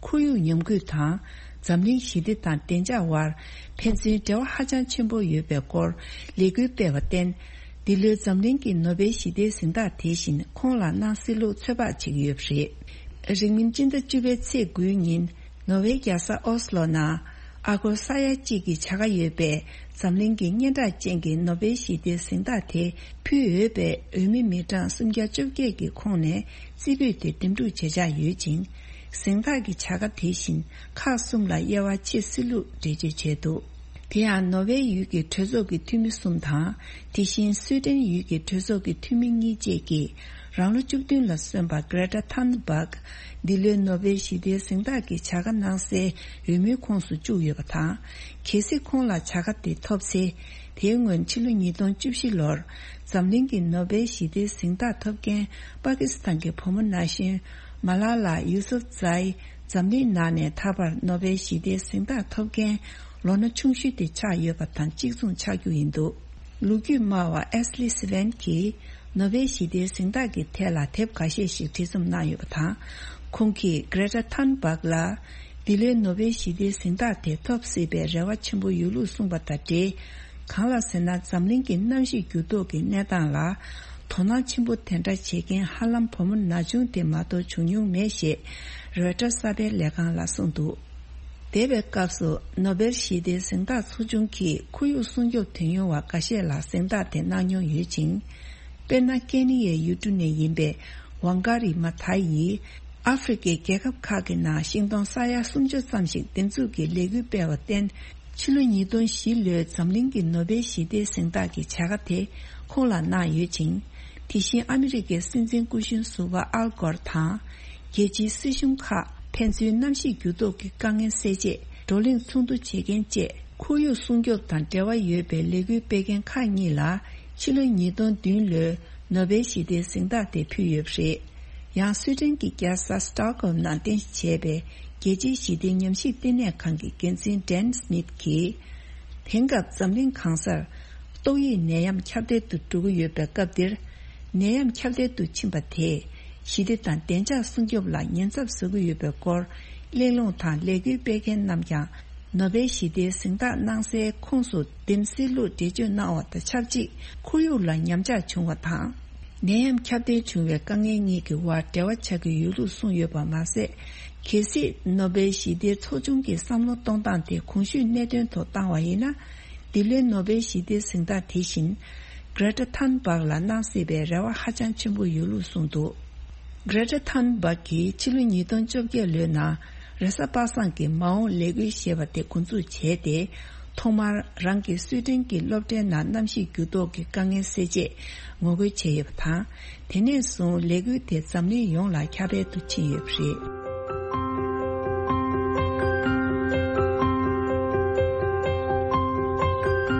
ཁོར་ཡུག་ཉམས་རྒུད་དང་། འཛམ་གླིང་ཞི་བདེ་དང་བདེ་འཇགས་དབར། ཕན་ཚུན་འབྲེལ་བ་ཧ་ཅང་ཆེན་པོ་ཡོད་པའི་སྐོར། ལས་འགུལ་སྤེལ་བར་བརྟེན། འདི་ལོའི་འཛམ་གླིང་གི་ནོ་བེལ་ཞི་བདེའི་གཟེངས་རྟགས་དེ་བཞིན་ཁོང་ལ་གནང་སྲིད་ལུགས་ཚོད་དཔག་བྱེད་ཀྱི་ཡོད་པ་རེད། རིང་མིན་སྤྱི་ཟླ་བཅུ་པའི་ཚེས་དགུའི་ཉིན། ནོར་ཝེའི་རྒྱལ་ས་ཨོ་སི་ལོ་ནང་ཨ་སྒོར་ས་ཡ་གཅིག་གི་བྱ་དགའ་ཡོད་པའི་འཛམ་གླིང་གི་སྙན་གྲགས་ཅན་གྱི་ནོ་བེལ་ཞི་བདེའི་གཟེངས་རྟགས་དེ་ཕུལ་འོས་པའི་འོས་མི་མི་གྲངས་སུམ་བརྒྱ་བཅོ་བརྒྱད་ཀྱི་ཁོངས་ནས་རྩིས་འབུལ་དེ་འདེམས་སྒྲུག་བྱེད་འཆར་ཡོད་ཅིང་། གཟེངས་རྟགས་ཀྱི་བྱ་དགའ་དེ་བཞིན་ཁག་གསུམ་ལ་དབྱེ་བ་ཕྱེ་སྲིད་ལུགས་འགྲེལ་བརྗོད་བྱས་འདུག་དེ་ཡང་ནོར་ཝེ་ཡུལ་གྱི་གྲོས་ཚོགས་ཀྱི་འཐུས་མི་གསུམ་དང་། དེ་བཞིན་སུའེ་ཏེན་ཡུལ་གྱི་གྲོས་ཚོགས་ཀྱི་འཐུས་མི་གཉིས་བཅས་ཀྱིས་རང་ལོ་བཅུ་བདུན་ལ་སོན་པ་Greta Thunberg། འདི་ལོའི་ནོ་བེལ་ཞི་བདེའི་གཟེངས་རྟགས་ཀྱི་བྱ་དགའ་གནང་སའི་འོས་མིའི་ཁོངས་སུ་བཅུག་ཡོད་པ་དང་། གལ་སྲིད་ཁོང་ལ་བྱ་དགའ་དེ་ཐོབ་ཚེ། དེའི་སྔོན་ཕྱི་ལོ་ཉིས་སྟོང་བཅུ་བཞི་ལོར་འཛམ་གླིང་གི་ནོ་བེལ་ཞི་བདེའི་གཟེངས་རྟགས་ཐོབ་མཁན་པ་ཀི་སི་ཐན་གྱི་བུ་མོ་ན་གཞོན་མ་ལ་ལ་ཡུ་སུབ་ཛའི་འཛམ་གླིང་ནང་ནས་ད་བར་ནོ་བེལ་ཞི་བདེའི་གཟེངས་རྟགས་ཐོབ་མཁན་ལོ་ན་ཆུང་ཤོས་དེ་ཆགས་ཡོད་པ་དང་གཅིག་མཚུངས་ཆགས་རྒྱུ་ཡིན་འདུག་ལོ་རྒྱུས་སྨྲ་བ་ཨེ་སི་ལི་སི་ཝན་གྱིས་ནོ་བེལ་ཞི་བདེའི་གཟེངས་རྟགས་ཀྱི་ཐད་ལ་དེབ་ཁ་ཤས་ཤིག་བྲིས་རྩོམ་གནང་ཡོད་པ་དང་། ཁོང་གིས་Greta Thunberg་ལ་འདི་ལོའི་ནོ་བེལ་ཞི་བདེའི་གཟེངས་རྟགས་དེ་ཐོབ་སྲིད་པའི་རེ་བ་ཆེན་པོ་ཡོད་ལུགས་གསུངས་པ་དང་འབྲེལ། གང་ལགས་ཟེར་ན། འཛམ་གླིང་གི་གནམ་གཤིས་འགྱུར་ལྡོག་གི་གནས་སྟངས་ལ་དོ་སྣང་ཆེན་པོ་དེ་འདྲ་བྱེད་མཁན་ཧ་ལམ་བུ་མོ་ན་ཆུང་དེ་མ་གཏོགས་བྱུང་མྱོང་མེད་ཞེས་རོའི་ཊར་གསར་པའི་ལས་ཁང་ལ་གསུངས་འདུག་འདས་པའི་སྐབས་སུ་ནོ་བེལ་ཞི་བདེའི་གཟེངས་རྟགས་ཚོགས་ཆུང་གིས་ཁོར་ཡུག་སྲུང་སྐྱོབ་དོན་གཉེར་བ་འགའ་ཤས་ལ་གཟེངས་རྟགས་དེ་གནང་མྱོང་ཡོད་ཅིང་། དཔེར་ན། ཀེ་ནི་ཡའི་ཡུལ་གྲུ་ནས་ཡིན་པའི་ཝང་ཀ་རི་མ་ཐ་ཡིས། ཨ་ཧྥེ་རི་ཁའི་རྒྱལ་ཁབ་ཁག་གི་ནང་ཤིང་སྡོང་ས་ཡ་སུམ་ཅུ་ཙམ་ཞིག་འདེབས་འཛུགས་ཀྱི་ལས་འགུལ་སྤེལ་བར་བརྟེན། ཕྱི་ལོ་ཉིས་སྟོང་བཞི་ལོའི་འཛམ་གླིང་གི་ནོ་བེལ་ཞི་བདེའི་གཟེངས་རྟགས་ཀྱི་བྱ་དགའ་དེ་ཁོང་ལ་གནང་ཡོད་ཅིང་། དེ་བཞིན་ཨ་མི་རི་ཀའི་སྲིད་འཛིན་སྐུ་གཞོན་ཟུར་པ་ཨལ་གོར་དང་། རྒྱལ་སྤྱིའི་སྲིད་གཞུང་ཁག་ཕན་ཚུན་གནམ་གཤིས་འགྱུར་ལྡོག་གི་དཀའ་ངལ་སེལ་ཆེད་བགྲོ་གླེང་ཚོགས་འདུ་བྱེད་མཁན་བཅས་ཁོར་ཡུག་སྲུང་སྐྱོབ་དང་འབྲེལ་བ་ཡོད་པའི་ལས་འགུལ་སྤེལ་མཁན་ཁག་གཉིས་ལ་ཕྱི་ལོ་ཉིས་སྟོང་བདུན་ལོའི་ནོ་བེལ་ཞི་བདེའི་གཟེངས་རྟགས་དེ་ཕུལ་ཡོད་པ་རེད། ཡང་སུའེ་ཏེན་གྱི་རྒྱལ་ས་སི་ཏོག་ཧོལམ་ནང་རྟེན་གཞི་བྱས་པའི་རྒྱལ་སྤྱིའི་ཞི་བདེའི་ཉམས་ཞིབ་ལྟེ་གནས་ཁང་གི་འགན་འཛིན་ཌན་སི་མིད་ཀྱིས། དེང་སྐབས་འཛམ་གླིང་གང་སར་ཏོག་དབྱིབས་ནད་ཡམས་ཁྱབ་གདལ་དུ་འགྲོ་གི་ཡོད་པའི་སྐབས་འདིར། ནད་ཡམས་ཁྱབ་གདལ་དུ་ཕྱིན་པ་དེས་ཞི་བདེ་དང་བདེ་འཇགས་སྲུང་སྐྱོབ་ལ་ཉེན་ཚབས་བཟོ་གི་ཡོད་པའི་སྐོར་གླེང་སློང་དང་ལས་འགུལ་སྤེལ་མཁན་རྣམས་ཀྱང་ནོ་བེལ་ཞི་བདེའི་གཟེངས་རྟགས་གནང་སའི་ཁོངས་སུ་འདེམས་སེལ་ལུགས་འགྲེལ་བརྗོད་གནང་བ་དང་ཆབས་ཅིག་ཁོར་ཡུག་ལ་ཉམས་ཆག་བྱུང་བ་དང་། ནད་ཡམས་ཁྱབ་གདལ་བྱུང་བའི་དཀའ་ངལ་གཉིས་ཀྱི་དབར་འབྲེལ་བ་ཆགས་ཀྱི་ཡོད་ལུགས་གསུངས་ཡོད་པ་མ་ཟད། གལ་སྲིད་ནོ་བེལ་ཞི་བདེའི་ཚོགས་ཆུང་གི་བསམ་བློ་གཏོང་སྟངས་དེ་གོང་ཞུས་གནད་དོན་ཐོག་བཏང་བ་ཡིན་ན། འདི་ལོའི་ནོ་བེལ་ཞི་བདེའི་གཟེངས་རྟགས་དེ་བཞིན་Greta Thunberg་ལ་གནང་སྲིད་པའི་རེ་བ་ཧ་ཅང་ཆེན་པོ་ཡོད་ལུགས་གསུངས་འདུག Greta Thunberg་གིས་ཕྱི་ལོ་ཉིས་སྟོང་བཅོ་བརྒྱད་ལོའི་ནང་རེས་གཟའ་པ་སངས་ཀྱི་མ་འོངས་ལས་འགུལ་ཞེས་པ་དེ་འགོ་འཛུགས་བྱས་ཏེ། ཐོག་མར་རང་གི་སུའེ་ཏེན་གྱི་སློབ་གྲྭའི་ནང་གནམ་གཤིས་འགྱུར་ལྡོག་གི་དཀའ་ངལ་སེལ་ཆེད་ངོ་རྒོལ་བྱས་ཡོད་པ་དང་། དེ་ནས་བཟུང་ལས་འགུལ་དེ་འཛམ་གླིང་ཡོངས་ལ་ཁྱབ་སྤེལ་དུ་ཕྱིན་ཡོད་པ་རེད།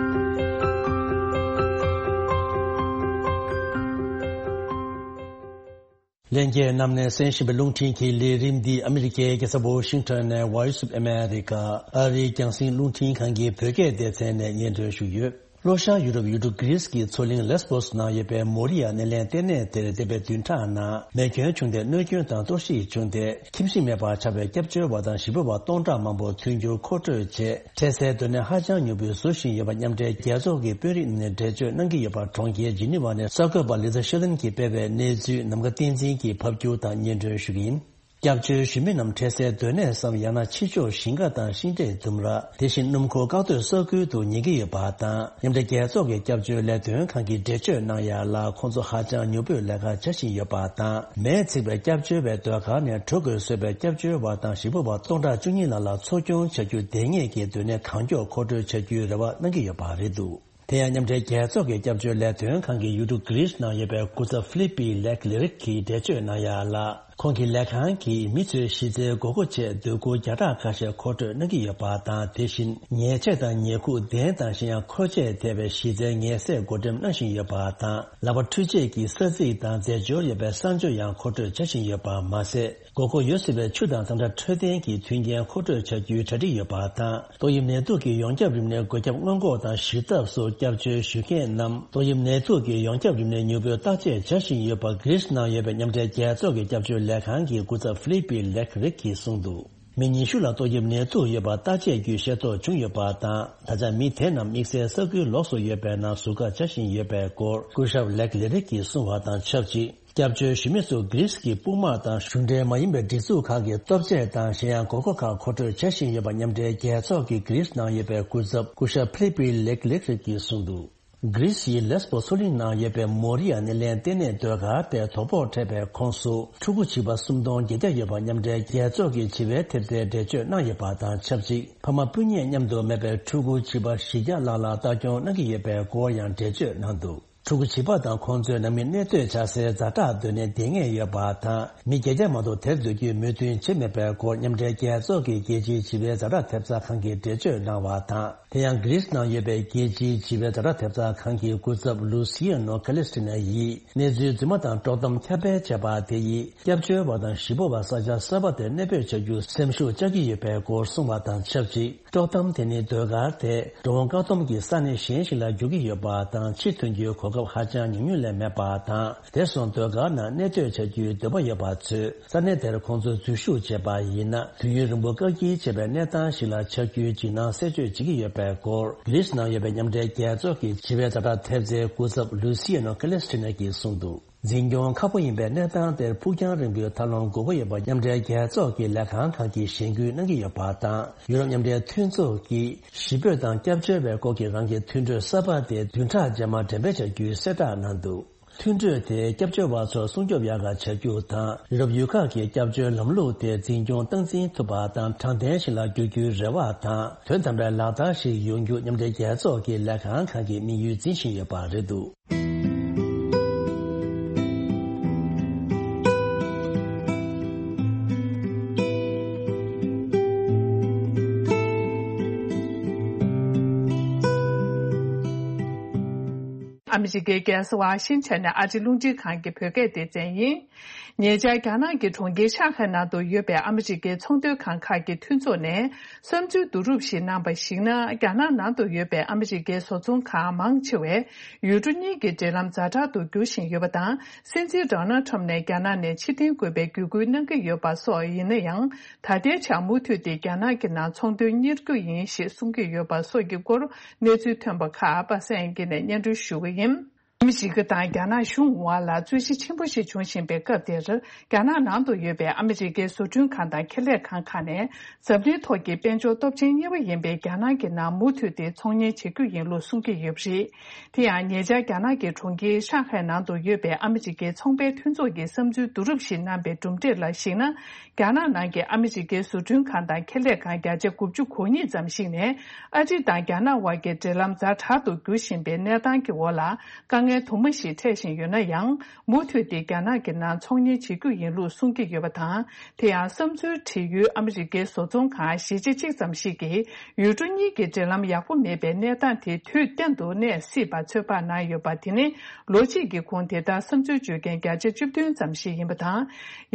ལྷན་རྒྱས་རྣམས་ནས་གསན་བཞིན་པའི་རླུང་འཕྲིན་གྱི་ལས་རིམ་འདི་ཨ་མི་རི་ཀའི་རྒྱལ་ས་ཝོ་ཤིང་ཊོན་ནས་Voice of America་ཨ་རིའི་རྒྱང་སྲིང་རླུང་འཕྲིན་ཁང་གི་བོད་སྐད་སྡེ་ཚན་ནས་སྙན་སྒྲོན་ཞུས་ཡོད། ལྷོ་ཤར་ཡུ་རོབ་ཡུལ་གྲུ་གྷི་རིས་ཀྱི་མཚོ་གླིང་ལེས་པོས་ནང་ཡོད་པའི་མོ་རི་ཡ་སྣེ་ལེན་ལྟེ་གནས་དེར་འདས་པའི་བདུན་ཕྲག་ནང་མེ་སྐྱོན་བྱུང་སྟེ་གནོད་སྐྱོན་དང་གཏོར་བཤིག་བྱུང་སྟེ་ཁྱིམ་གཞིས་མེད་པར་ཆགས་པའི་སྐྱབས་བཅོལ་བ་དང་ཞི་གཡོག་པ་སྟོང་ཕྲག་མང་པོ་མཐུན་འགྱུར་མཁོ་སྤྲོད་བྱས། འཕྲལ་སེལ་སྡོད་གནས་ཧ་ཅང་མྱུར་པོས་བཟོ་བཞིན་ཡོད་པ་མཉམ་འབྲེལ་རྒྱལ་ཚོགས་ཀྱི་དཔོན་རིགས་ནས་འགྲེལ་བརྗོད་གནང་གི་ཡོད་པར་གྲོང་ཁྱེར་ཇི་ནི་ཝ་ནས་གསར་འགོད་པ་ལི་ཛ་ཤེ་ལིན་གྱིས་སྤེལ་བའི་གནས་ཚུལ་ནམ་མཁའ་བསྟན་འཛིན་གྱིས་ཕབ་སྒྱུར་དང་སྙན་སྒྲོན་ཞུ་གི་ཡིན། སྐྱབས་བཅོལ་ཞུ་མི་རྣམས་འཕྲལ་སེལ་སྡོད་གནས་སམ་ཡང་ན་ཕྱི་ཕྱོགས་ཞིང་ཁ་དང་ཤིང་འབྲས་ལྡུམ་ར། དེ་བཞིན་སྣུམ་འཁོར་བཀག་སྡོད་ས་ཁུལ་དུ་ཉར་གྱི་ཡོད་པ་དང་། མཉམ་འབྲེལ་རྒྱལ་ཚོགས་ཀྱི་སྐྱབས་བཅོལ་ལས་དོན་ཁང་གིས་འགྲེལ་བརྗོད་གནང་ཡ་ལ། ཁོང་ཚོ་ཧ་ཅང་མྱུར་པོས་ལས་ཀ་བྱ་བཞིན་ཡོད་པ་དང་། མེས་འཚིག་པའི་སྐྱབས་བཅོལ་བའི་སྡོད་སྒར་ནས་གྲོལ་དགོས་བཟོས་པའི་སྐྱབས་བཅོལ་བ་དང་ཞི་གཡོག་པ་སྟོང་ཕྲག་བཅུ་གཉིས་ལྷག་ལ་འཚོ་སྐྱོང་བྱ་རྒྱུ་དེ་སྔས་ཀྱི་སྡོད་གནས་གང་མགྱོགས་མཁོ་སྤྲོད་བྱ་རྒྱུའི་རེ་བ་གནང་གི་ཡོད་པ་རེད་འདུག་དེ་ཡང་མཉམ་འབྲེལ་རྒྱལ་ཚོགས་ཀྱི་སྐྱབས་བཅོལ་ལས་དོན་ཁང་གི་ཡུལ་གྲུ་གྷི་རིས་ནང་ཡོད་པའི་སྐུ་ཚབ་ཧྥི་ལི་པི་ལེག་ལི་རིག་གིས་འགྲེལ་བརྗོད་གནང་ཡ་ལ། ཁོང་གི་ལས་ཁང་གིས་མི་ཚོའི་གཞི་རྩའི་དགོས་མཁོ་ཆེད་སྡོད་གུར་བརྒྱ་ཕྲག་ཁ་ཤས་མཁོ་སྤྲོད་གནང་གི་ཡོད་པ་དང་། དེ་བཞིན་ཉལ་ཆས་དང་ཉལ་ཁུག་གདན་དང་གཞན་ཡང་མཁོ་ཆས་ཐེ་བའི་གཞི་རྩའི་ཉལ་སའི་བགོ་འགྲེམས་གནང་བཞིན་ཡོད་པ་དང་། ལག་པ་འཁྲུད་བྱེད་ཀྱི་ས་ཚིགས་དང་རྫས་སྦྱོར་ཡོད་པའི་གསང་སྤྱོད་ཡང་མཁོ་སྤྲོད་བྱ་བཞིན་ཡོད་པ་མ་ཟད། དགོས་མཁོ་ཡོད་སྲིད་པའི་ཆུ་དང་གཙང་སྦྲ་འཕྲོད་བསྟེན་གྱི་མཐུན་རྐྱེན་མཁོ་སྤྲོད་བྱ་རྒྱུའི་གྲ་སྒྲིག་ཡོད་པ་དང་། ཏོག་དབྱིབས་ནད་དུག་གི་ཡོངས་ཁྱབ་རིམས་ནད་འགོས་ཁྱབ་སྔོན་འགོག་དང་ཞི་ཐབས་སུ་སྐྱབས་བཅོལ་ཞུ་མཁན་རྣམས་ཏོག་དབྱིབས་ནད་དུག་གི་ཡོངས་ཁྱབ་རིམས་ནད་མྱུར་པོའི་བརྟག་དཔྱད་བྱ་བཞིན་ཡོད་པ་གྷི་རིས་ནང་ཡོད་པའི་མཉམ་འབྲེལ་རྒྱལ་ཚོགས་ཀྱི་སྐྱབས་བཅོལ་ལས་ཁང་གི་སྐུ་ཚབ་ཧྥི་ལི་པི་ལེག་རིག་གིས་གསུངས་འདུག་མི་ཉི་ཤུ་ལ་ཏོག་དབྱིབས་ནད་དུག་ཡོད་པ་བརྟག་དཔྱད་བརྒྱུད་ཤེས་རྟོགས་བྱུང་ཡོད་པ་དང་། ད་ཆ་མི་དེ་རྣམས་དམིགས་བསལ་ས་ཁུལ་ལོགས་སུ་ཡོད་པའི་ནང་ཟུར་བཀག་བྱ་བཞིན་ཡོད་པའི་སྐོར་སྐུ་ཞབས་ལེག་ལི་རིག་གིས་གསུངས་པ་དང་ཆབས་ཅིག་སྐྱབས་བཅོལ་ཞུ་མི་ཚོ་གྷི་རིས་ཀྱི་དཔུང་དམག་དང་གཞུང་འབྲེལ་མ་ཡིན་པའི་སྒྲིག་འཛུགས་ཁག་གིས་སྟོབས་ཆས་དང་གཞན་ཡང་དགོས་མཁོ་ཁག་མཁོ་སྤྲོད་བྱ་བཞིན་ཡོད་པ་མཉམ་འབྲེལ་རྒྱལ་ཚོགས་ཀྱི་གྷི་རིས་ནང་ཡོད་པའི་སྐུ་ཚབ་སྐུ་ཞབས་ཕི་ལི་པི་ལེག་ལེག་རིག་གིས་གསུངས་འདུག་གྷི་རིས་ཡི་ལེས་པོ་མཚོ་གླིང་ནང་ཡོད་པའི་མོ་རི་ཡ་སྣེ་ལེན་ལྟེ་གནས་ཟློས་གར་དེ་དོ་ཕོག་འཕྲད་པའི་ཁོངས་སུ་ཕྲུ་གུ་བྱིས་པ་སུམ་སྟོང་བརྒྱད་བརྒྱ་ཡོད་པ་མཉམ་འབྲེལ་རྒྱལ་ཚོགས་ཀྱི་བྱིས་པའི་ཐེབས་རྩའི་འགྲེལ་བརྗོད་གནང་ཡོད་པ་དང་ཆབས་ཅིག་ཕ་མ་སྤུན་ཉེ་མཉམ་དུ་མེད་པའི་ཕྲུ་གུ་བྱིས་པ་བཞི་བརྒྱ་ལྷག་ལ་ལྟ་སྐྱོང་གནང་གི་ཡོད་པའི་སྐོར་ཡང་འགྲེལ་བརྗོད་གནང་འདུག་ཕྲུ་གུ་བྱིས་པ་དང་ཁོང་ཚོའི་ནང་མི་གནས་སྡོད་བྱ་སའི་ཛ་དྲག་སྡོད་གནས་དེ་ངེས་ཡོད་པ་དང་། མི་བརྒྱད་བརྒྱ་མ་གཏོགས་དེར་སྡོད་རྒྱུའི་མོས་མཐུན་བྱེད་མེད་པའི་སྐོར་མཉམ་འབྲེལ་རྒྱལ་ཚོགས་ཀྱི་རྒྱལ་སྤྱིའི་བྱིས་པའི་ཛ་དྲག་ཐེབས་རྩ་ཁང་གིས་འགྲེལ་བརྗོད་གནང་བ་དང་། དེ་ཡང་གྷི་རིས་ནང་ཡོད་པའི་རྒྱལ་སྤྱིའི་བྱིས་པའི་ཛ་དྲག་ཐེབས་རྩ་ཁང་གི་སྐུ་ཚབ་ལུ་སི་ཡ་ནོ་ཁ་ལིས་ཏི་ན་ཡིས། གནས་ཚུལ་རྫུན་མ་དང་དཀྲོག་གཏམ་ཁྱབ་སྤེལ་བྱས་པ་དེ་ཡིས་སྐྱབས་བཅོལ་བ་དང་གཞིས་སྤོ་བ་ས་ཆ་གསར་པ་དེར་གནས་སྤོས་བྱ་རྒྱུར་སེམས་ཤུགས་བཅག་གི་ཡོད་པའི་སྐོར་གསུངས་པ་དང་ཆབས་ཅིག་དཀྲོག་གཏམ་དེ་ནི་ཟློས་གར་དེ་འགྲོ་འོང་བཀག་སྡོམ་གྱིས་ས་གནས་གཞན་ཞིག་ལ་བསྒྱུར་གྱི་ཡོད་པ་དང་། ཕྱིར་ཐོན་རྒྱུའི་གོ་སྐབས་ཧ་ཅང་ཉུང་ཉུང་ལས་མེད་པ་དང་། དེ་སོང་ཟློས་གར་ནང་གནས་སྡོད་བྱ་རྒྱུའི་འདོད་པ་ཡོད་པ་ཚོས་ས་གནས་དེར་ཁོང་ཚོ་འཛུལ་ཞུགས་བྱས་པ་ཡིན་ན། དུས་ཡུན་རིང་པོ་བཀག་སྐྱིལ་བྱས་པའི་གནས་སྟངས་ཤིག་ལ་ཆགས་རྒྱུའི་འཇིགས་སྣང་སེལ་བཅོས་བྱེད་ཀྱི་ཡོད་པའི་སྐོར་གྷི་རིས་ནང་ཡོད་པའི་མཉམ་འབྲེལ་རྒྱལ་ཚོགས་ཀྱི་བྱིས་པའི་ཛ་དྲག་ཐེབས་རྩའི་སྐུ་ཚབ་ལུ་སི་ཡ་ནོ་ཁ་ལིས་ཏི་ན་གྱིས་གསུངས་འདུག་འཛིན་སྐྱོང་ཁག་པོ་ཡིན་པའི་གནས་སྟངས་དེར་ཕུགས་རྒྱང་རིང་པོའི་ཐབས་ལམ་དགོས་མཁོ་ཡོད་པ་མཉམ་འབྲེལ་རྒྱལ་ཚོགས་ཀྱི་ལས་ཁང་ཁག་གིས་གཞེན་སྐུལ་གནང་གི་ཡོད་པ་དང་། ཡུ་རོབ་མཉམ་འབྲེལ་མཐུན་ཚོགས་ཀྱིས་གཞིས་སྤོས་དང་སྐྱབས་བཅོལ་བའི་སྐོར་གྱི་རང་གི་མཐུན་གྲོས་གསར་པ་དེ་བདུན་ཕྲག་རྗེས་མ་འགྲེམས་སྤེལ་བྱ་རྒྱུའི་གསལ་བསྒྲགས་གནང་འདུག་མཐུན་གྲོས་དེས་སྐྱབས་བཅོལ་བ་ཚོར་སྲུང་སྐྱོབ་ཡག་ག་བྱ་རྒྱུ་དང་། ཡུ་རོབ་ཡུལ་ཁག་གི་སྐྱབས་བཅོལ་ལམ་ལུགས་དེ་འཛིན་སྐྱོང་སྟངས་འཛིན་ཐུབ་པ་དང་དྲང་བདེན་ཞིག་ལ་འགྱུར་རྒྱུའི་རེ་བ་དང་། དོན་དམ་པའི་ལག་བསྟར་ཞིག་ཡོང་རྒྱུ་མཉམ་འབྲེལ་རྒྱལ་ཚོགས་ཀྱི་ལས་ཁང་ཁག་གིས་དམིགས་ཡུལ་འཛིན་བཞིན་ཡོད་པ་རེད་འདུག་ཨ་མི་རི་ཀའི་རྒྱལ་ས་ཝ་ཤིང་ཊོན་ནས་ཨ་རིའི་རླུང་འཕྲིན་ཁང་གི་བོད་སྐད་སྡེ་ཚན་ཡིན། ཉེ་ཆར་རྒྱ་ནག་གི་གྲོང་ཁྱེར་ཤང་ཧའེ་ནང་དུ་ཡོད་པའི་ཨ་མི་རི་ཀའི་ཚོང་དོན་ཁང་ཁག་གི་མཐུན་ཚོགས་ནས་བསམ་ཚུལ་བསྡུ་རུབ་ཞིག་གནང་པར་གཞིགས་ན། རྒྱ་ནག་ནང་དུ་ཡོད་པའི་ཨ་མི་རི་ཀའི་བཟོ་ཚོང་ཁང་མང་ཆེ་བས་ཡུལ་གྲུ་གཉིས་ཀྱི་འབྲེལ་ལམ་ཛ་དྲག་ཏུ་འགྱུར་བཞིན་ཡོད་པ་དང་། སྲིད་འཛིན་ཌོ་ནལ་ཁྲམ་ནས་རྒྱ་ནག་ནས་ཕྱིར་འཐེན་དགོས་པའི་བརྒྱུད་སྐུལ་གནང་གི་ཡོད་པ་སོགས་ཡིན་ན་ཡང་། ད་ལྟའི་ཆར་མུ་མཐུད་དེ་རྒྱ་ནག་གི་ནང་ཚོང་དོན་གཉེར་རྒྱུ་ཡིན་ཞེས་གསུང་གི་ཡོད་པ་སོགས་ཀྱི་སྐོར་གནས་ཚུལ་ཐོན་པ་ཁག་པ་སངས་དབྱངས་སྐྱིད་ནས་སྙན་སྒྲོན་ཞུ་གི་ཡིན། ཨ་མི་རི་ཀ་དང་རྒྱ་ནག་གཞུང་དབར་ལ་རྩོད་གཞི་ཆེན་པོ་ཞིག་བྱུང་བཞིན་པའི་སྐབས་དེར། རྒྱ་ནག་ནང་དུ་ཡོད་པའི་ཨ་མི་རི་ཀའི་བཟོ་སྐྲུན་ཁང་དང་ཁེ་ལས་ཁང་ཁག་ནས། འཛམ་གླིང་ཐོག་གི་དཔལ་འབྱོར་སྟོབས་ཆེན་གཉིས་པ་ཡིན་པའི་རྒྱ་ནག་གི་ནང་མུ་མཐུད་དེ་ཚོང་གཉེར་བྱེད་རྒྱུ་ཡིན་ལུགས་གསུང་གི་ཡོད་པ་རེད། དེ་ཡང་ཉེ་ཆར་རྒྱ་ནག་གི་གྲོང་ཁྱེར་ཤང་ཧའེ་ནང་དུ་ཡོད་པའི་ཨ་མི་རི་ཀའི་ཚོང་པའི་མཐུན་ཚོགས་ཀྱིས་བསམ་ཚུལ་བསྡུ་རུབ་ཞིག་གནང་པའི་གྲུབ་འབྲས་ལ་གཞིགས་ན། རྒྱ་ནག་ནང་གི་ཨ་མི་རི་ཀའི་བཟོ་སྐྲུན་ཁང་དང་ཁེ་ལས་ཁང་བརྒྱ་ཆ་དགུ་བཅུ་གོ་གཉིས་ཙམ་ཞིག་ནས། ཨ་རི་དང་རྒྱ་ནག་དབར་གྱི་འབྲེལ་ལམ་ཛ་དྲག་ཏུ་འགྱུར་བཞིན་པའི་གནས་སྟངས་ཀྱི་འོག་ལ། དཀའ་ངལ་དུ་མ་ཞིག་འཕྲད་བཞིན་ཡོད་ན་ཡང་། མུ་མཐུད་དེ་རྒྱ་ནག་གི་ནང་ཚོང་གཉེར་བྱེད་རྒྱུ་ཡིན་ལུགས་གསུང་གི་ཡོད་པ་དང་། དེ་ཡང་བསམ་ཚུལ་བྲིས་ཡུལ་ཨ་མི་རི་ཀའི་བཟོ་ཚོང་ཁང་བཞི་ཆ་གཅིག་ཙམ་ཞིག་གིས། ཡུལ་གྲུ་གཉིས་ཀྱི་འབྲེལ་ལམ་ཡག་པོ་མེད་པའི་གནས་སྟངས་དེ་དུས་གཏན་དུ་གནས་སྲིད་པ་ཚོད་དཔག་གནང་ཡོད་པ། དེ་ནི་ལོ་གཅིག་གི་གོང་དེ་ལྟར་བསམ་ཚུལ་བརྗོད་མཁན་བརྒྱ་ཆ་བཅུ་བདུན་ཙམ་ཞིག་ཡིན་པ་དང་།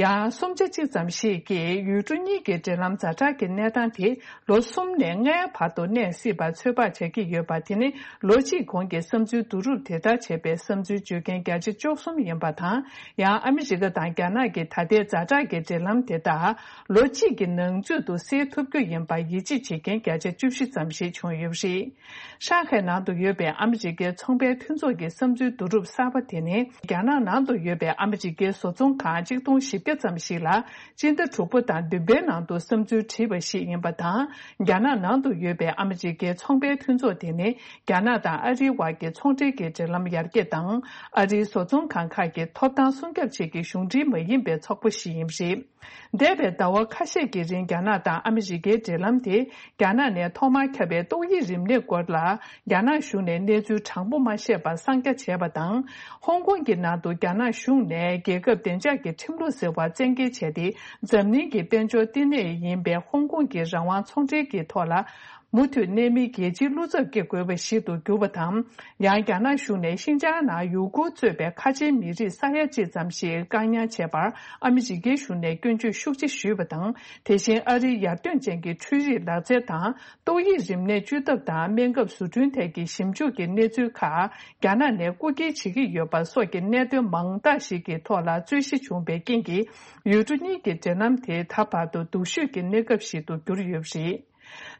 ཡང་སུམ་ཆ་གཅིག་ཙམ་ཞིག་གིས་ཡུལ་གྲུ་གཉིས་ཀྱི་འབྲེལ་ལམ་ཛ་དྲག་གི་གནས་སྟངས་དེ་ལོ་གསུམ་ནས་ལྔའི་བར་དུ་གནས་སྲིད་པ་ཚོད་དཔག་བྱ་གི་ཡོད་པ། དེ་ནི་ལོ་གཅིག་གོང་གི་བསམ་ཚུལ་བསྡུ་རུབ་དེ་ལྟར་བྱས་པའི་བསམ་ཚུལ་བརྗོད་མཁན་བརྒྱ་ཆ་བཅུ་གསུམ་ཡིན་པ་དང་། ཡང་ཨ་མི་རི་ཀ་དང་རྒྱ་ནག་གི་ད་ལྟའི་ཛ་དྲག་གི་འབྲེལ་ལམ་དེ་དག་ལོ་གཅིག་གི་ནང་ཚུད་དུ་སེལ་ཐུབ་རྒྱུ་ཡིན་པར་ཡིད་ཆེས་བྱེད་མཁན་བརྒྱ་ཆ་བཅུ་བཞི་ཙམ་ཞིག་བྱུང་ཡོད་པ་རེད། ཧྲང་ཧའེ་ནང་དུ་ཡོད་པའི་ཨ་མི་རི་ཀའི་ཚོང་པའི་མཐུན་ཚོགས་ཀྱི་བསམ་ཚུལ་བསྡུ་རུབ་གསར་པ་དེ་ནི། རྒྱ་ནག་ནང་དུ་ཡོད་པའི་ཨ་མི་རི་ཀའི་བཟོ་ཚོང་ཁང་གཅིག་སྟོང་བཞི་བརྒྱ་ཙམ་ཞིག་ལ། སྤྱི་ཟླ་དྲུག་པ་དང་བདུན་པའི་ནང་དུ་བསམ་ཚུལ་བྲིས་པ་ཞིག་ཡིན་པ་དང་། རྒྱ་ནག་ནང་དུ་ཡོད་པའི་ཨ་མི་རི་ཀའི་ཚོང་པའི་མཐུན་ཚོགས་དེ་ནི། རྒྱ་ནག་དང་ཨ་རིའི་དབར་གྱི་ཚོང་འབྲེལ་གྱི་འབྲེལ་ལམ་ཡར་རྒྱས་དང་། ཨ་རིའི་བཟོ་ཚོང་ཁང་ཁག་གི་ཐོབ་ཐང་སྲུང་སྐྱོབ་ཆེད་ཀྱི་གཞུང་འབྲེལ་མ་ཡིན་པའི་ཚོགས་པ་ཞིག་ཡིན་པ་རེད། འདས་པའི་ཟླ་བ་ཁ་ཤས་ཀྱི་རིང་རྒྱ་ནག་དང་ཨ་མི་རི་ཀའི་འབྲེལ་ལམ་དེ། རྒྱ་ནག་ནས་ཐོག་མར་ཁྱབ་པའི་ཏོག་དབྱིབས་རིམས་ནད་སྐོར་ལ། རྒྱ་ནག་གཞུང་ནས་གནས་ཚུལ་དྲང་པོ་མ་བཤད་པར་གསང་རྒྱ་བྱས་པ་དང་། ཧོང་ཀོང་གི་ནང་དུ་རྒྱ་ནག་གཞུང་ནས་རྒྱལ་ཁབ་བདེ་འཇགས་ཀྱི་ཁྲིམས་ལུགས་ཟེར་བ་བཙན་འགེལ་བྱས་ཏེ། འཛམ་གླིང་གི་དཔལ་འབྱོར་བསྟི་གནས་ཡིན་པའི་ཧོང་ཀོང་གི་རང་དབང་ཚོང་འབྲེལ་གྱི་ཐོག་ལ། མུ་མཐུད་གནས་མིའི་རྒྱལ་སྤྱིའི་བློ་འཚབ་སྐྱེ་དགོས་པ་ཞིག་ཏུ་གྱུར་པ་དང་། ཡང་རྒྱ་ནག་གཞུང་ནས་ཤིན་ཅང་ནང་ཡུ་གུར་གཙོས་པའི་ཁ་ཆེའི་མི་རིགས་ས་ཡ་གཅིག་ཙམ་ཞིག་བཀག་ཉར་བྱས་པར་ཨ་མི་རི་ཀའི་གཞུང་ནས་སྐྱོན་བརྗོད་ཤུགས་ཆེ་ཞུས་པ་དང་། དེ་བཞིན་ཨ་རིའི་ཡར་ཐོན་ཅན་གྱི་འཕྲུལ་རིག་ལག་རྩལ་དང་། ཏོག་དབྱིབས་རིམས་ནད་བཅོས་ཐབས་དང་སྨན་ཁབ་བཟོ་སྐྲུན་ཐད་ཀྱི་ཞིབ་འཇུག་གི་གནས་ཚུལ་ཁག་རྒྱ་ནག་ནས་རྐུ་འཁྱེར་བྱེད་ཀྱི་ཡོད་པ་སོགས་ཀྱི་གནད་དོན་མང་དག་ཞིག་གི་ཐོག་ལ་རྩོད་གཞི་བྱུང་བའི་རྐྱེན་གྱིས། ཡུལ་གྲུ་གཉིས་ཀྱི་འབྲེལ་ལམ་དེ་ད་བར་དུ་སྡུག་ཤོས་ཀྱི་གནས་སྐབས་ཤིག་ཏུ་གྱུར་ཡོད་པ་རེད།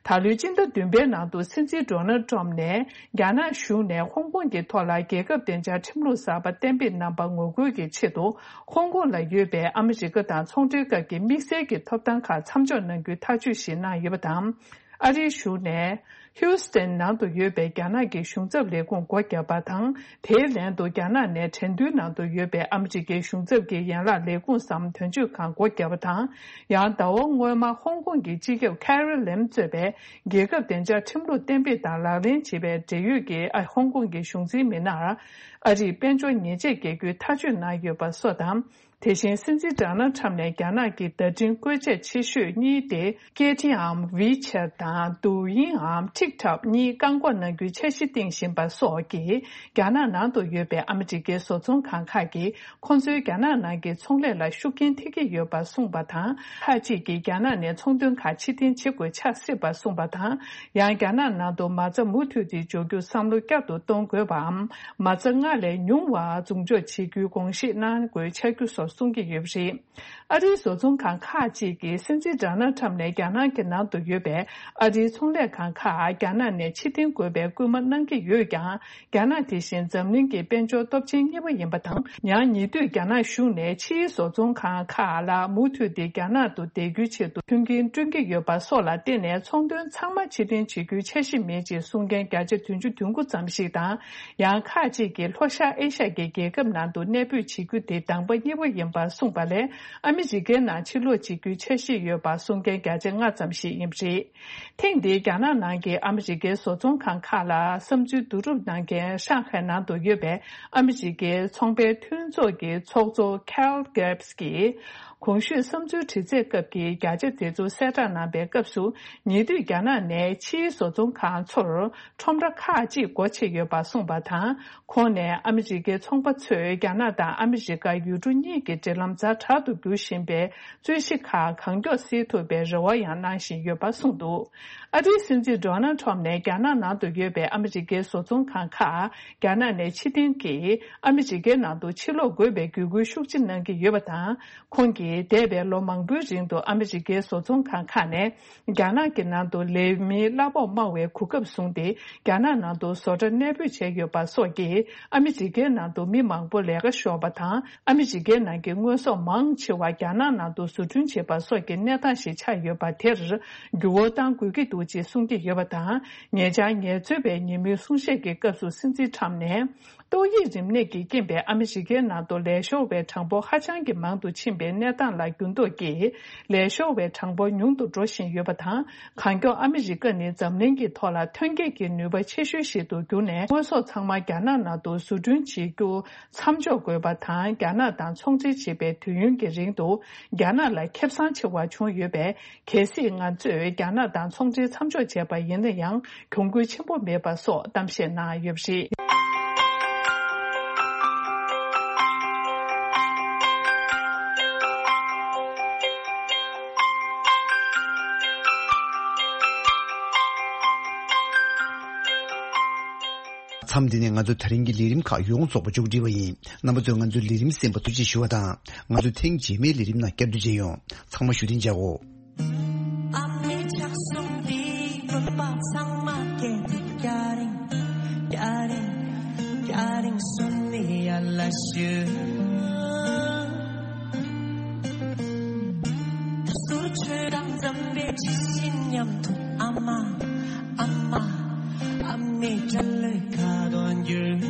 ད་ལོའི་སྤྱི་ཟླ་བདུན་པའི་ནང་དུ་སྲིད་འཛིན་ཌོ་ནལ་ཊམ་ནས་རྒྱ་ནག་གཞུང་ནས་ཧོང་ཀོང་གི་ཐོག་ལ་རྒྱལ་ཁབ་བདེ་འཇགས་ཁྲིམས་ལུགས་གསར་པ་གཏན་འབེབས་གནང་པ་ངོ་རྒོལ་གྱི་ཆེད་དུ། ཧོང་ཀོང་ལ་ཡོད་པའི་ཨ་མི་རི་ཀ་དང་ཚོང་འབྲེལ་སྐབས་ཀྱི་དམིགས་བསལ་གྱི་ཐོབ་ཐང་ཁག་མཚམས་འཇོག་གནང་རྒྱུའི་ཐག་གཅོད་ཞིག་གནང་ཡོད་པ་དང་། ཨ་རིའི་གཞུང་ནས། ཧིའུ་སི་ཐན་ནང་དུ་ཡོད་པའི་རྒྱ་ནག་གི་གཞུང་ཚབ་ལས་ཁུངས་སྒོ་བརྒྱབ་པ་དང་། དེའི་ལན་དུ་རྒྱ་ནག་ནས་ཁྲེང་ཏུའུ་ནང་དུ་ཡོད་པའི་ཨ་མི་རི་ཀའི་གཞུང་ཚབ་ཀྱི་ཡན་ལག་ལས་ཁུངས་སམ་དོན་གཅོད་ཁང་སྒོ་བརྒྱབ་པ་དང་། ཡང་ཟླ་བ་སྔོན་མ་ཧོང་ཀོང་གི་སྤྱི་ཁྱབ་ཁེ་རི་ལེམ་གཙོས་པའི་རྒྱལ་ཁབ་བདེ་འཇགས་ཁྲིམས་ལུགས་གཏན་འབེབས་དང་ལག་ལེན་བྱེད་པའི་འབྲེལ་ཡོད་ཀྱི་ཨ་ཧོང་ཀོང་གི་གཞུང་འཛིན་མི་སྣར་ཨ་རིས་དཔལ་འབྱོར་ཉེས་ཆད་འགེལ་རྒྱུའི་ཐག་གཅོད་གནང་ཡོད་པ་སོགས་དང་། དེ་བཞིན་སྲིད་འཛིན་ཌོ་ནལ་ཁྲམ་ནས་རྒྱ་ནག་གི་བརྡ་འཕྲིན་བཀོལ་ཆས་ཆེ་ཤོས་གཉིས་ཏེ་ཀེ་ཊི་འམ་ཝི་ཆེ་དང་དུའུ་ཡིང་འམ་ཊིག་ཊོག་གཉིས་བཀག་འགོག་གནང་རྒྱུའི་འཆར་གཞི་བཏིང་བཞིན་པ་སོགས་ཀྱིས་རྒྱ་ནག་ནང་དུ་ཡོད་པའི་ཨ་མི་རི་ཀའི་བཟོ་ཚོང་ཁང་ཁག་གིས་ཁོང་ཚོའི་རྒྱ་ནག་ནང་གི་ཚོང་ལས་ལ་ཤུགས་རྐྱེན་ཐེབས་ཀྱི་ཡོད་པ་གསུངས་པ་དང་། ཁག་ཅིག་གིས་རྒྱ་ནག་ནས་ཚོང་དོན་ཁག་ཕྱིར་འཐེན་བྱེད་དགོས་ཆགས་སྲིད་པ་གསུངས་པ་དང་། ཡང་རྒྱ་ནག་ནང་དུ་མ་རྩ་མུ་མཐུད་དེ་འཇོག་རྒྱུ་བསམ་བློ་བསྐྱར་དུ་གཏོང་དགོས་པའམ། མ་རྩ་སྔར་ལས་ཉུང་བ་འཛུགས་འཇོག་བྱེད་རྒྱུའི་དགོངས་བཞེས་གནང་དགོས་འཆར་རྒྱུ་སོགས་གསུང་གི་ཡོད་པ་རེད། ཨ་རིའི་བཟོ་ཚོང་ཁང་ཁག་ཅིག་གིས་སྲིད་འཛིན་ཌོ་ནལ་ཁྲམ་ནས་རྒྱ་ནག་གི་ནང་དུ་ཡོད་པའི་ཨ་རིའི་ཚོང་ལས་ཁང་ཁག་རྒྱ་ནག་ནས་ཕྱིར་འཐེན་དགོས་པའི་སྐུལ་མ་གནང་གི་ཡོད་ཀྱང་། རྒྱ་ནག་དེ་བཞིན་འཛམ་གླིང་གི་དཔལ་འབྱོར་སྟོབས་ཆེན་གཉིས་པ་ཡིན་པ་དང་། ཡང་ཉེ་དུས་རྒྱ་ནག་གཞུང་ནས་ཕྱིའི་བཟོ་ཚོང་ཁང་ཁག་ལ་མུ་མཐུད་དེ་རྒྱ་ནག་ཏུ་བསྡད་རྒྱུའི་ཆེད་དུ་མཐུན་རྐྱེན་བསྐྲུན་གྱི་ཡོད་པ་སོགས་ལ་བརྟེན་ནས་ཚོང་དོན་ཚང་མ་ཕྱིར་འཐེན་བྱེད་རྒྱུའི་འཆར་གཞི་མེད་ཅེས་གསུང་མཁན་བརྒྱ་ཆ་བདུན་ཅུ་དོན་དགུ་ཙམ་ཞིག་དང་། ཡང་ཁག་ཅིག་གིས་ལྷོ་ཤར་ཨེ་ཤ་ཡའི་རྒྱལ་ཁབ་ནང་དུ་གནས་སྤོས་བྱེད་རྒྱུ་དེ་གདམ་ག་གཉིས་པ་ཡིན་པར་གསུངས་པ་ལས། ཨ་མི་རི་ཀའི་ནང་ཕྱིར་ལོག་བྱེད་རྒྱུའི་འཆར་གཞི་ཡོད་པ་གསུང་མཁན་བརྒྱ་ཆ་ལྔ་ཙམ་ཞིག་ཡིན་པ་རེད། ཐེངས་འདིའི་རྒྱ་ནག་ནང་གི་ཨ་མི་རི་ཀའི་བཟོ་ཚོང་ཁང་ཁག་ལ་བསམ་ཚུལ་བསྡུ་རུབ་གནང་མཁན་ཧྲང་ཧའེ་ནང་དུ་ཡོད་པའི་ཨ་མི་རི་ཀའི་ཚོང་པའི་མཐུན་ཚོགས་ཀྱི་ཚོགས་གཙོ་Kyle Gibbs གིས། གོང་ཞུས་བསམ་ཚུལ་དྲི་རྩད་སྐབས་ཀྱི་བརྒྱ་ཆ་དེ་ཚོ་གསལ་བསྒྲགས་གནང་པའི་སྐབས་སུ། ཉེ་དུས་རྒྱ་ནག་ནས་ཕྱིའི་བཟོ་ཚོང་ཁང་ཚོར་ཁྲོམ་ར་ཁག་ཅིག་སྒོ་ཕྱེ་ཡོད་པ་གསུངས་པ་དང་། ཁོང་ནས་ཨ་མི་རི་ཀའི་ཚོང་པ་ཚོས་རྒྱ་ནག་དང་ཨ་མི་རི་ཀ་ཡུལ་གྲུ་གཉིས་ཀྱི་འབྲེལ་ལམ་ཛ་དྲག་ཏུ་འགྱུར་བཞིན་པའི་རྩོད་གཞི་ཁག་གང་མགྱོགས་སེལ་ཐུབ་པའི་རེ་བ་ཡང་གནང་བཞིན་ཡོད་པ་གསུངས་འདུག་ཨ་རིའི་སྲིད་འཛིན་ཌོ་ནལ་ཁྲོམ་ནས་རྒྱ་ནག་ནང་དུ་ཡོད་པའི་ཨ་མི་རི་ཀའི་བཟོ་ཚོང་ཁང་ཁག་རྒྱ་ནག་ནས་ཕྱིར་འཐེན་གྱིས་ཨ་མི་རི་ཀའི་ནང་དུ་ཕྱིར་ལོག་དགོས་པའི་བརྒྱུད་སྐུལ་ཤུགས་ཆེ་གནང་གི་ཡོད་པ་དང་། ཁོང་གིས་འདས་པའི་ལོ་མང་པོའི་རིང་དུ་ཨ་མི་རི་ཀའི་བཟོ་ཚོང་ཁང་ཁག་ནས་རྒྱ་ནག་གི་ནང་དུ་ལས་མིའི་གླ་ཕོགས་དམའ་བའི་གོ་སྐབས་བཟུང་སྟེ། རྒྱ་ནག་ནང་དུ་བཟོ་གྲྭ་གནས་སྤོས་བྱས་ཡོད་པ་སོགས་ཀྱིས་ཨ་མི་རི་ཀའི་ནང་དུ་མི་མང་པོ་ལས་ཀ་ཤོར་བ་དང་། ཨ་མི་རི་ཀའི་ནང་གི་དངོས་ཟོག་མང་ཆེ་བ་རྒྱ་ནག་ནང་དུ་བཟོ་སྐྲུན་བྱེད་པ་སོགས་ཀྱི་གནས་སྟངས་ཤིག་ཆགས་ཡོད་པ་དེར་འགྱུར་བ་གཏང་དགོས་ཀྱི་འདུག་ཅེས་གསུང་གི་ཡོད་པ་དང་། ཉེ་ཆར་ངལ་རྩོལ་བའི་ཉིན་མོའི་གསུང་བཤད་ཀྱི་སྐབས་སུ་སྲིད་འཛིན་ཁྲམ་ནས། ཏོག་དབྱིབས་རིམས་ནད་ཀྱི་རྐྱེན་པས་ཨ་མི་རི་ཀའི་ནང་དུ་ལས་ཤོར་བའི་གྲངས་འབོར་ཧ་ཅང་གི་མང་དུ་ཕྱིན་པའི་གནས་སྟངས་ལ་འགྱུར་ལྡོག་གིས་ལས་ཤོར་བའི་གྲངས་འབོར་ཉུང་དུ་འགྲོ་བཞིན་ཡོད་པ་དང་། གང་མགྱོགས་ཨ་མི་རི་ཀ་ནི་འཛམ་གླིང་གི་ཐོག་ལ་ཐོན་སྐྱེད་ཀྱི་ནུས་པ་ཆེ་ཤོས་ཤིག་ཏུ་གྱུར་ནས། དངོས་ཟོག་ཚང་མ་རྒྱ་ནག་ནང་དུ་བཟོ་སྐྲུན་བྱེད་རྒྱུ་མཚམས་འཇོག་དགོས་པ་དང་། རྒྱ་ནག་དང་ཚོང་འབྲེལ་བྱེད་པའི་དུས་ཡུན་གྱི་རིང་དུ་རྒྱ་ནག་ལ་ཁེ་བཟང་ཆེ་བ་བྱུང་ཡོད་པས། གལ་སྲིད་ང་ཚོས་རྒྱ་ནག་དང་ཚོང་འབྲེལ་མཚམས་འཇོག་བྱས་པ་ཡིན་ན་ཡང་གྱོང་གུན་ཆེན་པོ་མེད་པ་སོགས་གཏམ་བཤད་གནང་ཡོད་པ་རེད། མཚམས་འདི་ནས་ང་ཚོ་ད་རིང་གི་ལས་རིམ་ཁག་ཡོངས་རྫོགས་པ་མཇུག་སྒྲིལ་བ་ཡིན། རྣམ་པ་ཚོས་ང་ཚོའི་ལས་རིམ་གསན་པར་ཐུགས་རྗེ་ཞུ་བ་དང་། ང་ཚོ་ཐེངས་རྗེས་མའི་ལས་རིམ་ནང་བསྐྱར་དུ་མཇལ་ཡོང་། ཚང་མ་བཞུགས་གདན་འཇགས་གོ། ཨ་མའི་ཕྱག་ཟུང་འདིས་བོད་པ་ཚང་མ་སྐྱེ་འདི་སྐྱ་རེངས་སྐྱ་རེངས་སྐྱ་རེངས་སོན་ནི་ཡར་ལ་ཞུ། ད་ཟུར་ཆོས་དང་འཛམ་བུའི་ཇི་བཞིན་མཉམ་དུ་ཨ་མ་ཨ་མ་ཨ་མའི་དྲ་ལོས་ཁ་དོན་རྒྱུ།